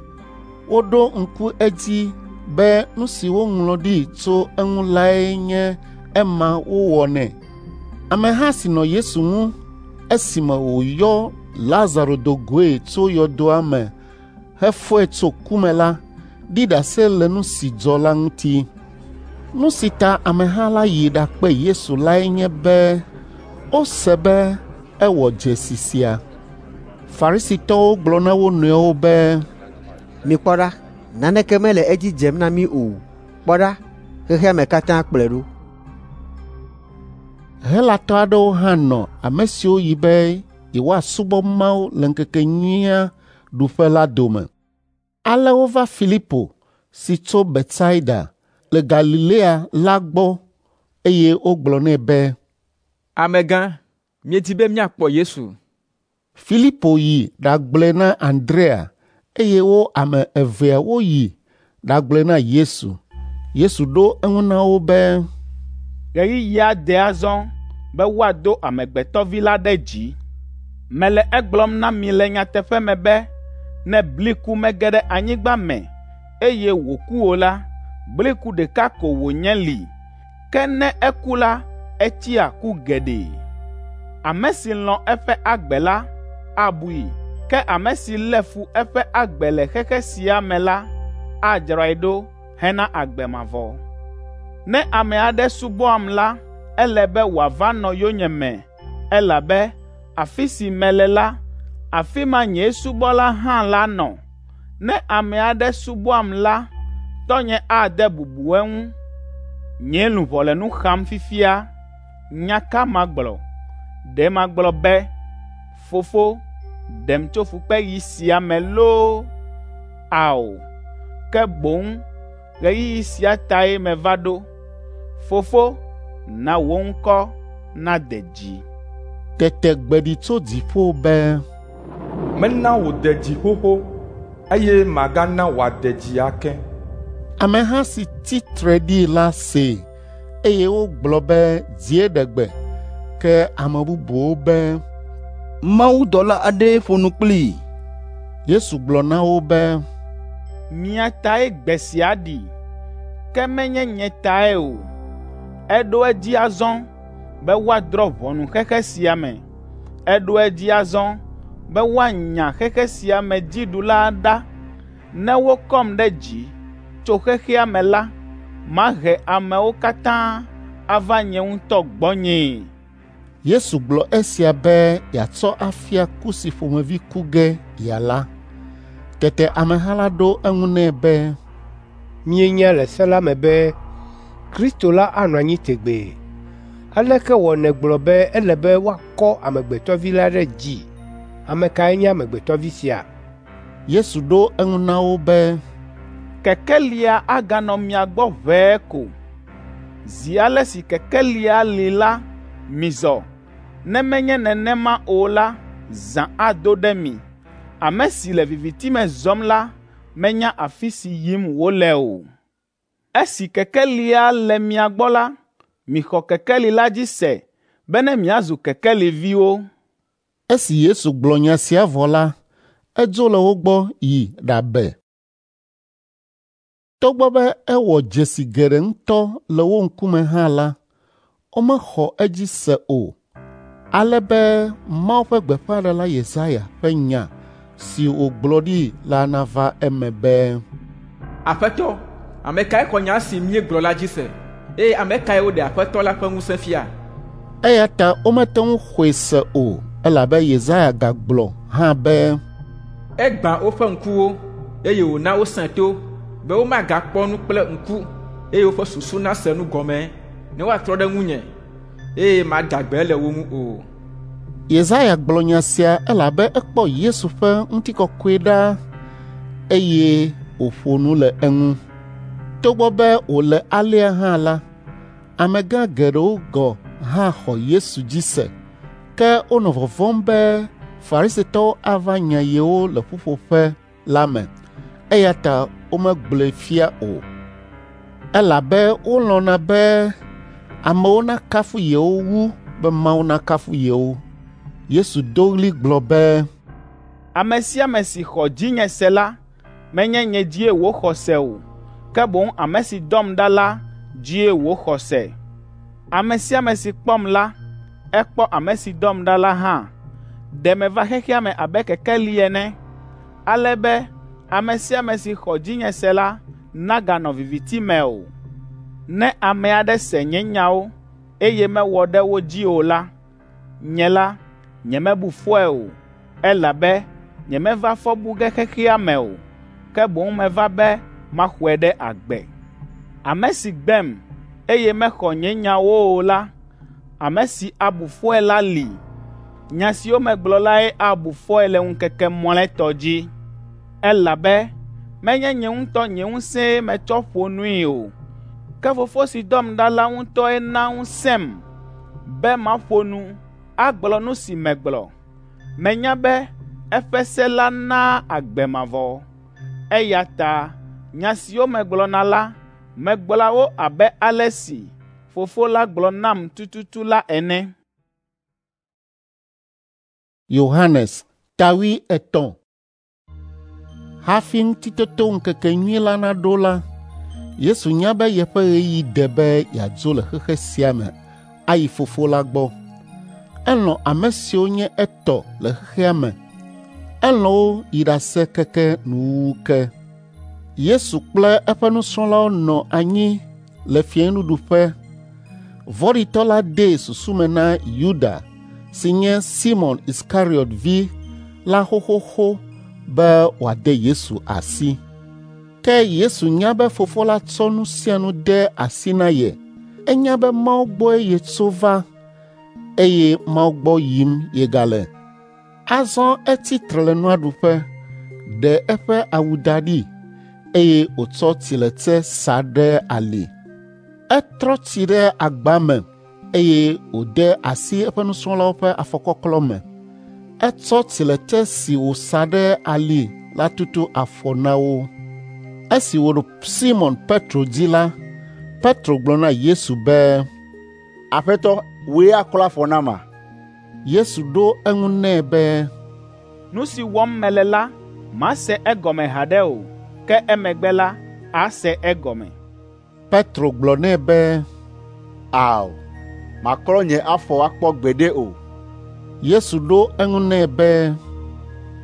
woɖo ŋku edzi be nu si woŋlɔ ɖi tso eŋu lae nye ema wowɔnɛ. Ameha si nɔ Yesu ŋu esime wòyɔ Lazaro do goe tso yɔdoa me hefɔe tso ku me la ɖi ɖase le nu si dzɔ la ŋuti. Nu si ta ameha la yi ɖakpe Yesu lae nye be wose be ewɔ dzesi sia. Farisitɔwo gblɔ na wo nɔewo be, “Mikpɔ ɖa, naneke mele edzi dzem na mí o. Kpɔ ɖa, xexea me katã kplɔe ɖo.” Helatɔ aɖewo hã nɔ ame siwo yi be yewoasubɔ Mawu le ŋkekenyuia ɖuƒe la dome. Ale wova Filipo si tso Betsaida le Galilea la gbɔ eye wogblɔ nɛ be, “Amegã, míedi be míakpɔ Yesu.” Filipo yi ɖagblɔe na Andrea eye wo ame evea woyi ɖagblɔe na Yesu. Yesu ɖo eŋu na wo be, “Ɣeyiɣia de azɔ be woado Amegbetɔ Vi la ɖe dzi. Mele egblɔm na mi le nyateƒe me be ne bliku mege ɖe anyigba me eye wòku o la, bliku ɖeka ko wònye li, ke ne eku la, etsia ku geɖe. Ame si lɔ̃ eƒe agbe la, abui, ke ame si lé fu eƒe agbe le xexe sia me la, adzrae ɖo hena agbe mavɔ. Ne ame aɖe subɔam la, ele be wòava nɔ yonyeme, elabe afi si mele la, afi ma nye subɔla hã la nɔ. Ne ame aɖe subɔam la, tɔnye ade bubu eŋu. Nye luʋɔ le nu xam fifia. Nya ka magblɔ? Ɖe magblɔ be, ‘Fofo, ɖem tso fukpeɣi sia me loo?’ Ao, ke boŋ ɣeyiɣi sia tae meva ɖo. Fofo, na wò ŋkɔ nade dzi.” Tete gbe ɖi tso dziƒo be, “Mena wòde dzi xoxo, eye magana wòade dzi ake.” Ameha si tsi tre ɖi la see, eye wogblɔ be dzie ɖe gbe, ke ame bubuwo be, “Mawudɔla aɖee ƒo nu kplii.” Yesu gblɔ na wo be, “Mia tae gbe sia ɖi, ke menye nye tae o. Eɖo edzi azɔ be woadrɔ̃ ʋɔnu xexe sia me. Eɖo edzi azɔ be woanya xexe sia me dziɖula ɖa. Ne wokɔm ɖe dzi tso xexea me la, mahe amewo katã ava nye ŋutɔ gbɔnyee.” Yesu gblɔ esia be yeatsɔ afia ku si ƒomevi ku ge yeala. Tete ameha la ɖo eŋu nɛ be, “Míenya le se la me be Kristo la anɔ anyi tegbee. Aleke wɔ nègblɔ be ele be woakɔ Amegbetɔ Vi la ɖe dzi? Ame kae nye Amegbetɔ Vi sia?” Yesu ɖo eŋu na wo be, “Kekelia aganɔ mia gbɔ ʋɛe ko. Zi ale si kekelia li la, mizɔ. Ne menye nenema o la, zã ado ɖe mi. Ame si le viviti me zɔm la menya afi si yim wòle o. Esi kekelia le mia gbɔ la, mixɔ kekeli la dzi se bene miazu kekeliviwo.” Esi Yesu gblɔ nya sia vɔ la, edzo le wo gbɔ yi ɖabe. Togbɔ be ewɔ dzesi geɖe ŋutɔ le wo ŋkume hã la, womexɔ edzi se o, ale be Mawu ƒe gbeƒãɖela Yesaya ƒe nya si wògblɔ ɖi la nava eme be, Aƒetɔ, ame kae xɔ nya si míegblɔ la dzi se, eye ame kae woɖe Aƒetɔ la ƒe ŋusẽ fia? Eya ta womete ŋu xɔe se o, elabe Yesaya gagblɔ hã be, Egbã woƒe ŋkuwo, eye wòna wosẽ to, be womagakpɔ nu kple ŋku, eye woƒe susu nase nu gɔme, ne woatrɔ ɖe ŋunye, eye mada gbe le wo ŋu o. Yesaya gblɔ nya sia elabe ekpɔ Yesu ƒe ŋutikɔkɔe ɖa eye wòƒo nu le eŋu. Togbɔ be wòle alea hã la, amegã geɖewo gɔ̃ hã xɔ Yesu dzi se, ke wonɔ vɔvɔ̃m be Farisitɔwo ava nya yewo le ƒuƒoƒe la me, eya ta womegblɔe fia o, elabe wolɔ̃na be amewo nakafu yewo wu be Mawu nakafu yewo. Yesu do ɣli gblɔ be, Ame sia ame si xɔ dzinye se la, menye nye dzie wòxɔ se o, ke boŋ ame si dɔm ɖa la dzie wòxɔ se. Ame sia ame si kpɔm la, ekpɔ ame si dɔm ɖa la hã. Ɖe meva xexea me abe kekeli ene, ale be ame sia ame si xɔ dzinye se la naganɔ viviti me o. Ne ame aɖe se nye nyawo, eye mewɔ ɖe wo dzi o la, nye la, nyemebu fɔe o, elabe nyemeva fɔ bu ge xexea me o, ke boŋ meva be maxɔe ɖe agbe. Ame si gbem, eye mexɔ nye nyawo o la, ame si abu fɔe la li. Nya siwo megblɔ lae abu fɔe le ŋkeke mlɔetɔ dzi. Elabe menye nye ŋutɔ nye ŋusẽe metsɔ ƒo nui o, ke Fofo si dɔm ɖa la ŋutɔe na ŋusẽm be maƒo nu, agblɔ nu si megblɔ. Menya be eƒe se la naa agbe mavɔ. Eya ta nya siwo megblɔna la, megblɔa wo abe ale si Fofo la gblɔ nam tututu la ene. Yohanes ta 80. Hafi Ŋutitotoŋkekenyui la naɖo la, Yesu nya be yeƒe ɣeyiɣi de be yeadzo le xexe sia me ayi Fofo la gbɔ. Elɔ̃ ame siwo nye etɔ le xexea me. Elɔ̃ wo yi ɖase keke nuwuwu ke. Yesu kple eƒe nusrɔ̃lawo nɔ anyi le fiẽnuɖuƒe. Vɔ̃ɖitɔ la dee susu me na Yuda si nye Simɔn Iskariɔt vi la xoxoxo be wòade Yesu asi. Ke Yesu nya be Fofo la tsɔ nu sia nu de asi na ye. Enya be Mawu gbɔe yetso va, eye Mawu gbɔ yim yegale. Azɔ etsi tre le nua ɖuƒe, ɖe eƒe awu da ɖi, eye wòtsɔ tsiletse sa ɖe ali. Etrɔ tsi ɖe agba me eye wòde asi eƒe nusrɔ̃lawo ƒe afɔkɔklɔ me. Etsɔ tsiletse si wòsa ɖe ali la tutu afɔ na wo. Esi wòɖo Simɔn Petro dzi la, Petro gblɔ na Yesu be, Aƒetɔ, wòe aklɔ afɔ nama? Yesu ɖo eŋu nɛ be, Nu si wɔm mele la, màse egɔme haɖe o, ke emegbe la, àse egɔme. Petro gblɔ nɛ be, Ao, màklɔ nye afɔ akpɔ gbeɖe o. Yesu ɖo eŋu nɛ be,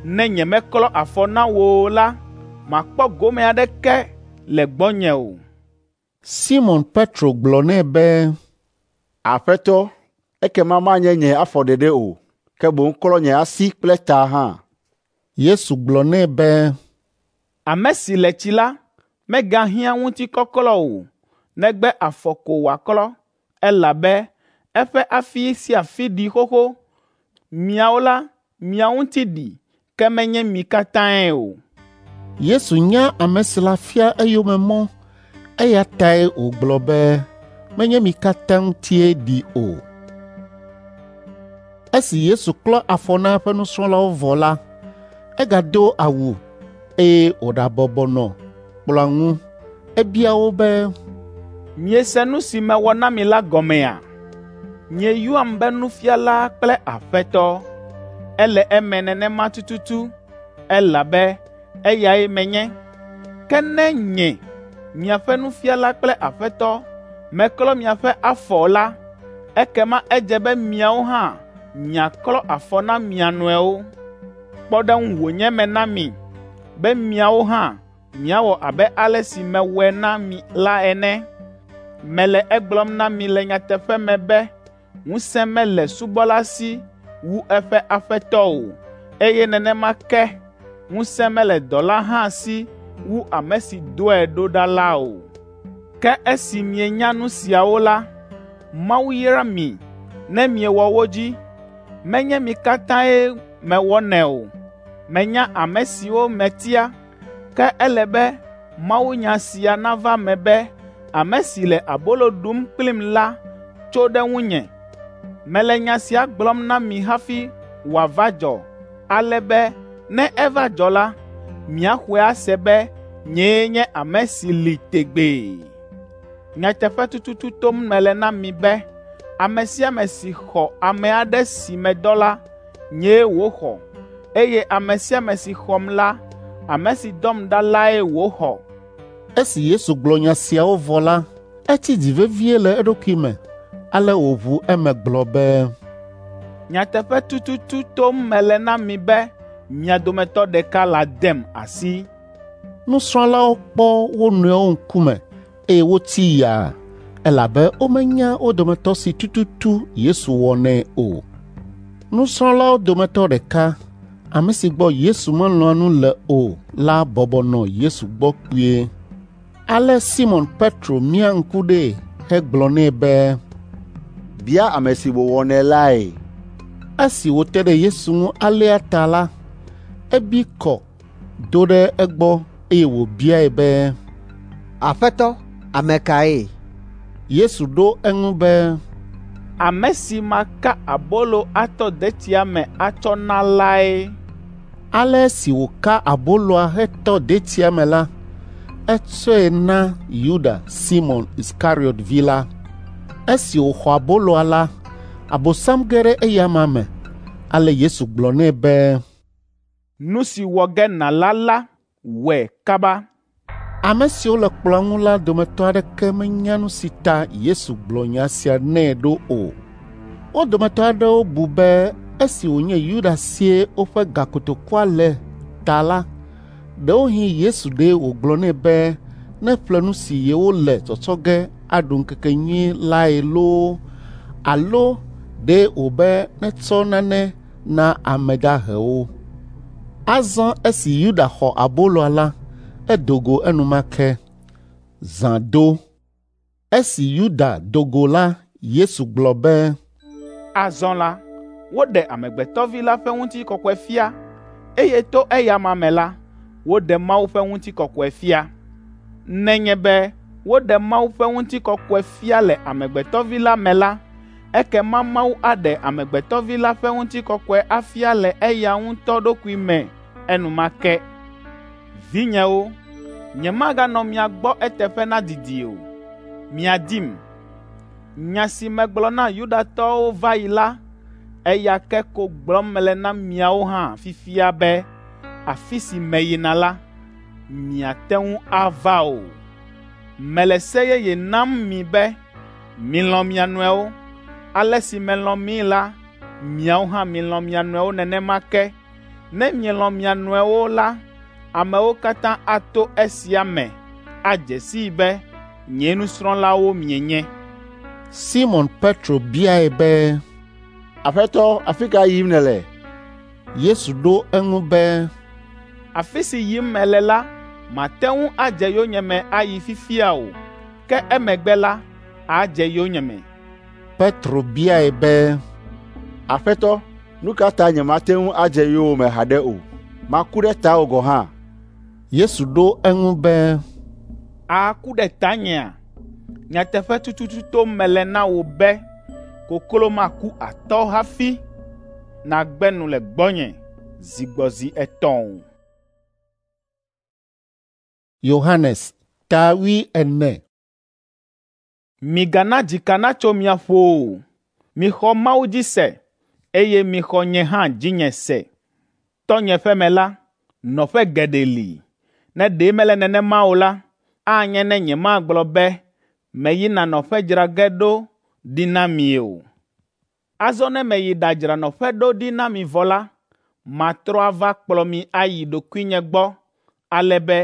Ne nyemeklɔ afɔ na wò o la, màkpɔ gome aɖeke le gbɔnye o. Simɔn Petro gblɔ nɛ be, Aƒetɔ, ekema manye nye afɔ ɖeɖe o, ke boŋ klɔ nye asi kple ta hã. Yesu gblɔ nɛ be, Ame si le tsi la, megahiã ŋutikɔklɔ o, negbe afɔ ko wòaklɔ, elabe eƒe afi sia afi ɖi xoxo. Miawo la, mia ŋuti ɖi, ke menye mi katãe o. Yesu nya ame si la fia eyome mɔ, eya tae wògblɔ be menye mi katã ŋutie ɖi o. Esi Yesu klɔ afɔ na eƒe nusrɔ̃lawo vɔ la, egado awu eye wòɖabɔbɔ nɔ kplɔ̃a ŋu. Ebia wo be, Miese nu si mewɔ na mi la gɔmea? Mieyɔam be Nufiala kple Aƒetɔ, Ele eme nenema tututu, elabe eyae menye. Ke ne nye, miaƒe nufiala kple Aƒetɔ, meklɔ miaƒe afɔ la, ekema edze be miawo hã miaklɔ afɔ na mia nɔewo. Kpɔɖeŋu wònye mena mi be miawo hã miawɔ abe ale si mewɔe na mi la ene. Mele egblɔm na mi le nyateƒe me be ŋusẽ mele subɔla si wu eƒe aƒetɔ o, eye nenema ke ŋusẽ mele dɔla hã si wu ame si dɔe ɖo ɖa la o. Ke esi mienya nu siawo la, Mawu yra mi ne miewɔ wo dzi. Menye mi katãe mewɔnɛ o. Menya ame siwo metia, ke ele be mawunya sia nava eme be, ame si le abolo ɖum kplim la tso ɖe ŋunye. Mele nya sia gblɔm na mi hafi wòava dzɔ, ale be ne eva dzɔ la, miaxɔe ase be nyee nye ame si li tegbee. Nyateƒe tututu tom mele na mi be ame sia ame si xɔ ame aɖe si medɔ la, nyee wòxɔ, eye ame sia ame si xɔm la, ame si dɔm ɖa lae wòxɔ. Esi Yesu gblɔ nya siawo vɔ la, etsi dzi vevie le eɖokui me, ale wòʋu eme gblɔ be, Nyateƒe tututu tom mele na mi be mia dometɔ ɖeka ladem asi. Nusrɔ̃lawo kpɔ wo nɔewo ŋkume eye wotsi yaa, elabe womenya wo dometɔ si tututu Yesu wɔnɛ o. Nusrɔ̃lawo dometɔ ɖeka, ame si gbɔ Yesu melɔ̃a nu le o la bɔbɔ nɔ Yesu gbɔ kpuie. Ale Simɔn Petro mia ŋku ɖee hegblɔ nɛ be, “Bia ame si wòwɔnɛ lae.” Esi wòte ɖe Yesu ŋu alea ta la, ebi kɔ do ɖe egbɔ eye wòbiae be, “Aƒetɔ, ame kae?” Yesu ɖo eŋu be, “Ame si maka abolo atɔ detsia me atsɔ na lae.” Ale esi wòka aboloa hetɔ detsia me la, etsɔe na Yuda, Simɔn Iskariɔt vi la. Esi wòxɔ aboloa la, Abosam ge ɖe eyama me. Ale Yesu gblɔ nɛ be, “Nu si wɔ ge nàla la, wɔe kaba.” Ame siwo le kplɔ̃a ŋu la dometɔ aɖeke menya nu si ta Yesu gblɔ nya sia nɛ ɖo o. Wo dometɔ aɖewo bu be esi wònye Yuda sie woƒe gakotokua le ta la, ɖewohĩ Yesu ɖe wògblɔ nɛ be neƒle nu si yewole tsɔtsɔ ge aɖu ŋkekenyui lae loo alo ɖe wòbe netsɔ nane na ame dahewo. Azɔ esi Yuda xɔ aboloa la, edo go enumake. Zã do. Esi Yuda do go la, Yesu gblɔ be, “Azɔ la, woɖe Amegbetɔ Vi la ƒe ŋutikɔkɔe fia, eye to eyama me la, woɖe Mawu ƒe ŋutikɔkɔe fia. Nenye be woɖe Mawu ƒe ŋutikɔkɔe fia le Amegbetɔ Vi la me la, ekema Mawu aɖe Amegbetɔ Vi la ƒe ŋutikɔkɔe afia le eya ŋutɔ ɖokui me enumake. Vinyewo, nyemaganɔ mia gbɔ eteƒe nadidi o. Miadim. Nya si megblɔ na Yudatɔwo va yi la, eya ke ko gblɔm mele na miawo hã fifia be afi si meyina la, miate ŋu ava o. Mele se yeye nam mi be milɔ̃ mia nɔewo. Ale si melɔ̃ mi la, miawo hã milɔ̃ mia nɔewo nenema ke. Ne mielɔ̃ mia nɔewo la, amewo katã ato esia me adze sii be nye nusrɔ̃lawo mienye.” Simɔn Petro biae be, “Aƒetɔ, afi ka yim nèle?” Yesu ɖo eŋu be, “Afi si yim mele la, màte ŋu adze yonyeme ayi fifia o, ke emegbe la, àdze yonyeme.” Petro biae be, “Aƒetɔ, nu ka ta nyemate ŋu adze yowòme haɖe o? Maku ɖe tawò gɔ̃ hã.” Yesu ɖo eŋu be, “Àku ɖe tanyea? Nyateƒe tututu tom mele na wò be koklo maku atɔ hafi nàgbe nu le gbɔnye zi gbɔ zi etɔ̃ o.” Yohanes ta 40. Migana dzika natso mia ƒo o. Mixɔ Mawu dzi se, eye mixɔ nye hã dzinye se. Tɔnye ƒe me la, nɔƒe geɖe li. Ne ɖe mele nenema o la, anye ne nyemagblɔ be meyina nɔƒe dzra ge ɖo ɖi na mi o. Azɔ ne meyi ɖadzra nɔƒe ɖo ɖi na mi vɔ la, matrɔ ava kplɔ mi ayi ɖokuinye gbɔ, ale be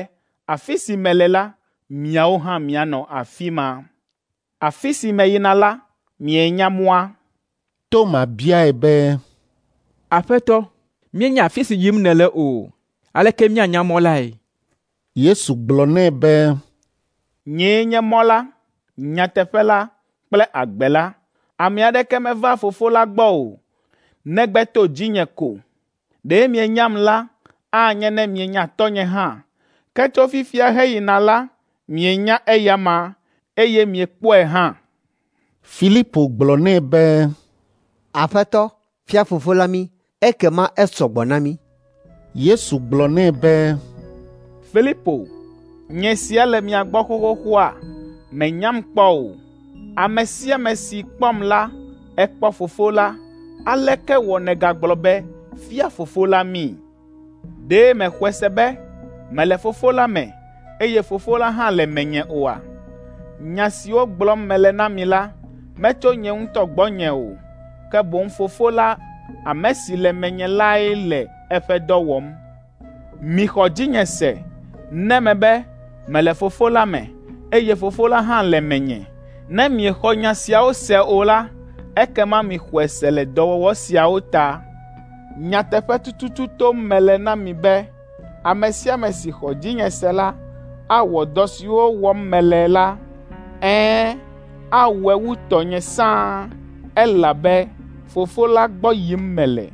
afi si mele la, miawo hã mianɔ afi ma. Afi si meyina la, mienya mɔa.” Toma biae be, “Aƒetɔ, míenya afi si yim nèle o, aleke míanya mɔ lae?” Yesu gblɔ nɛ be, “Nyee nye mɔ la, nyateƒe la kple agbe la. Ame aɖeke mevaa Fofo la gbɔ o, negbe to dzinye ko. Ɖe mienyam la, anye ne mienya Tɔnye hã. Ke tso fifia heyina la, mienya eyama, eye miekpɔe hã.” Filipo gblɔ nɛ be, “Aƒetɔ, fia Fofo la mí, ekema esɔ gbɔ na mí.” Yesu gblɔ nɛ be, “Filipo, nye sia le mia gbɔ xoxoxoa, mènyam kpɔ o. Ame sia ame si kpɔm la, ekpɔ Fofo la. Aleke wɔ nègagblɔ be, ‘Fia Fofo la mí’? Ɖe mèxɔe se be mele Fofo la me, eye Fofo la hã le menye oa? Nya siwo gblɔm mele na mi la, metso nye ŋutɔ gbɔnye o, ke boŋ Fofo la, ame si le menye lae le eƒe dɔ wɔm. Mixɔ dzinye se ne mebe mele Fofo la me, eye Fofo la hã le menye. Ne miexɔ nya siawo se o la, ekema mixɔe se le dɔwɔwɔ siawo ta. Nyateƒe tututu tom mele na mi be ame sia ame si xɔ dzinye se la awɔ dɔ siwo wɔm mele la. Ɛ̃, awɔe wu tɔnye sãa, elabe Fofo la gbɔ yim mele.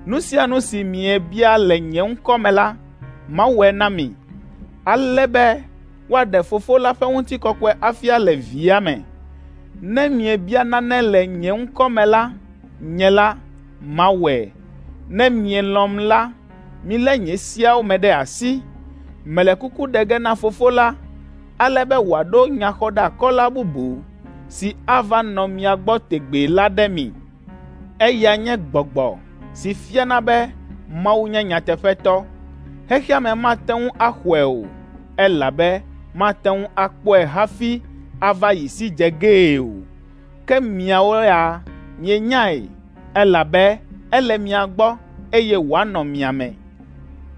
Nu sia nu si miebia le nye ŋkɔ me la, mawɔe na mi, ale be woaɖe Fofo la ƒe ŋutikɔkɔe afia le Via me. Ne miebia nane le nye ŋkɔ me la, nye la, mawɔe. Ne mielɔ̃m la, milé nye seawo me ɖe asi. Mele kuku ɖe ge na Fofo la, ale be wòaɖo nyaxɔɖeakɔla bubu si ava nɔ mia gbɔ tegbee la ɖe mi. Eya nye Gbɔgbɔ si fiana be Mawu nye nyateƒetɔ. Xexea me mate ŋu axɔe o, elabe mate ŋu akpɔe hafi ava yi si dze gee o. Ke miawo ya mienyae, elabe ele mia gbɔ, eye wòanɔ mia me.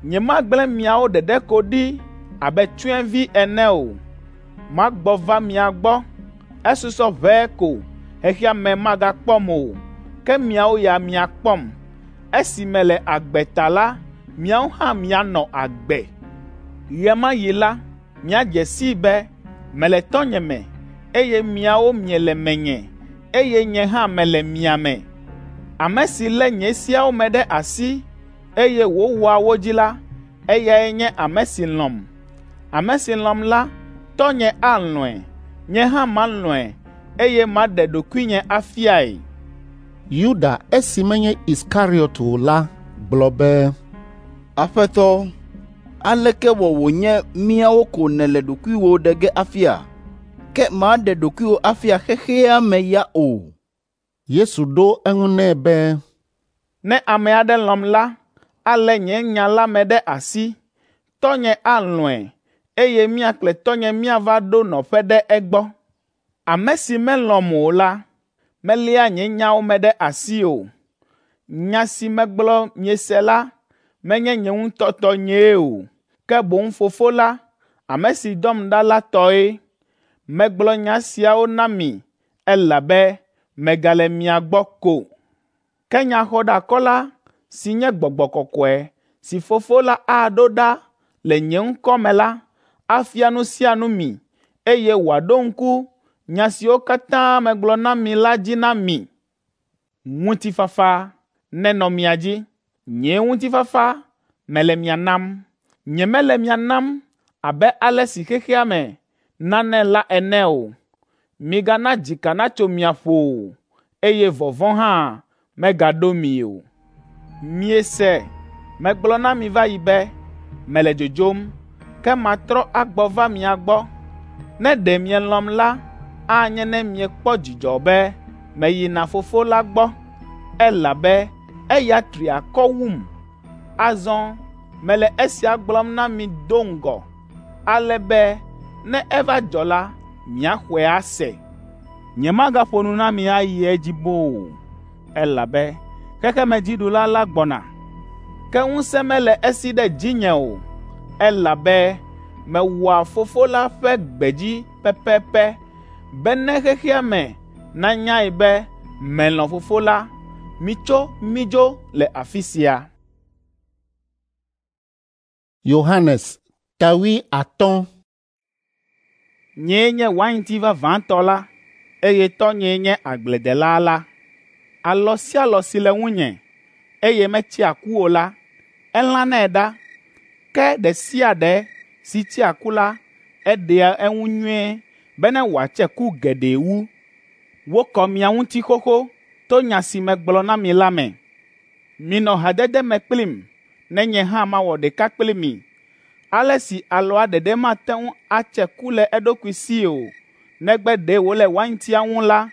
Nyemagblẽ miawo ɖeɖe ko ɖi abe tsyɔ̃evi ene o. Magbɔ va mia gbɔ. Esusɔ ʋɛe ko xexea me magakpɔm o, ke miawo ya miakpɔm. Esi mele agbe ta la, miawo hã mianɔ agbe. Ɣe ma ɣi la, miadze sii be mele Tɔnye me, eye miawo miele menye, eye nye hã mele mia me. Ame si lé nye seawo me ɖe asi, eye wòwɔa wo dzi la, eyae nye ame si lɔ̃m. Ame si lɔ̃m la, Tɔnye alɔ̃e, nye hã malɔ̃e, eye maɖe ɖokuinye afiae.” Yuda esi menye Iskariɔt o la gblɔ be, “Aƒetɔ, aleke wɔ wònye míawo ko nèle ɖokuiwò ɖe ge afia, ke màɖe ɖokuiwò afia xexea me ya o?” Yesu ɖo eŋu nɛ be, “Ne ame aɖe lɔ̃m la, alé nye nya la me ɖe asi. Tɔnye alɔ̃e, eye mía kple Tɔnye míava ɖo nɔƒe ɖe egbɔ. Ame si melɔ̃m o la, meléa nye nyawo me ɖe asi o. Nya si megblɔ miese la menye nye ŋutɔ tɔnyee o, ke boŋ Fofo la, ame si dɔm ɖa la tɔe. Megblɔ nya siawo na mi elabe megale mia gbɔ ko. Ke Nyaxɔɖeakɔla si nye Gbɔgbɔ Kɔkɔe si Fofo la aɖo ɖa le nye ŋkɔ me la, afia nu sia nu mi, eye wòaɖo ŋku nya siwo katã megblɔ na mi la dzi na mi. Ŋutifafa nenɔ mia dzi. Nye ŋutifafa mele mia nam. Nyemele mia nam abe ale si xexea me nanɛ la ene o. Migana dzika natso mia ƒo o, eye vɔvɔ̃ hã megaɖo mi o. Miese megblɔ na mi va yi be, mele dzodzom, ke matrɔ agbɔ va mia gbɔ. Ne ɖe mielɔ̃m la, anye ne miekpɔ dzidzɔ be meyina Fofo la gbɔ, elabe eya tri akɔ wum. Azɔ mele esia gblɔm na mi do ŋgɔ, ale be ne eva dzɔ la, miaxɔe ase. Nyemagaƒo nu na mi ayi edzi boo o, elabe xexemedziɖula la gbɔna. Ke ŋusẽ mele esi ɖe dzinye o, elabe mewɔa Fofo la ƒe gbe dzi pɛpɛpɛ bene xexea me nanyae be melɔ̃ Fofo la. Mitso mídzo le afi sia. Yohanes ta 50. Nyee nye wainti vavãtɔ la, eye tɔnyee nye agbledela la. Alɔ sia alɔ si le ŋunye, eye metsea ku o la, elãnɛ ɖa. Ke ɖe sia ɖe si tsea ku la, eɖea eŋu nyuie bene wòatse ku geɖe wu. Wokɔ mia ŋuti xoxo to nya si megblɔ na mi la me. Minɔ hadede me kplim ne nye hã mawɔ ɖeka kpli mi. Ale si alɔa ɖeɖe mate ŋu atse ku le eɖokui si o, negbe ɖe wòle waintia ŋu la,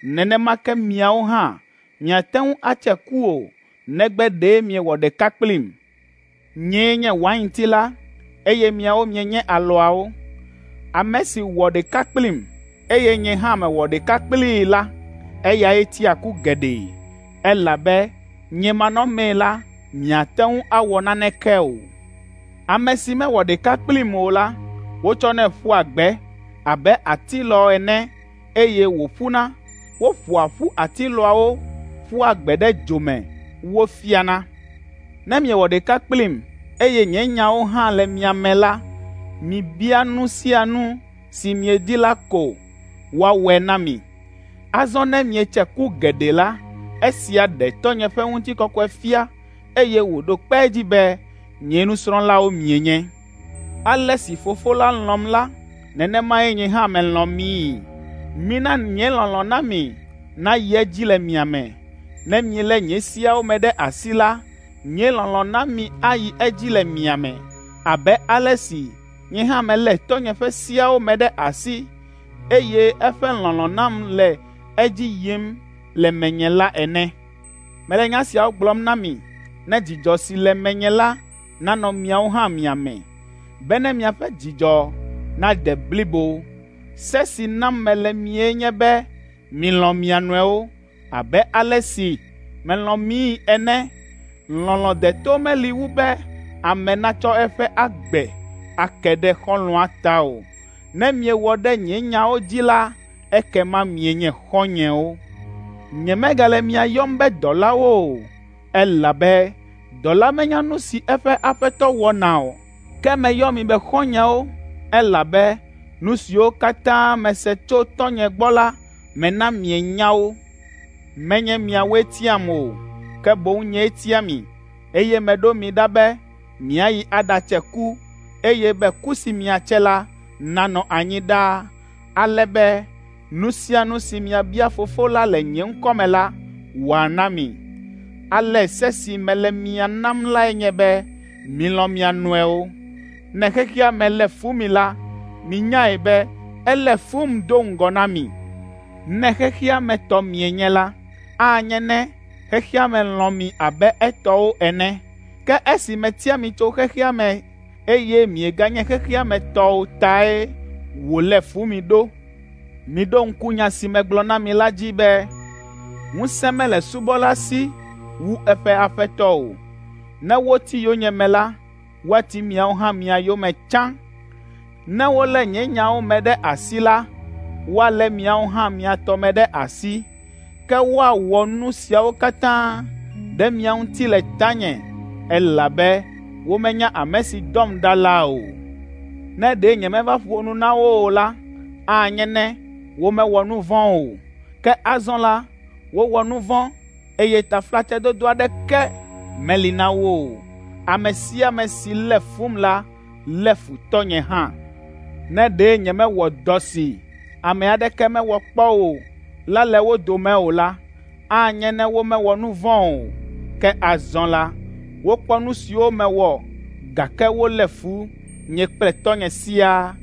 nenema ke miawo hã miate ŋu atse ku o, negbe ɖe miewɔ ɖeka kplim. Nyee nye wainti la, eye miawo mienye alɔawo. Ame si wɔ ɖeka kplim, eye nye hã mewɔ ɖeka kplii la, eyae tsea ku geɖe, elabe nye manɔmee la, miate ŋu awɔ naneke o. Ame si mewɔ ɖeka kplim o la, wotsɔnɛ ƒua gbe abe atilɔ ene eye wòƒuna. Woƒoa ƒu atilɔawo ƒua gbe ɖe dzo me wofiana. Ne miewɔ ɖeka kplim eye nye nyawo hã le mia me la, mibia nu sia nu si miedi la ko woawɔe na mi. Azɔ ne mietse ku geɖe la, esia ɖe Tɔnye ƒe ŋutikɔkɔe fia eye wòɖo kpe edzi be nye nusrɔ̃lawo mienye. Ale si Fofo la lɔ̃m la, nenemae nye hã melɔ̃ mii. Mina nye lɔlɔ̃ na mi nayi edzi le mia me. Ne mielé nye seawo me ɖe asi la, nye lɔlɔ̃ na mi ayi edzi le mia me, abe ale si nye hã melé Tɔnye ƒe seawo me ɖe asi, eye eƒe lɔlɔ̃ nam le edzi yim le menye la ene. Mele nya siawo gblɔm na mi ne dzidzɔ si le menye la nanɔ miawo hã mia me, bene miaƒe dzidzɔ nade blibo. Se si nam mele mie nye be milɔ̃ mia nɔewo abe ale si melɔ̃ mii ene. Lɔlɔ̃ deto meli wu be ame natsɔ eƒe agbe ake ɖe xɔlɔ̃a ta o. Ne miewɔ ɖe nye nyawo dzi la, ekema mienye xɔ̃nyewo. Nyemegale mia yɔm be dɔlawo o, elabe dɔla menya nu si eƒe aƒetɔ wɔna o. Ke meyɔ mi be xɔ̃nyewo, elabe nu siwo katã mese tso tɔnye gbɔ la, mena mienya wo. Menye miawoe tiam o, ke boŋ nyee tia mi, eye meɖo mi ɖa be miayi aɖatse ku, eye be ku si miatse la nanɔ anyi ɖaa, ale be nu sia nu si miabia Fofo la le nye ŋkɔ me la, wòana mi. Ale se si mele mia nam lae nye be milɔ̃ mia nɔewo. Ne xexea me lé fu mi la, minyae be elé fum do ŋgɔ na mi. Ne xexea me tɔ mienye la, anye ne xexea me lɔ̃ mi abe etɔwo ene. Ke esi metia mi tso xexea me eye mieganye xexea me tɔwo tae wòlé fu mi ɖo. Miɖo ŋku nya si megblɔ na mi la dzi be, ŋusẽ mele subɔla si wu eƒe aƒetɔ o. Ne woti yonyeme la, woati miawo hã mia yome tsã. Ne wolé nye nyawo me ɖe asi la, woalé miawo hã mia tɔ me ɖe asi. Ke woawɔ nu siawo katã ɖe mia ŋuti le tanye, elabe womenya ame si dɔm ɖa la o. Ne ɖe nyemeva ƒo nu na wo o la, anye ne womewɔ nu vɔ̃ o. Ke azɔ la, wowɔ nu vɔ̃, eye taflatsedodo aɖeke meli na wo o. Ame sia ame si lé fum la, lé fu tɔnye hã. Ne ɖe nyemewɔ dɔ si ame aɖeke mewɔ kpɔ o la le wo dome o la, anye ne womewɔ nu vɔ̃ o. Ke azɔ la, wokpɔ nu siwo mewɔ, gake wolé fu nye kple tɔnye siaa.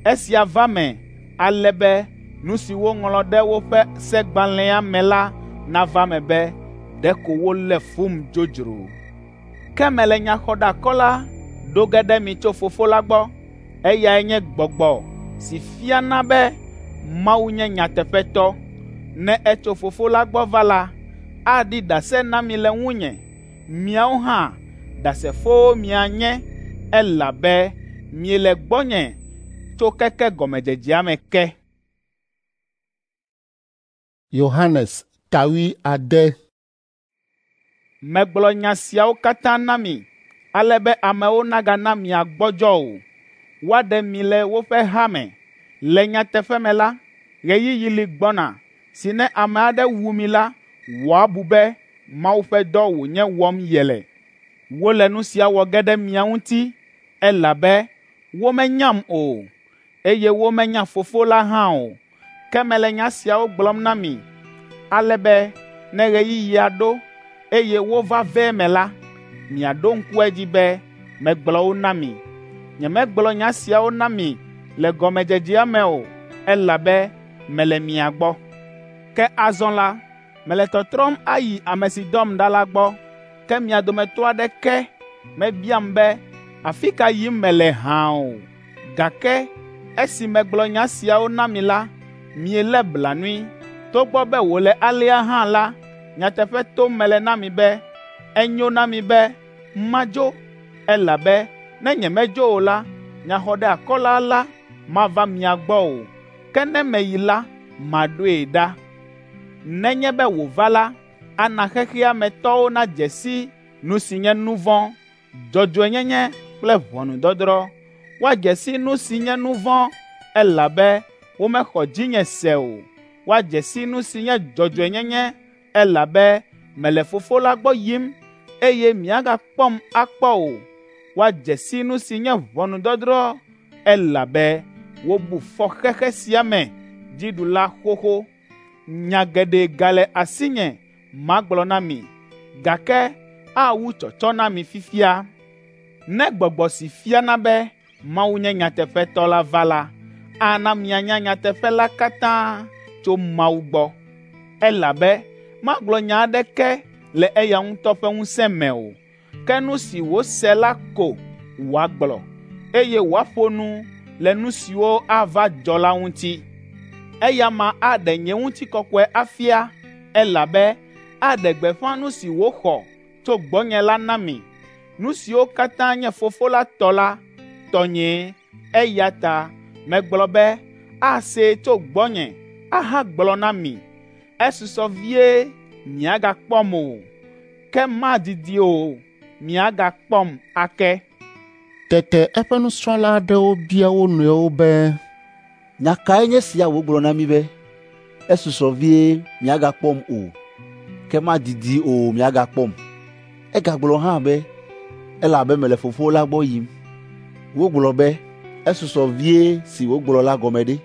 Esia va me ale be nu si woŋlɔ ɖe woƒe segbalẽa me la nava me be, Ɖeko wolé fum dzodzro. Ke mele nyaxɔɖeakɔla ɖo ge ɖe mi tso Fofo la gbɔ. Eyae nye Gbɔgbɔ si fiana be Mawu nye nyateƒetɔ. Ne etso Fofo la gbɔ va la, aɖi ɖase na mi le ŋunye. Miawo hã ɖasefowo mianye, elabe miele gbɔnye tso keke gɔmedzedzea me ke. Yohanes ta 7. Megblɔ nya siawo katã na mi ale be amewo nagana miagbɔdzɔ o. Woaɖe mi le woƒe ha me. Le nyateƒe me la, ɣeyiɣi li gbɔna si ne ame aɖe wu mi la, wòabu be Mawu ƒe dɔ wònye wɔm yele. Wole nu sia wɔ ge ɖe mia ŋuti, elabe womenyam o, eye womenya Fofo la hã o. Ke mele nya siawo gblɔm na mi, ale be ne ɣeyiɣia ɖo, eye wova ve eme la, miaɖo ŋku edzi be megblɔ wo na mi. Nyemegblɔ nya siawo na mi le gɔmedzedzea me o, elabe mele mia gbɔ. Ke azɔ la, mele tɔtrɔm ayi ame si dɔm ɖa la gbɔ, ke mia dometɔ aɖeke mebiam be, ‘Afi ka yim mele hã o?’ Gake esi megblɔ nya siawo na mi la, mielé blanui. Togbɔ be wòle alea hã la, nyateƒe tom mele na mi be, enyo na mi be madzo, elabe ne nyemedzo o la, nyaxɔɖeakɔla la mava mia gbɔ o, ke ne meyi la, maɖoe ɖa. Nenye be wòva la, ana xexea me tɔwo nadze si nu si nye nu vɔ̃, dzɔdzɔenyenye kple ʋɔnudɔdrɔ̃. Woadze si nu si nye nu vɔ̃, elabe womexɔ dzinye se o. Woadze si nu si nye dzɔdzɔenyenye, elabe mele Fofo la gbɔ yim, eye miagakpɔm akpɔ o. Woadze si nu si nye ʋɔnudɔdrɔ̃, elabe wobu fɔ xexe sia me dziɖula xoxo. Nya geɖe gale asinye magblɔ na mi, gake awu tsɔtsɔ na mi fifia. Ne gbɔgbɔ si fiana be Mawu nye nyateƒetɔ la va la, ana mianya nyateƒe la katã tso Mawu gbɔ, elabe magblɔ nya aɖeke le eya ŋutɔ ƒe ŋusẽ me o, ke nu si wòse la ko wòagblɔ, eye wòaƒo nu le nu siwo ava dzɔ la ŋuti. Eya ma aɖe nye ŋutikɔkɔe afia, elabe aɖe gbeƒã nu si wòxɔ tso gbɔnye la na mi. Nu siwo katã nye Fofo la tɔ la, tɔnyee, eya ta megblɔ be asee tso gbɔnye ahagblɔ na mi. Esusɔ vie miagakpɔm o, ke madidi o miagakpɔm ake. Tete eƒe nusrɔ̃la aɖewo bia wo nɔewo be, Nya kae nye sia wògblɔ na mí be, ‘Esusɔ vie miagakpɔm o, ke madidi o miagakpɔm.’ Egagblɔ hã be, ‘Elabe mele Fofo la gbɔ yim.’ Wogblɔ be, ‘Esusɔ vie’ si wògblɔ la gɔme ɖe?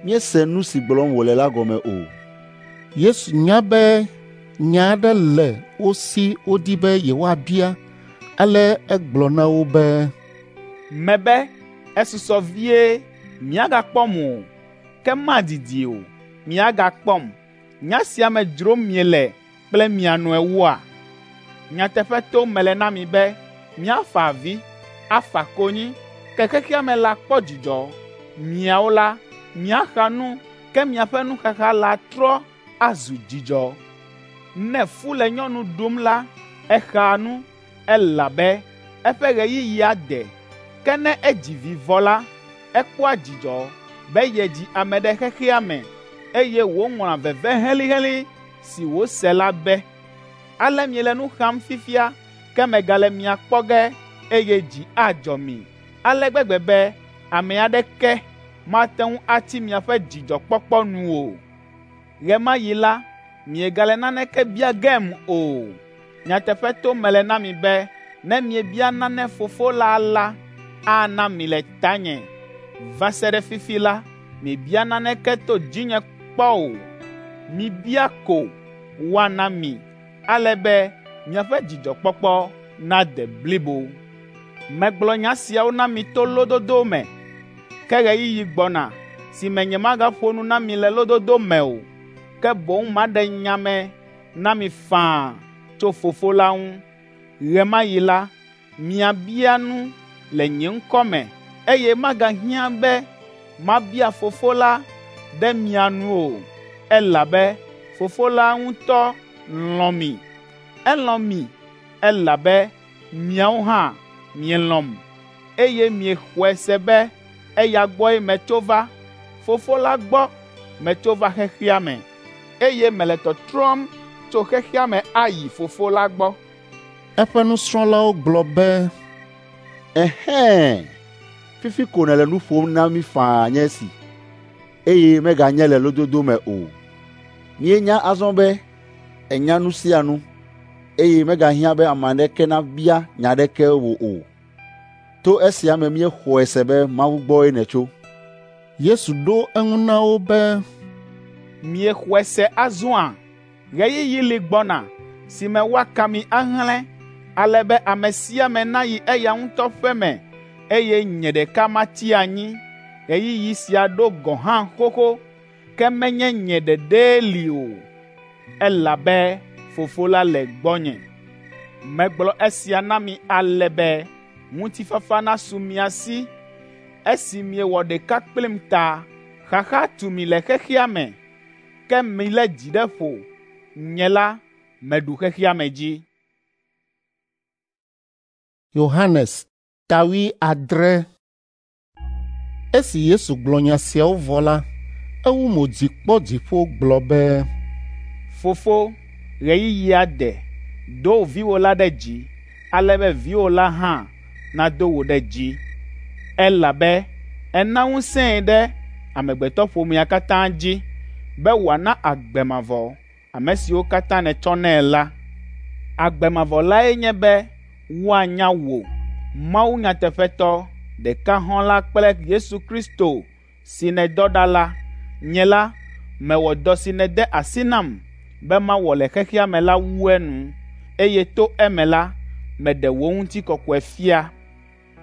Míese nu si gblɔm wòle la gɔme o.” Yesu nya be nya aɖe le wo si wodi be yewoabia, ale egblɔ na wo be, Mebe esusɔ vie miagakpɔm o, ke madidi o miagakpɔm. Nya sia me dzrom miele kple mia nɔewoa? Nyateƒe tom mele na mi be miafa avi, afa konyi, ke xexea me la kpɔ dzidzɔ. Miawo la, miaxa nu, ke miaƒe nuxaxa la trɔ azu dzidzɔ. Ne fu le nyɔnu ɖum la, exaa nu, elabe eƒe ɣeyiɣia de. Ke ne edzi vi vɔ la, ekpɔa dzidzɔ be yedzi ame ɖe xexea me, eye wòŋlɔa veve helĩhelĩ si wòse la be. Ale miele nu xam fifia, ke megale mia kpɔ ge, eye dzi adzɔ mi ale gbegbe be ame aɖeke mate ŋu atsi miaƒe dzidzɔkpɔkpɔ nu o. Ɣe ma ɣi la, miegale naneke bia gem o. Nyateƒe tom mele na mi be ne miebia nane Fofo la la, ana mi le tanye. Va se ɖe fifi la, miebia naneke to dzinye kpɔ o. Mibia ko woana mi, ale be miaƒe dzidzɔkpɔkpɔ nade blibo. Megblɔ nya siawo na mi to lododo me, ke ɣeyiɣi gbɔna si me nyemagaƒo nu na mi le lododo me o, ke boŋ maɖe nya me na mi faa tso Fofo la ŋu. Ɣe ma ɣi la, miabia nu le nye ŋkɔ me, eye magahiã be mabia Fofo la ɖe mia nu o, elabe Fofo la ŋutɔ lɔ̃ mi. Elɔ̃ mi elabe miawo hã mielɔ̃m, eye miexɔe se be eya gbɔe metso va. Fofo la gbɔ metso va xexea me, eye mele tɔtrɔm tso xexea me ayi Fofo la gbɔ. Eƒe nusrɔ̃lawo gblɔ be, Ɛhɛ̃! Fifi ko nèle nu ƒom na mí faa nye esi, eye meganye le lododo me o. Míenya azɔ be ènya nu sia nu, eye megahiã be ame aɖeke nabia nya aɖeke wò o. To esia me míexɔe se be Mawu gbɔe nètso. Yesu ɖo eŋu na wo be, Miexɔe se azɔa? Ɣeyiɣi li gbɔna si me woaka mi ahlẽ, ale be ame sia ame nayi eya ŋutɔ ƒe me, eye nye ɖeka matsi anyi. Ɣeyiɣi sia ɖo gɔ̃ hã xoxo, ke menye nye ɖeɖee li o, elabe Fofo la le gbɔnye. Megblɔ esia na mi ale be ŋutifafa nasu mia si esi miewɔ ɖeka kplim ta. Xaxa tu mi le xexea me, ke milé dzi ɖe ƒo. Nye la, meɖu xexea me dzi. Yohanes ta 70. Esi Yesu gblɔ nya siawo vɔ la, ewu mo dzi kpɔ dziƒo gblɔ be, Fofo, ɣeyiɣia de, do viwò la ɖe dzi, ale be viwò la hã nado wò ɖe dzi. Elabe èna ŋusẽe ɖe amegbetɔƒomea katã dzi be wòana agbe mavɔ ame siwo katã nètsɔ nɛ la. Agbe mavɔ lae nye be woanya wò, Mawu nyateƒetɔ, ɖeka hɔ̃ la kple Yesu Kristo si nèdɔ ɖa la. Nye la, mewɔ dɔ si nède asi nam be mawɔ le xexea me la wu enu, eye to eme la, meɖe wò ŋutikɔkɔe fia.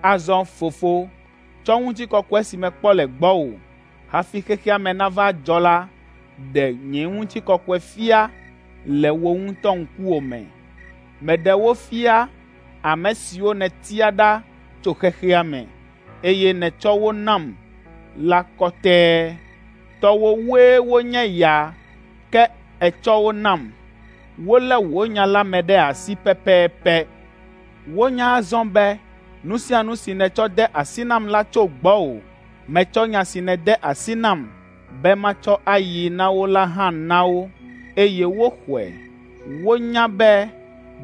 Azɔ Fofo, tsɔ ŋutikɔkɔe si mekpɔ le gbɔwò hafi xexea me nava dzɔ la ɖe nye ŋutikɔkɔe fia le wò ŋutɔ ŋkuwò me. Meɖe wo fia ame siwo nètia ɖa tso xexea me, eye nètsɔ wo nam la kɔtɛe. Tɔwòwoe wonye ya, ke ètsɔ wo nam. Wolé wò nya la me ɖe asi pɛpɛpɛ. Wonya azɔ be nu sia nu si nètsɔ de asi nam la tso gbɔwò. Metsɔ nya si nède asi nam be matsɔ ayi na wo la hã na wo, eye woxɔe. Wonya be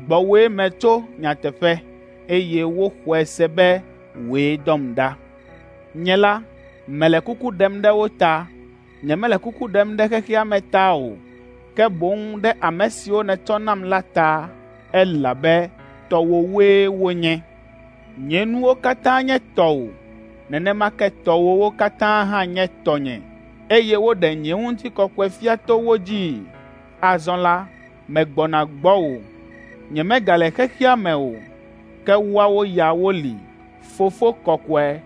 gbɔwòe metso nyateƒe, eye woxɔe se be wòe dɔm ɖa. Nye la, mele kuku ɖem ɖe wo ta. Nyemele kuku ɖem ɖe xexea me ta o, ke boŋ ɖe ame siwo nètsɔ nam la ta, elabe tɔwòwoe wonye. Nye nuwo katã nye tɔwò, nenema ke tɔwòwo katã hã nye tɔnye, eye woɖe nye ŋutikɔkɔe fia to wo dzii. Azɔ la, megbɔna gbɔwò. Nyemegale xexea me o, ke woawo ya woli. Fofo kɔkɔe,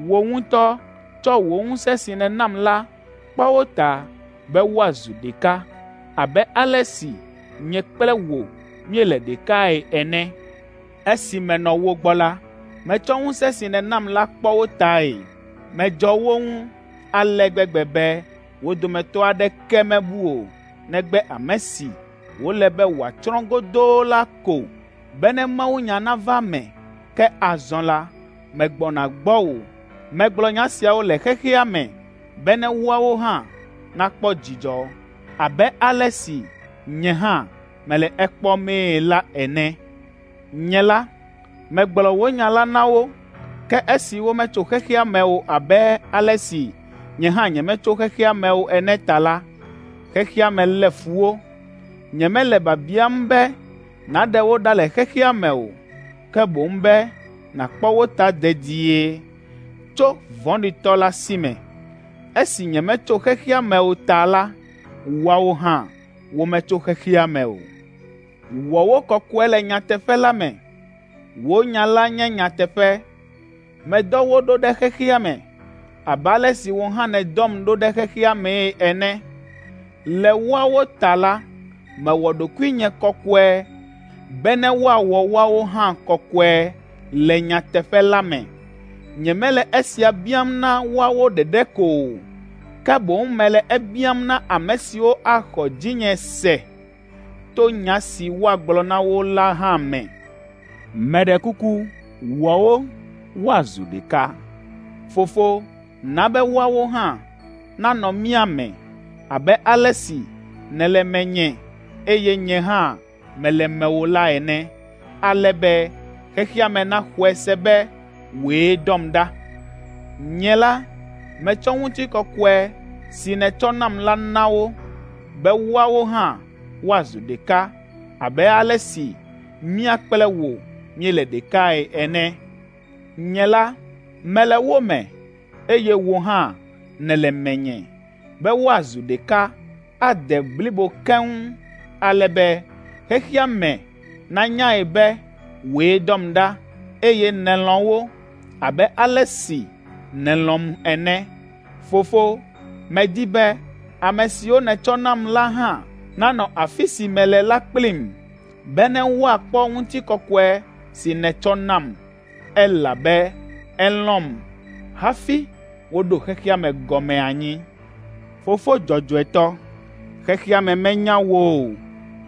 wò ŋutɔ tsɔ wò ŋusẽ si nènam la kpɔ wo ta be woazu ɖeka abe ale si nye kple wò míele ɖekae ene. Esi menɔ wo gbɔ la, metsɔ ŋusẽ si nènam la kpɔ wo tae. Medzɔ wo ŋu ale gbegbe be wo dometɔ aɖeke mebu o, negbe ame si wòle be wòatsrɔ̃ godoo la ko, bene mawunya nava eme. Ke azɔ la, megbɔna gbɔwò. Megblɔ nya siawo le xexea me bene woawo hã nakpɔ dzidzɔ abe ale si nye hã mele ekpɔmee la ene. Nye la, megblɔ wò nya la na wo, ke esi wometso xexea me o abe ale si nye hã nyemetso xexea me o ene ta la, xexea me lé fu wo. Nyemele biabiam be nàɖe wo ɖa le xexea me o, ke boŋ be nàkpɔ wo ta dedie tso vɔ̃ɖitɔ la si me. Esi nyemetso xexea me o ta la, woawo hã wometso xexea me o. Wɔ wo kɔkɔe le nyateƒe la me. Wò nya la nye nyateƒe. Medɔ wo ɖo ɖe xexea me, abe ale si wò hã nèdɔm ɖo ɖe xexea mee ene. Le woawo ta la, mewɔ ɖokuinye kɔkɔe bene woawɔ woawo hã kɔkɔe le nyateƒe la me. Nyemele esia biam na woawo ɖeɖe ko o, ke boŋ mele ebiam na ame siwo axɔ dzinye se to nya si woagblɔ na wo la hã me. Meɖe kuku, wɔ wo woazu ɖeka. Fofo, na be woawo hã nanɔ mía me abe ale si nèle menye eye nye hã mele mewò la ene, ale be xexea me naxɔe se be wòe dɔm ɖa. Nye la, metsɔ ŋutikɔkɔe si nètsɔ nam la na wo, be woawo hã woazu ɖeka abe ale si mía kple wò míele ɖekae ene. Nye la, mele wo me, eye wò hã nèle menye, be woazu ɖeka ade blibo keŋ, ale be xexea me nanyae be wòe dɔm ɖa, eye nèlɔ̃ wo abe ale si nèlɔ̃m ene. Fofo, medi be ame siwo nètsɔ nam la hã nanɔ afi si mele la kplim, bene woakpɔ ŋutikɔkɔe si nètsɔ nam, elabe èlɔ̃m hafi woɖo xexea me gɔme anyi. Fofo dzɔdzɔetɔ, xexea me menya wò o,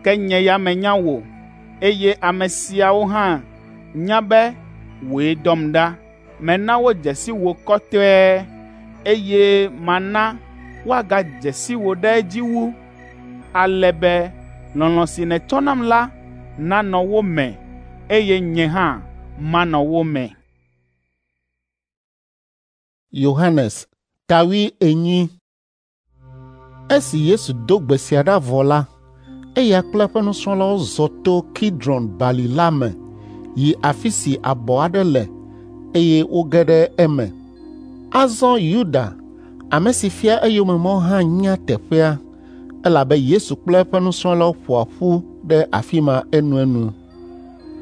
ke nye ya menya wò, eye ame siawo hã nya be wòe dɔm ɖa. Mena wodze si wò kɔtɛe, eye mana woagadze si wò ɖe edzi wu, ale be lɔlɔ̃ si nètsɔ nam la nanɔ wo me, eye nye hã manɔ wo me. Yohanes ta 40. Esi Yesu do gbe sia ɖa vɔ la, eya kple eƒe nusrɔ̃lawo zɔ to Kidron bali la me yi afi si abɔ aɖe le eye woge ɖe eme. Azɔ Yuda, ame si fia eyome mɔ hã nya teƒea, elabe Yesu kple eƒe nusrɔ̃lawo ƒoa ƒu ɖe afi ma enuenu.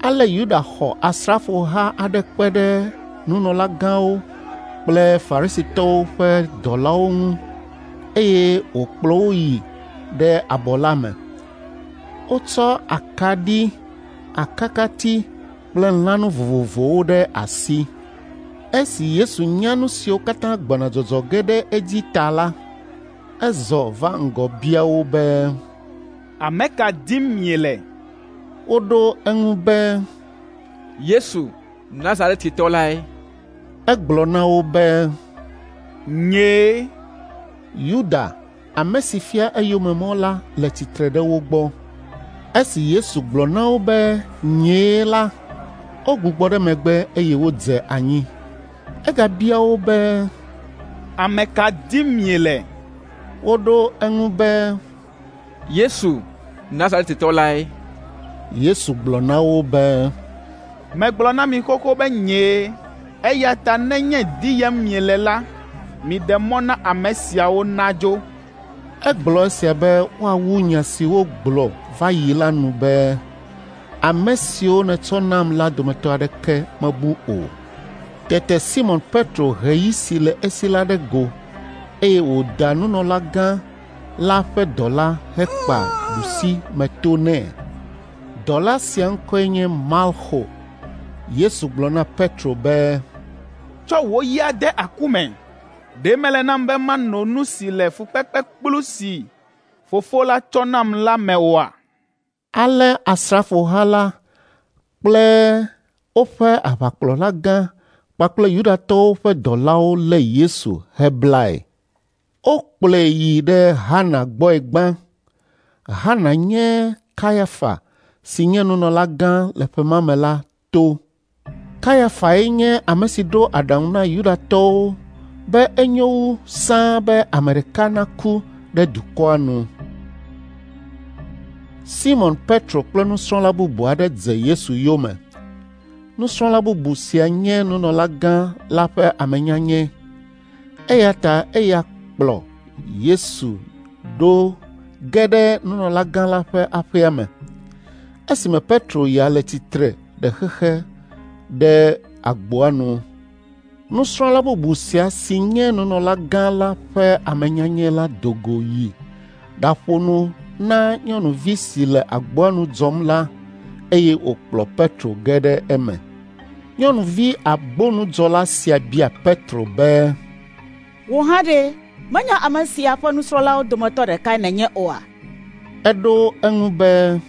Ale Yuda xɔ asrafoha aɖe kpe ɖe nunɔlagãwo kple Farisitɔwo ƒe dɔlawo ŋu eye wòkplɔ wo yi ɖe abɔ la me. Wotsɔ akaɖi, akakati kple lãnu vovovowo ɖe asi. Esi Yesu nya nu siwo katã gbɔna dzɔdzɔ ge ɖe edzi ta la, ezɔ va ŋgɔ bia wo be, Ame ka dim miele? Woɖo eŋu be, Yesu, Nazaretitɔ lae. Egblɔ na wo be, Nyee. Yuda, ame si fia eyome mɔ la le tsitre ɖe wo gbɔ. Esi Yesu gblɔ na wo be nyee la, wogbugbɔ ɖe megbe eye wodze anyi. Egabia wo be, Ame ka dim miele? Woɖo eŋu be, Yesu, Nazaretitɔ lae. Yesu gblɔ na wo be, Megblɔ na mi xoxo be nyee, eya ta nenye diyem miele la, miɖe mɔ na ame siawo nadzo. Egblɔ esia be woawu nya si wogblɔ va yi la nu be, ame siwo nètsɔ nam la dometɔ aɖeke mebu o. Tete Simɔn Petro he yi si le esi la ɖe go, eye wòda nunɔlagã la ƒe dɔla hekpa ɖusimeto nɛ. Dɔla sia ŋkɔe nye Malxo. Yesu gblɔ na Petro be, Tsɔ wò yia de aku me. Ɖe mele nam be mano nu si le fukpekpekplu si Fofo la tsɔ nam la me oa? Ale asrafoha la kple woƒe aʋakplɔlagã kpakple Yudatɔwo ƒe dɔlawo lé Yesu heblae. Wokplɔe yi ɖe Hana gbɔe gbã. Hana nye Kayafa si nye nunɔlagã le ƒe ma me la to. Kayafae nye ame si ɖo aɖaŋu na Yudatɔwo be enyo wu sãa be ame ɖeka naku ɖe dukɔa nu. Simɔn Petro kple nusrɔ̃la bubu aɖe dze Yesu yome. Nusrɔ̃la bubu sia nye nunɔlagã la ƒe amenyanyɛ. Eya ta eya kplɔ Yesu ɖo ge ɖe nunɔlagã la ƒe aƒea me. Esime Petro ya le tsitre ɖe xexe ɖe agboa nu. Nusrɔ̃la bubu sia si nye nunɔlagã la ƒe amenyanyɛ la do go yi ɖaƒo nu na nyɔnuvi si le agboa nu dzɔm la eye wòkplɔ Petro ge ɖe eme. Nyɔnuvi agbonudzɔla sia bia Petro be, “Wò hã ɖe, menye ame sia ƒe nusrɔ̃lawo dometɔ ɖekae nènye oa?” Eɖo eŋu be,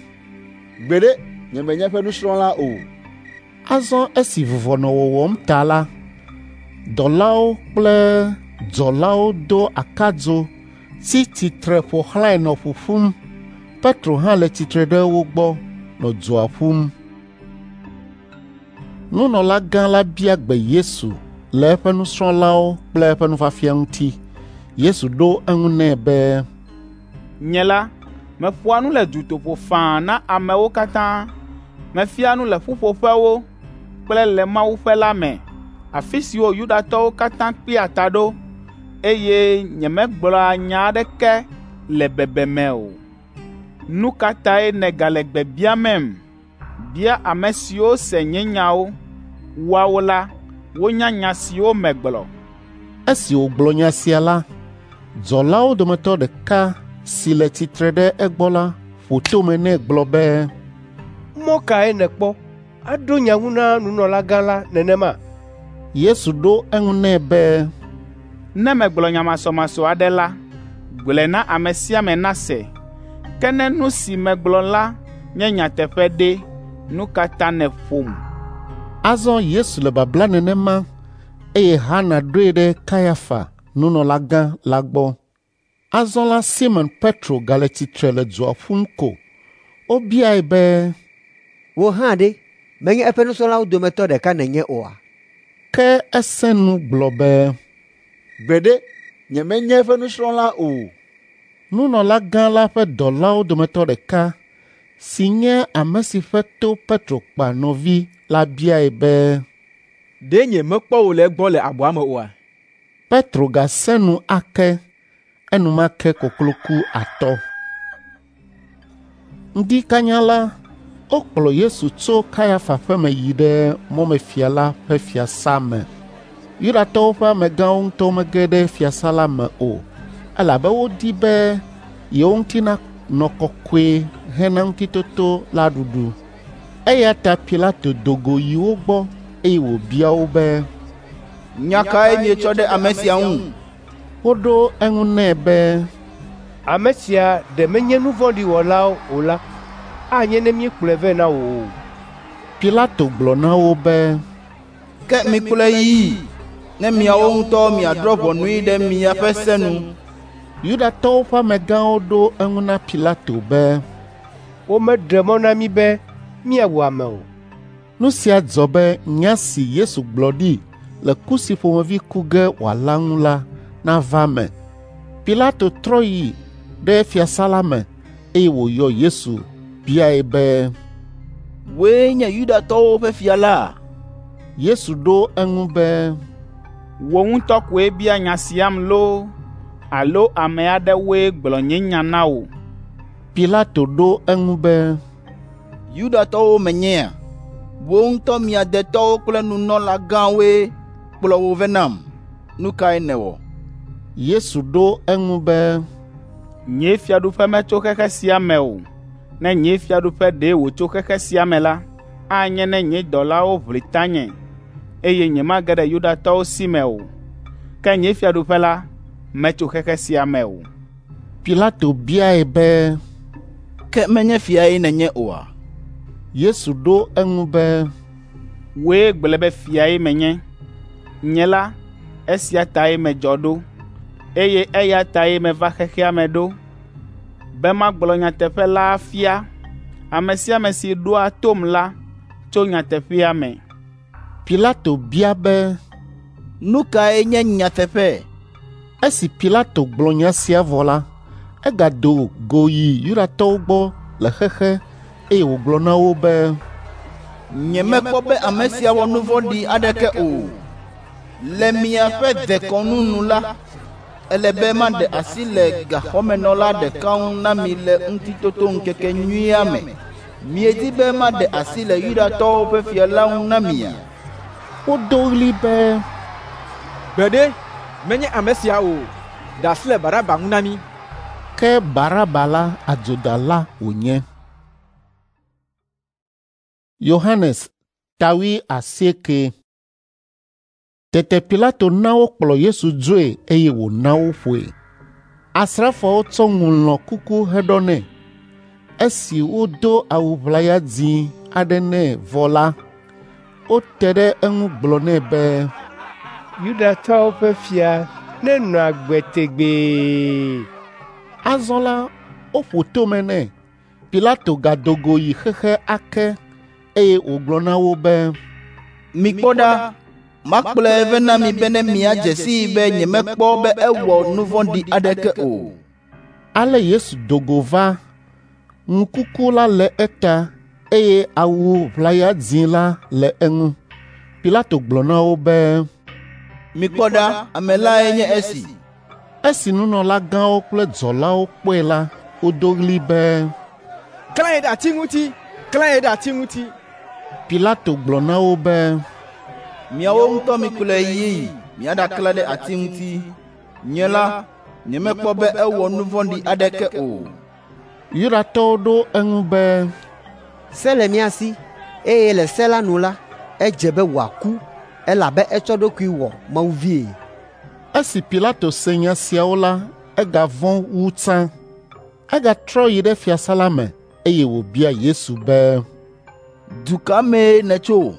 “Gbeɖe, nyemenye eƒe nusrɔ̃la o.” Azɔ esi vuvɔ nɔ wɔwɔm ta la, dɔlawo kple dzɔlawo do akadzo tsi tsitre ƒo xlãe nɔ ƒuƒum. Petro hã le tsitre ɖe wo gbɔ nɔ dzoa ƒum. Nunɔlagã la bia gbe Yesu le eƒe nusrɔ̃lawo kple eƒe nufiafia ŋuti. Yesu ɖo eŋu nɛ be, “Nye la, meƒoa nu le dutoƒo faa na amewo katã. Mefiaa nu le ƒuƒoƒewo kple le mawuƒe la me, afi siwo Yudatɔwo katã kpea ta ɖo, eye nyemegblɔa nya aɖeke le bebeme o. Nu ka tae nègale gbe biamem? Bia ame siwo se nye nyawo. Woawo la, wonya nya siwo megblɔ.” Esi wògblɔ nya sia la, dzɔlawo dometɔ ɖeka si le tsitre ɖe egbɔ la ƒo tome nɛ gblɔ be, “Mɔ kae nèkpɔ aɖo nya ŋu na nunɔlagã la nenema?” Yesu ɖo eŋu nɛ be, “Ne megblɔ nya masɔmasɔ aɖe la, gblɔe na ame sia ame nase. Ke ne nu si megblɔ la nye nyateƒe ɖe, nu ka ta nèƒom?” Azɔ Yesu le babla nenema eye Hana ɖoe ɖe Kayafa, nunɔlagã la gbɔ. Azɔ la Simɔn Petro gale tsitre le dzoa ƒum ko. Wobiae be, “Wò hã ɖe, menye eƒe nusrɔ̃lawo dometɔ ɖeka nènye oa?” Ke esẽ nu gblɔ be, “Gbeɖe, nyemenye eƒe nusrɔ̃la o.” Nunɔlagã la ƒe dɔlawo dometɔ ɖeka si nye ame si ƒe to Petro kpa nɔvi la biae be, “Ɖe nyemekpɔ wò le egbɔ le abɔa me oa?” Petro gasẽ nu ake, enumake koklo ku atɔ. Ŋdi kanya la, wokplɔ Yesu tso Kayafa ƒe me yi ɖe mɔmefia la ƒe fiasã me. Yudatɔwo ƒe amegãwo ŋutɔ mege ɖe fiasã la me o, elabe wodi be yewo ŋuti nanɔ kɔkɔe hena ŋutitoto la ɖuɖu. Eya ta Pilato do go yi wo gbɔ eye wòbia wo be, “Nya kae mietsɔ ɖe ame sia ŋu?” Woɖo eŋu nɛ be, “Ame sia ɖe menye nu vɔ̃ɖi wɔla o la, anye ne míekplɔe vɛ na wò o.” Pilato gblɔ na wo be, “Ke mikplɔe yii, ne miawo ŋutɔ miadrɔ̃ ʋɔnui ɖe miaƒe se nu.” Yudatɔwo ƒe amegãwo ɖo eŋu na Pilato be, “Womeɖe mɔ na mí be míawu ame o.” Nu sia dzɔ be nya si Yesu gblɔ ɖi le ku si ƒomevi ku ge wòala ŋu la nava eme. Pilato trɔ yi ɖe fiasã la me eye wòyɔ Yesu biae be, “Wòe nye Yudatɔwo ƒe fia la?” Yesu ɖo eŋu be, “Wò ŋutɔ koe bia nya siam loo alo ame aɖewoe gblɔ nye nya na wò?” Pilato ɖo eŋu be, “Yudatɔwo menyea? Wò ŋutɔ mia detɔwo kple nunɔlagãwoe kplɔ wò vɛ nam. Nu kae nèwɔ?” Yesu ɖo eŋu be, “Nye fiaɖuƒe metso xexe sia me o. Ne nye fiaɖuƒe ɖe wòtso xexe sia me la, anye ne nye dɔlawo ʋli tanye, eye nyemage ɖe Yudatɔwo si me o. Ke nye fiaɖuƒe la metso xexe sia me o.” Pilato biae be, “Ke menye fiae nènye oa?” Yesu ɖo eŋu be, “Wòe gblɔe be fiae menye. Nye la, esia tae medzɔ ɖo, eye eya tae meva xexea me ɖo, be magblɔ nyateƒe la afia. Ame sia ame si ɖoa tom la tso nyateƒea me.” Pilato bia be, “Nu kae nye nyateƒe?” Esi Pilato gblɔ nya sia vɔ la, egado go yi Yudatɔwo gbɔ le xexe eye wògblɔ na wo be, “Nyemekpɔ be ame sia wɔ nu vɔ̃ɖi aɖeke o. Le miaƒe dekɔnu nu la, ele be maɖe asi le gaxɔmenɔla ɖeka ŋu na mi le Ŋutitotoŋkekenyuia me. Miedi be maɖe asi le Yudatɔwo ƒe fia la ŋu na mia?” Wodo ɣli be, “Gbeɖe, menye ame sia o! Ɖe asi le Baraba ŋu na mí!” Ke Baraba la adzodala wònye. Yohanes ta 80. Tete Pilato na wokplɔ Yesu dzoe eye wòna woƒoe. Asrafoawo tsɔ ŋu lɔ̃ kuku heɖɔ nɛ. Esi wodo awu ʋlaya dzĩ aɖe nɛ vɔ la, wote ɖe eŋu gblɔ nɛ be, Yudatɔwo ƒe fia nenɔ agbe tegbee. Azɔ la, woƒo tome nɛ. Pilato gado go yi xexe ake eye wògblɔ na wo be, Mikpɔ ɖa, makplɔe vɛ na mi bene miadze sii be nyemekpɔ be ewɔ nu vɔ̃ɖi aɖeke o. Ale Yesu do go va, ŋukuku la le eta eye awu ʋlaya dzĩ la le eŋu. Pilato gblɔ na wo be, Mikpɔ ɖa, ame lae nye esi. Esi nunɔlagãwo kple dzɔlawo kpɔe la, wodo ɣli be, Klãe ɖe ati ŋuti! Klãe ɖe ati ŋuti! Pilato gblɔ na wo be, Miawo ŋutɔ mikplɔe yii miaɖaklã ɖe ati ŋuti. Nye la, nyemekpɔ be ewɔ nu vɔ̃ɖi aɖeke o. Yudatɔwo ɖo eŋu be, Se le mía si, eye le se la nu la, edze be wòaku, elabe etsɔ eɖokui wɔ Mawu vie. Esi Pilato se nya siawo la, egavɔ̃ wu tsã. Egatrɔ yi ɖe fiasã la me, eye wòbia Yesu be, Du ka mee nètso?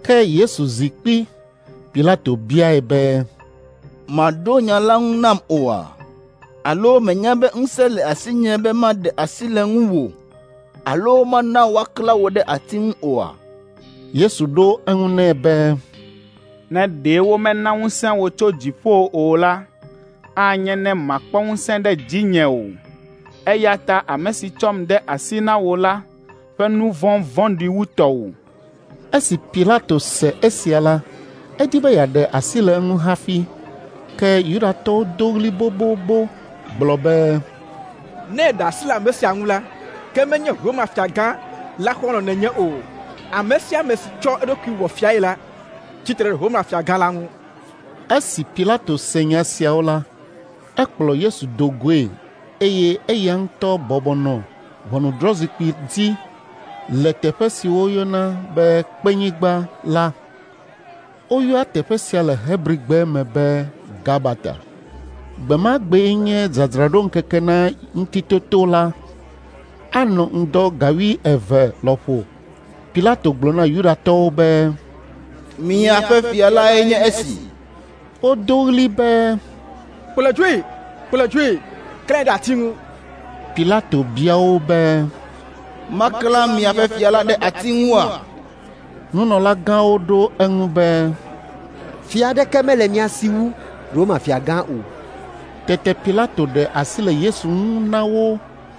Ke Yesu zi kpi. Pilato biae be, Màɖo nya la ŋu nam oa? Alo mènya be ŋusẽ le asinye be maɖe asi le ŋuwò alo mana woaklã wò ɖe ati ŋu oa? Yesu ɖo eŋu nɛ be, Ne ɖe womena ŋusẽ wò tso dziƒo o la, anye ne màkpɔ ŋusẽ ɖe dzinye o. Eya ta ame si tsɔm de asi na wò la ƒe nu vɔ̃ vɔ̃ɖi wu tɔwò. Esi Pilato se esia la, edi be yeaɖe asi le eŋu hafi. Ke Yudatɔwo do ɣli bobobo gblɔ be, Ne èɖe asi le ame sia ŋu la, ke menye Roma fiagã la xɔlɔ̃ nènye o. Ame sia ame si tsɔ eɖokui wɔ fiae la, tsi tre ɖe Roma fiagã la ŋu. Esi Pilato se nya siawo la, ekplɔ Yesu do goe eye eya ŋutɔ bɔbɔ nɔ ʋɔnudrɔ̃zikpui dzi le teƒe si woyɔna be Kpenyigba la. Woyɔa teƒe sia le Hebrigbe me be Gabata. Gbe ma gbee nye dzadzraɖoŋkeke na Ŋutitoto la. Anɔ ŋdɔ ga 11 lɔƒo. Pilato gblɔ na Yudatɔwo be, Miaƒe fia lae nye esi. Wodo ɣli be, Kplɔe dzoe! Kplɔe dzoe! Klãe ɖe ati ŋu! Pilato bia wo be, Maklã miaƒe fia la ɖe ati ŋua? Nunɔlagãwo ɖo eŋu be, Fia aɖeke mele mía si wu Roma fiagã o. Tete Pilato ɖe asi le Yesu ŋu na wo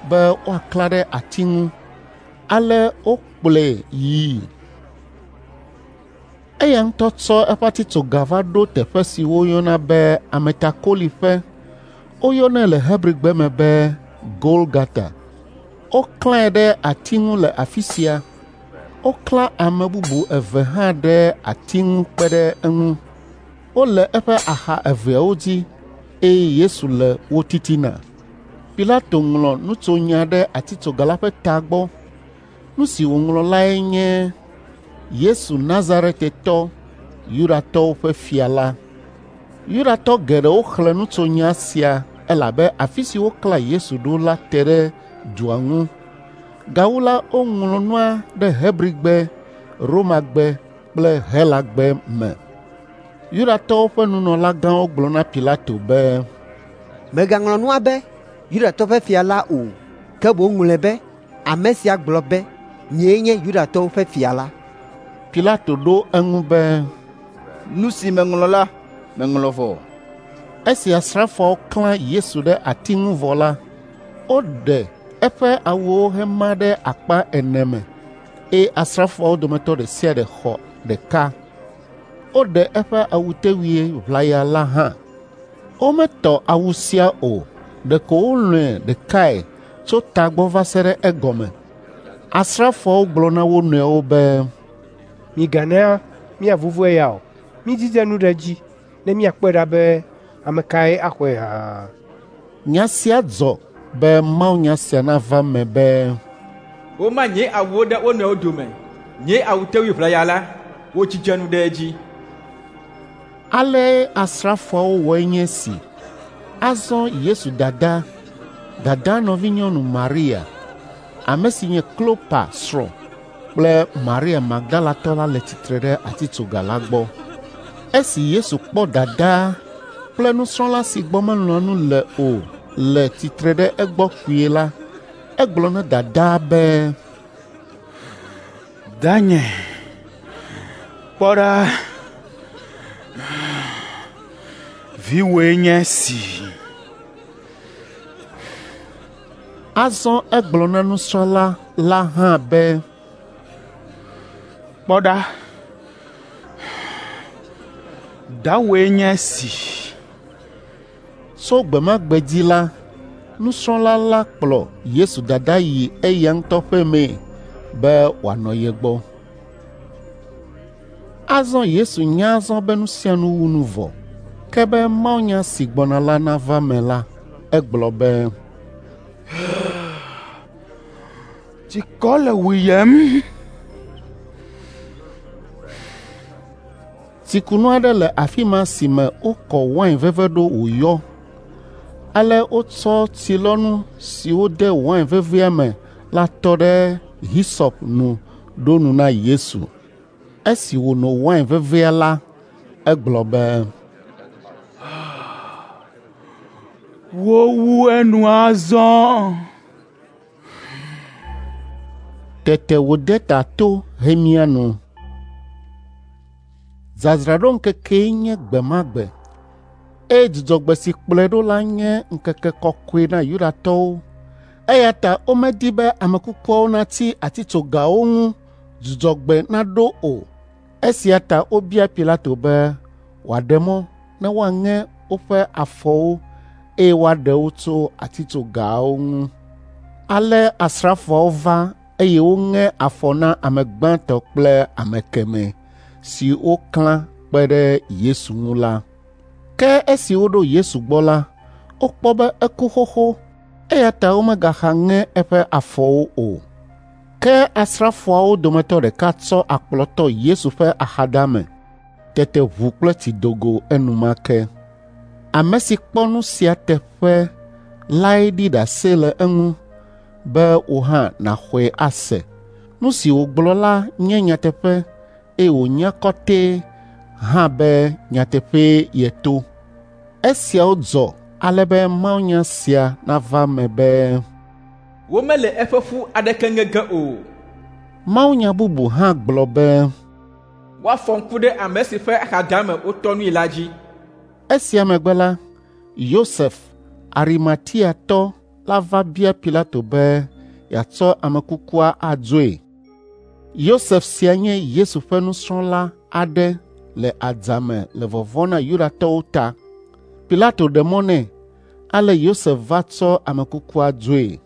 be woaklã ɖe ati ŋu. Ale wokplɔe yii. Eya ŋutɔ tsɔ eƒe atitsoga va ɖo teƒe si woyɔna be Ametakoliƒe. Woyɔnɛ le Hebrigbe me be Golgata. Woklãe ɖe ati ŋu le afi sia. Woklã ame bubu eve hã ɖe ati ŋu kpe ɖe eŋu. Wole eƒe axa eveawo dzi eye Yesu le wo titina. Pilato ŋlɔ nutsonya ɖe atitsoga la ƒe tagbɔ. Nu si wòŋlɔ lae nye Yesu Nazaretetɔ, Yudatɔwo ƒe fia la. Yudatɔ geɖewo xlẽ nutsonya sia elabe afi si woklã Yesu ɖo la te ɖe dua ŋu. Gawu la, woŋlɔ nua ɖe Hebrigbe, Romagbe kple Helagbe me. Yudatɔwo ƒe nunɔlagãwo gblɔ na Pilato be, Mègaŋlɔ nua be Yudatɔwo ƒe fia la o, ke boŋ ŋlɔe be ame sia gblɔ be, ‘Nyee nye Yudatɔwo ƒe fia la.’ Pilato ɖo eŋu be, Nu si meŋlɔ la, meŋlɔ vɔ. Esi asrafoawo klã Yesu ɖe ati ŋu vɔ la, woɖe eƒe awuwo hema ɖe akpa ene me, eye asrafoawo dometɔ ɖe sia ɖe xɔ ɖeka. Woɖe eƒe awutewui ʋlaya la hã. Wometɔ awu sia o, ɖeko wolɔ̃e ɖekae tso tagbɔ va se ɖe egɔme. Asrafoawo gblɔ na wo nɔewo be, Migana míavuvu eya o. Mídzidze nu ɖe edzi ne míakpɔe ɖa be ame kae axɔe hã. Nya sia dzɔ Be mawunya sia nava eme be, Woma nye awuwo ɖe wo nɔewo dome, nye awutewui ʋlaya la, wodzidze nu ɖe edzi. Ale asrafoawo wɔe nye esi. Azɔ Yesu dada, dadaa nɔvinyɔnu Maria, ame si nye Klopa srɔ̃ kple Maria Magdalatɔ la le tsitre ɖe atitsoga la gbɔ. Esi Yesu kpɔ dadaa kple nusrɔ̃la si gbɔ melɔ̃a nu le o le tsitre ɖe egbɔ kpuie la, egblɔ na dadaa be, Danye, kpɔ ɖa, viwòe nye esi. Azɔ egblɔ na nusrɔ̃la la hã be, Kpɔ ɖa, dawòe nye esi. Tso gbe ma gbe dzi la, nusrɔ̃la la kplɔ Yesu dada yi eya ŋutɔ ƒe mee be wòanɔ ye gbɔ. Azɔ Yesu nya azɔ be nu sia nu wu nu vɔ, ke be mawunya si gbɔna la nava eme la, egblɔ be, Tsikɔ le wuyem. Tsikunu aɖe le afi ma si me wokɔ wain veve ɖo wòyɔ. Ale wotsɔ tsilɔnu si wode wain vevea me la tɔ ɖe hisɔp nu ɖo nu na Yesu. Esi wòno wain vevea la, egblɔ be, Wowu enu azɔ. Tete wòde ta to hemia nu. Dzadzraɖoŋkekee nye gbe ma gbe, eye dzudzɔgbe si kplɔe ɖo la nye ŋkeke kɔkɔe na Yudatɔwo. Eya ta womedi be ame kukuawo natsi atitsogawo ŋu dzudzɔgbe naɖo o. Esia ta wobia Pilato be wòaɖe mɔ ne woaŋe woƒe afɔwo eye woaɖe wo tso atitsogawo ŋu. Ale asrafoawo va eye woŋe afɔ na ame gbãtɔ kple ame kemɛ si woklã kpe ɖe Yesu ŋu la. Ke esi woɖo Yesu gbɔ la, wokpɔ be eku xoxo, eya ta womegaxa ŋe eƒe afɔwo o. Ke asrafoawo dometɔ ɖeka tsɔ akplɔ tɔ Yesu ƒe axadame. Tete ʋu kple tsi do go enumake. Ame si kpɔ nu sia teƒe lae ɖi ɖase le eŋu be wò hã nàxɔe ase. Nu si wògblɔ la nye nyateƒe eye wònya kɔtɛe hã be nyateƒee yeto. Esiawo dzɔ ale be mawunya sia nava eme be, Womele eƒe ƒu aɖeke ŋe ge o. Mawunya bubu hã gblɔ be, Woafɔ ŋku ɖe ame si ƒe axadame wotɔ nui la dzi. Esia megbe la, Yosef, Arimatiatɔ la va bia Pilato be yeatsɔ ame kukua adzoe. Yosef sia nye Yesu ƒe nusrɔ̃la aɖe le adzame le vɔvɔ̃ na Yudatɔwo ta. Pilato ɖe mɔ nɛ, ale Yosef va tsɔ ame kukua dzoe.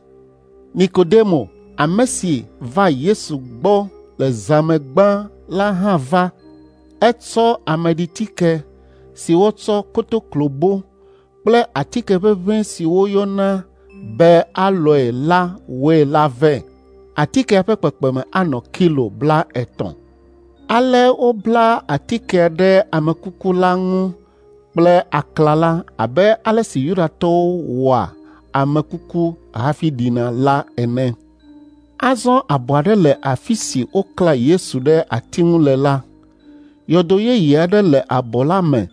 Nikodemo, ame si va Yesu gbɔ le zã me gbã la hã va. Etsɔ ameɖitike si wotsɔ kotoklobo kple atike ʋeʋẽ si woyɔna be alɔe la wɔe la vɛ. Atikea ƒe kpekpeme anɔ kilo 30. Ale wobla atikea ɖe ame kuku la ŋu kple aklala abe ale si Yudatɔwo wɔa ame kuku hafi ɖina la ene. Azɔ abɔ aɖe le afi si woklã Yesu ɖe ati ŋu le la. Yɔdo yeye aɖe le abɔ la me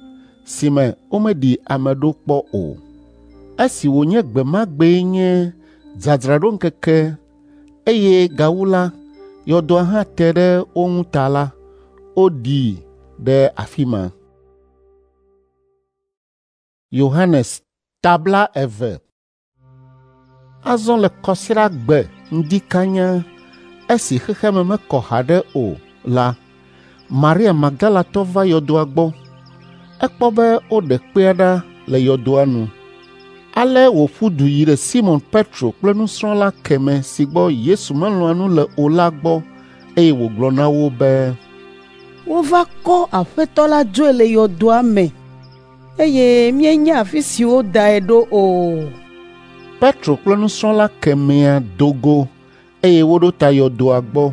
si me womeɖi ame ɖo kpɔ o. Esi wònye gbe ma gbee nye dzadzraɖoŋkeke eye gawu la, yɔdoa hã te ɖe wo ŋu ta la, woɖii ɖe afi ma. Yohanes tabla eve. Azɔ le kɔsiɖagbe ŋdi kanya esi xexea me mekɔ haɖe o la, Maria Magdalatɔ va yɔdoa gbɔ. Ekpɔ be woɖe kpea ɖa le yɔdoa nu. Ale wòƒu du yi ɖe Simɔn Petro kple nusrɔ̃la kemɛ si gbɔ Yesu melɔ̃a nu le o la gbɔ eye wògblɔ na wo be, Wova kɔ Aƒetɔ la dzoe le yɔdoa me eye míenya afi si wodae ɖo o. Petro kple nusrɔ̃la kemɛa do go eye woɖo ta yɔdoa gbɔ.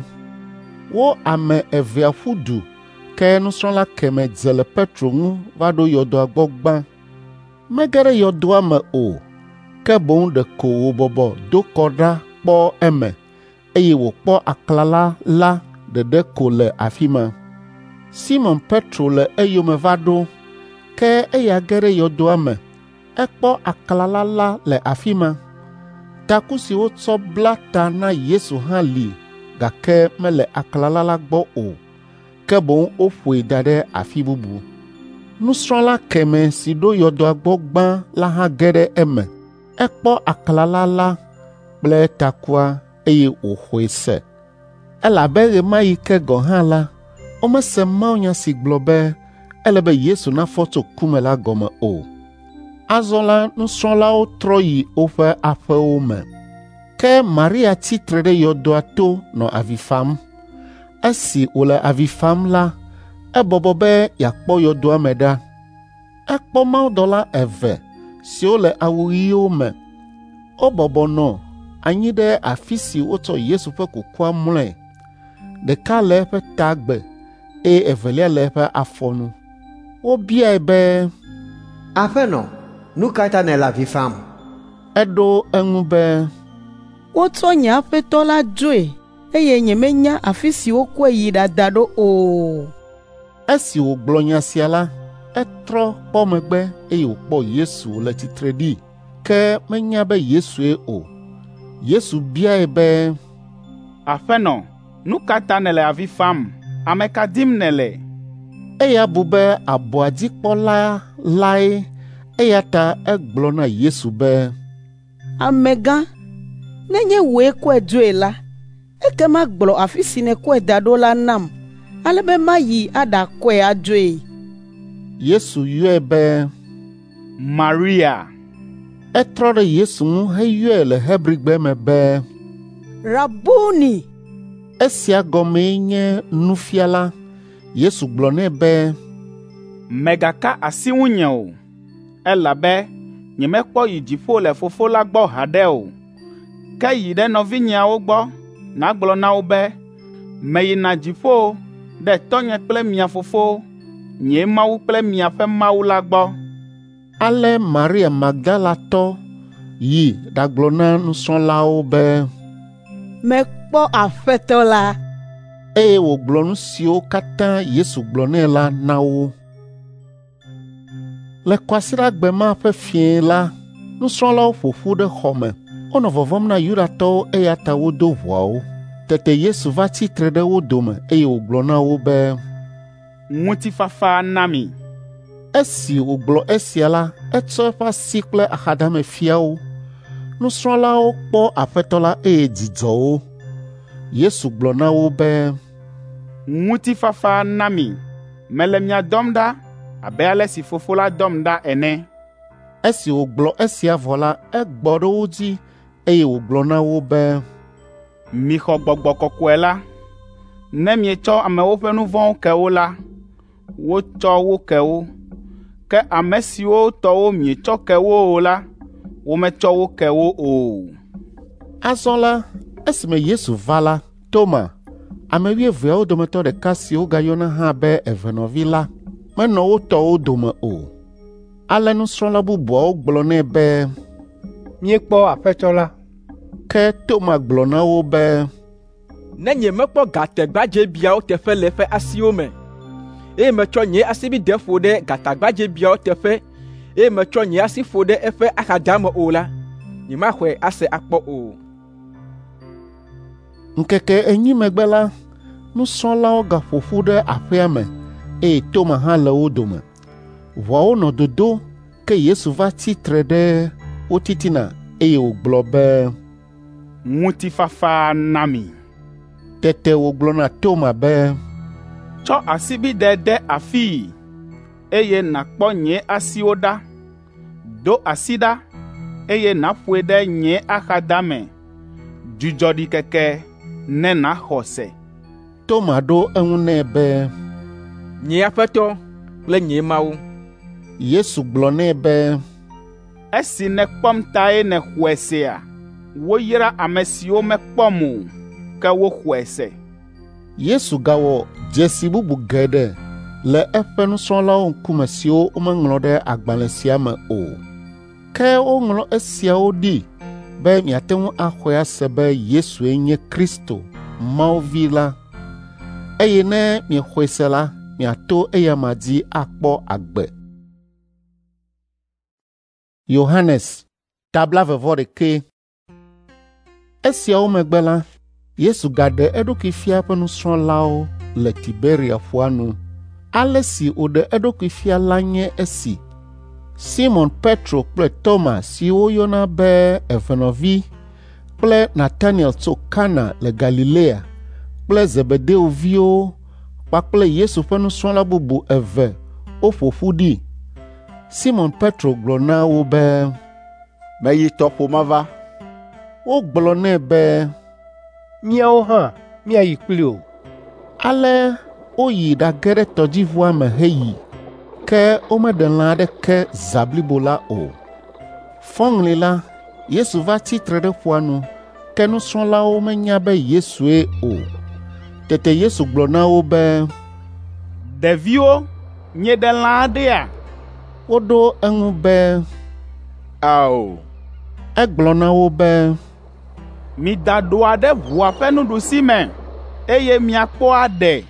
Wo ame evea ƒu du ke nusrɔ̃la kemɛ dze le Petro ŋu va ɖo yɔdoa gbɔ gbã. Mege ɖe yɔdoa me o, ke boŋ ɖeko wòbɔbɔ do kɔ ɖa kpɔ eme eye wòkpɔ aklala la ɖeɖe ko le afi ma. Simɔn Petro le eyome va ɖo, ke eya ge ɖe yɔdoa me. Ekpɔ aklala la le afi ma. Taku si wotsɔ bla ta na Yesu hã li gake mele aklala la gbɔ o, ke boŋ woƒoe da ɖe afi bubu. Nusrɔ̃la kemɛ si ɖo yɔdoa gbɔ gbã la hã ge ɖe eme. Ekpɔ aklala la kple takua eye wòxɔe se. Elabe ɣe ma ɣi ke gɔ̃ hã la, womese mawunya si gblɔ be ele be Yesu nafɔ tso ku me la gɔme o. Azɔ la nusrɔ̃lawo trɔ yi woƒe aƒewo me. Ke Maria tsi tre ɖe yɔdoa to nɔ avi fam. Esi wòle avi fam la, ebɔbɔ be yeakpɔ yɔdoa me ɖa. Ekpɔ mawudɔla eve siwo le awu ɣiwo me. Wobɔbɔ nɔ anyi ɖe afi si wotsɔ Yesu ƒe kukua mlɔe. Ɖeka le eƒe tagbe eye evelia le eƒe afɔnu. Wobiae be, Aƒenɔ, nu ka ta nèle avi fam? Eɖo eŋu be, Wotsɔ nye aƒetɔ la dzoe eye nyemenya afi si wokɔe yi ɖada ɖo o. Esi wògblɔ nya sia la, etrɔ kpɔ megbe eye wòkpɔ Yesu le tsitre ɖi, ke menya be Yesue o. Yesu biae be, Aƒenɔ, nu ka ta nèle avi fam? Ame ka dim nèle? Eya bu be abɔa dzikpɔla lae eya ta egblɔ na Yesu be, Amegã, nenye wòe kɔe dzoe la, ekema gblɔ afi si nèkɔe da ɖo la nam ale be mayi aɖakɔe adzoe. Yesu yɔe be, Maria. Etrɔ ɖe Yesu ŋu heyɔe le Hebrigbe me be, Rabuni. Esia gɔmee nye nufiala. Yesu gblɔ nɛ be, Mègaka asi ŋunye o, elabe nyemekpɔ yi dziƒo le Fofo la gbɔ haɖe o. Ke yi ɖe nɔvinyeawo gbɔ nàgblɔ na wo be, meyina dziƒo ɖe tɔnye kple mia fofo, nye Mawu kple miaƒe Mawu la gbɔ. Ale Maria Magdalatɔ yi ɖagblɔ na nusrɔ̃lawo be, Mekpɔ Aƒetɔ la. Eye wògblɔ nu siwo katã Yesu gblɔ nɛ la na wo. Le kwasiɖagbe ma ƒe fiẽ la, nusrɔ̃lawo ƒo ƒu ɖe xɔ me. Wonɔ vɔvɔ̃m na Yudatɔwo eya ta wodo ʋɔawo. Tete Yesu va tsi tre ɖe wo dome eye wògblɔ na wo be, Ŋutifafa na mi. Esi wògblɔ esia la, etsɔ eƒe asi kple axadame fia wo. Nusrɔ̃lawo kpɔ Aƒetɔ la eye dzi dzɔ wo. Yesu gblɔ na wo be, Ŋutifafa na mi. Mele mia dɔm ɖa abe ale si Fofo la dɔm ɖa ene. Esi wògblɔ esia vɔ la, egbɔ ɖe wo dzi eye wògblɔ na wo be, Mixɔ Gbɔgbɔ Kɔkɔe la. Ne mietsɔ amewo ƒe nu vɔ̃wo ke wo la, wotsɔ wo ke wo. Ke ame siwo tɔwo mietsɔ ke wo o la, wometsɔ wo ke wo o. Azɔ la, esime Yesu va la, Toma, ame wuieveawo dometɔ ɖeka si wogayɔna hã be evenɔvi la, menɔ wo tɔwo dome o. Ale nusrɔ̃la bubuawo gblɔ nɛ be, Míekpɔ Aƒetɔ la. Ke Toma gblɔ na wo be, Ne nyemekpɔ gatagbadzɛbiawo teƒe le eƒe asiwo me, eye metsɔ nye asibidɛ ƒo ɖe gatagbadzɛbiawo teƒe, eye metsɔ nye asi ƒo ɖe eƒe axadame o la, nyemaxɔe ase akpɔ o. Ŋkeke enyi megbe la, nusrɔ̃lawo gaƒo ƒu ɖe aƒea me eye Toma hã le wo dome. Ʋɔawo nɔ dodo ke Yesu va tsi tre ɖe wo titina eye wògblɔ be, Ŋutifafa na mi. Tete wògblɔ na Toma be, Tsɔ asibidɛ de afii, eye nàkpɔ nye asiwo ɖa. Do asi ɖa, eye nàƒoe ɖe nye axadame. Dzudzɔ ɖikeke ne nàxɔ se. Toma ɖo eŋu nɛ be, Nye Aƒetɔ kple nye Mawu. Yesu gblɔ nɛ be, Esi nèkpɔm tae nèxɔe sea? Woyra ame siwo mekpɔm o, ke woxɔe se. Yesu gawɔ dzesi bubu geɖe le eƒe nusrɔ̃lawo ŋkume siwo womeŋlɔ ɖe agbalẽ sia me o. Ke woŋlɔ esiawo ɖi be miate ŋu axɔe ase be Yesue nye Kristo, Mawu Vi la, eye ne miexɔe se la, miato eyama dzi akpɔ agbe. Yohanes ta 21. Esiawo megbe la, Yesu gaɖe eɖokui fia eƒe nusrɔ̃lawo le Tiberia ƒua nu. Ale si wòɖe eɖokui fia la nye esi: Simɔn Petro kple Toma si woyɔna be Evenɔvi kple Nataniel tso Kana le Galilea kple Zebedeo viwo kpakple Yesu ƒe nusrɔ̃la bubu eve woƒo ƒu ɖi. Simɔn Petro gblɔ na wo be, “Meyi tɔƒo mava.” Wogblɔ nɛ be, “Míawo hã míayi kpli wò.” Ale woyi ɖage ɖe tɔdziʋua me heyi, ke womeɖe lã aɖeke zã blibo la o. Fɔŋli la, Yesu va tsi tre ɖe ƒua nu, ke nusrɔ̃lawo menya be Yesue o. Tete Yesu gblɔ na wo be, “Ɖeviwo, mieɖe lã aɖea?” Woɖo eŋu be, “Ao.” Egblɔ na wo be, “Mida ɖɔa ɖe ʋua ƒe nuɖusime, eye miakpɔ aɖe.”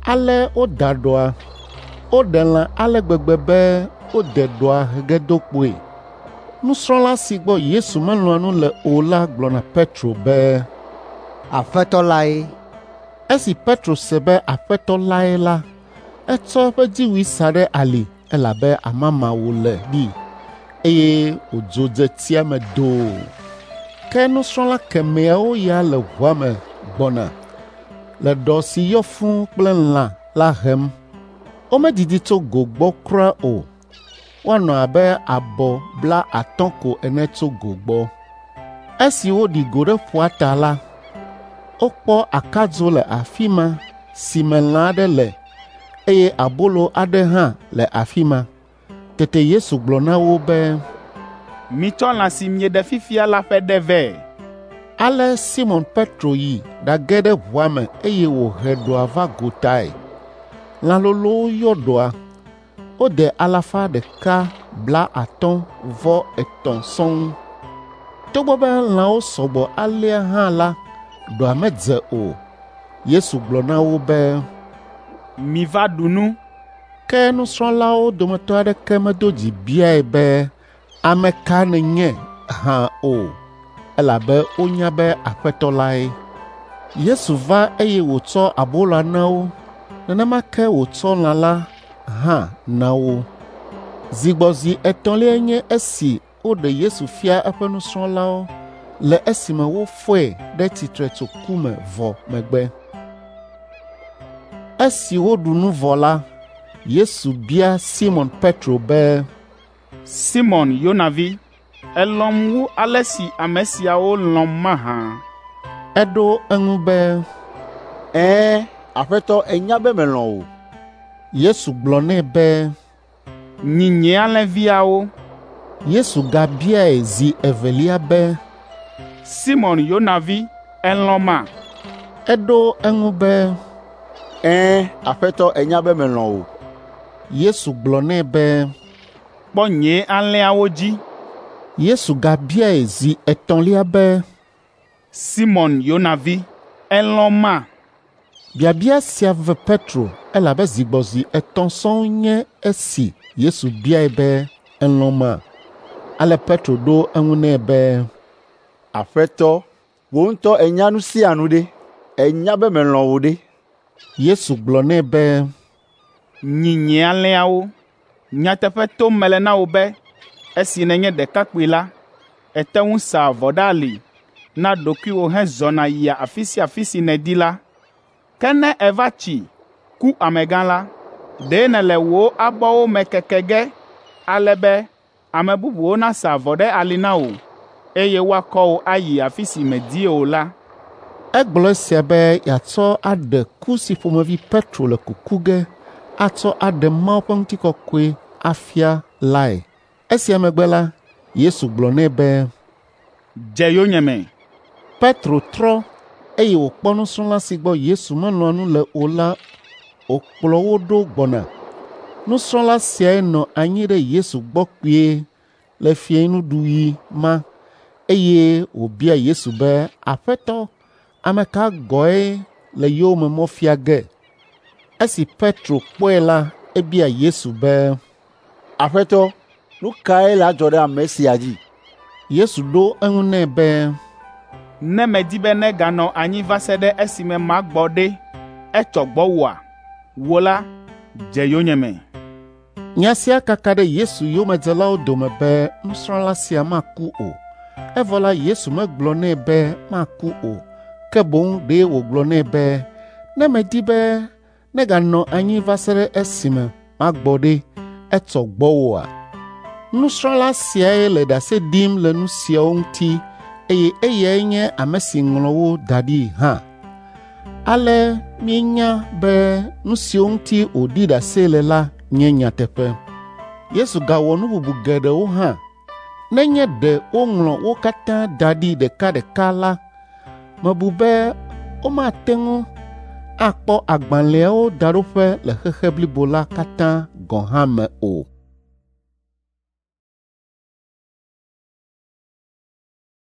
Ale woda ɖɔa. Woɖe lã ale gbegbe be wode ɖɔa he ge do kpoe. Nusrɔ̃la si gbɔ Yesu melɔ̃a nu le o la gblɔ na Petro be, “Aƒetɔ lae.” Esi Petro se be Aƒetɔ lae la, etsɔ eƒe dziwui sa ɖe ali elabe amama wòle ɖi, eye wòdzo dze tsia me doo. Ke nusrɔ̃la kemɛawo ya le ʋua me gbɔna le ɖɔ si yɔ fũu kple lã la hem. Womedidi tso go gbɔ kura o. Woanɔ abe abɔ 50 ko ene tso go gbɔ. Esi woɖi go ɖe ƒua ta la, wokpɔ akadzo le afi ma si me lã aɖe le eye abolo aɖe hã le afi ma. Tete Yesu gblɔ na wo be, “Mitsɔ lã si mieɖe fifia la ƒe ɖe vɛ.” Ale Simɔn Petro yi ɖage ɖe ʋua me eye wòhe ɖɔa va gotae. Lã lolowo yɔ ɖɔa. Wode 153 sɔŋ. Togbɔ be lãwo sɔgbɔ alea hã la, ɖɔa medze o. Yesu gblɔ na wo be, “Miva ɖu nu.” Ke nusrɔ̃lawo dometɔ aɖeke medo dzi biae be, “Ame ka nènye?” hã o, elabe wonya be Aƒetɔ lae. Yesu va eye wòtsɔ aboloa na wo, nenema ke wòtsɔ lã la hã na wo. Zigbɔzi etɔ̃liae nye esi woɖe Yesu fia eƒe nusrɔ̃lawo le esime wofɔe ɖe tsitre tso ku me vɔ megbe. Esi woɖu nu vɔ la, Yesu bia Simɔn Petro be, “Simɔn Yona vi, èlɔ̃m wu ale si ame siawo lɔ̃m mahã?” Eɖo eŋu be, “Ɛ̃, Aƒetɔ, ènya be melɔ̃ wò.” Yesu gblɔ nɛ be, “Nyi nye alẽviawo.” Yesu gabiae zi evelia be, “Simɔn Yona vi, èlɔ̃ma?” Eɖo eŋu be, “Ɛ̃, Aƒetɔ, ènya be melɔ̃ wò.” Yesu gblɔ nɛ be, “Kpɔ nye alẽawo dzi.” Yesu gabiae zi etɔ̃lia be, “Simɔn Yona vi, èlɔ̃ma?” Biabia sia ve Petro elabe zigbɔzi etɔ̃ sɔŋ nye esi Yesu biae be, “Èlɔ̃ma?” Ale Petro ɖo eŋu nɛ be, “Aƒetɔ, wò ŋutɔ ènya nu sia nu ɖe, ènya be melɔ̃ wò ɖe.” Yesu gblɔ nɛ be, “Nyi nye alẽawo. Nyateƒe tom mele na wò be, esi nènye ɖekakpui la, ète ŋu saa avɔ ɖe ali na ɖokuiwò hezɔna yia afi sia afi si nèdi la. Ke ne èva tsi, ku amegã la, ɖe nèle wò abɔwo me keke ge ale be ame bubuwo nasa avɔ ɖe ali na wò, eye woakɔ wò ayi afi si mèdi o la.” Egblɔ esia be yeatsɔ aɖe ku si ƒomevi Petro le kuku ge atsɔ aɖe Mawu ƒe ŋutikɔkɔe afia lae. Esia megbe la, Yesu gblɔ nɛ be, “Dze yonyeme.” Petro trɔ, eye wòkpɔ nusrɔ̃la si gbɔ Yesu melɔ̃a nu le o la wòkplɔ wo ɖo gbɔna. Nusrɔ̃la siae nɔ anyi ɖe Yesu gbɔ kpuie le fiẽnuɖuɣi ma, eye wòbia Yesu be, “Aƒetɔ, ame ka gɔ̃e le yowòme mɔ fia ge?” Esi Petro kpɔe la, ebia Yesu be, “Aƒetɔ, nu kae le adzɔ ɖe ame sia dzi?” Yesu ɖo eŋu nɛ be, “Ne medi be neganɔ anyi va se ɖe esime magbɔ ɖe, etsɔ gbɔwòa? Wò la, dze yonyeme.” Nya sia kaka ɖe Yesu yomedzelawo dome be nusrɔ̃la sia maku o. Evɔ la Yesu megblɔ nɛ be maku o, ke boŋ ɖe wògblɔ nɛ be, “Ne medi be neganɔ anyi va se ɖe esime magbɔ ɖe, etsɔ gbɔwòa?” Nusrɔ̃la siae le ɖase ɖim le nu siawo ŋuti eye eyae nye ame si ŋlɔ wo da ɖi hã. Ale míenya be nu siwo ŋuti wòɖi ɖase le la nye nyateƒe. Yesu gawɔ nu bubu geɖewo hã. Nenye ɖe woŋlɔ wo katã da ɖi ɖekaɖeka la, mebu be womate ŋu akpɔ agbalẽawo daɖoƒe le xexe blibo la katã gɔ̃ hã me o.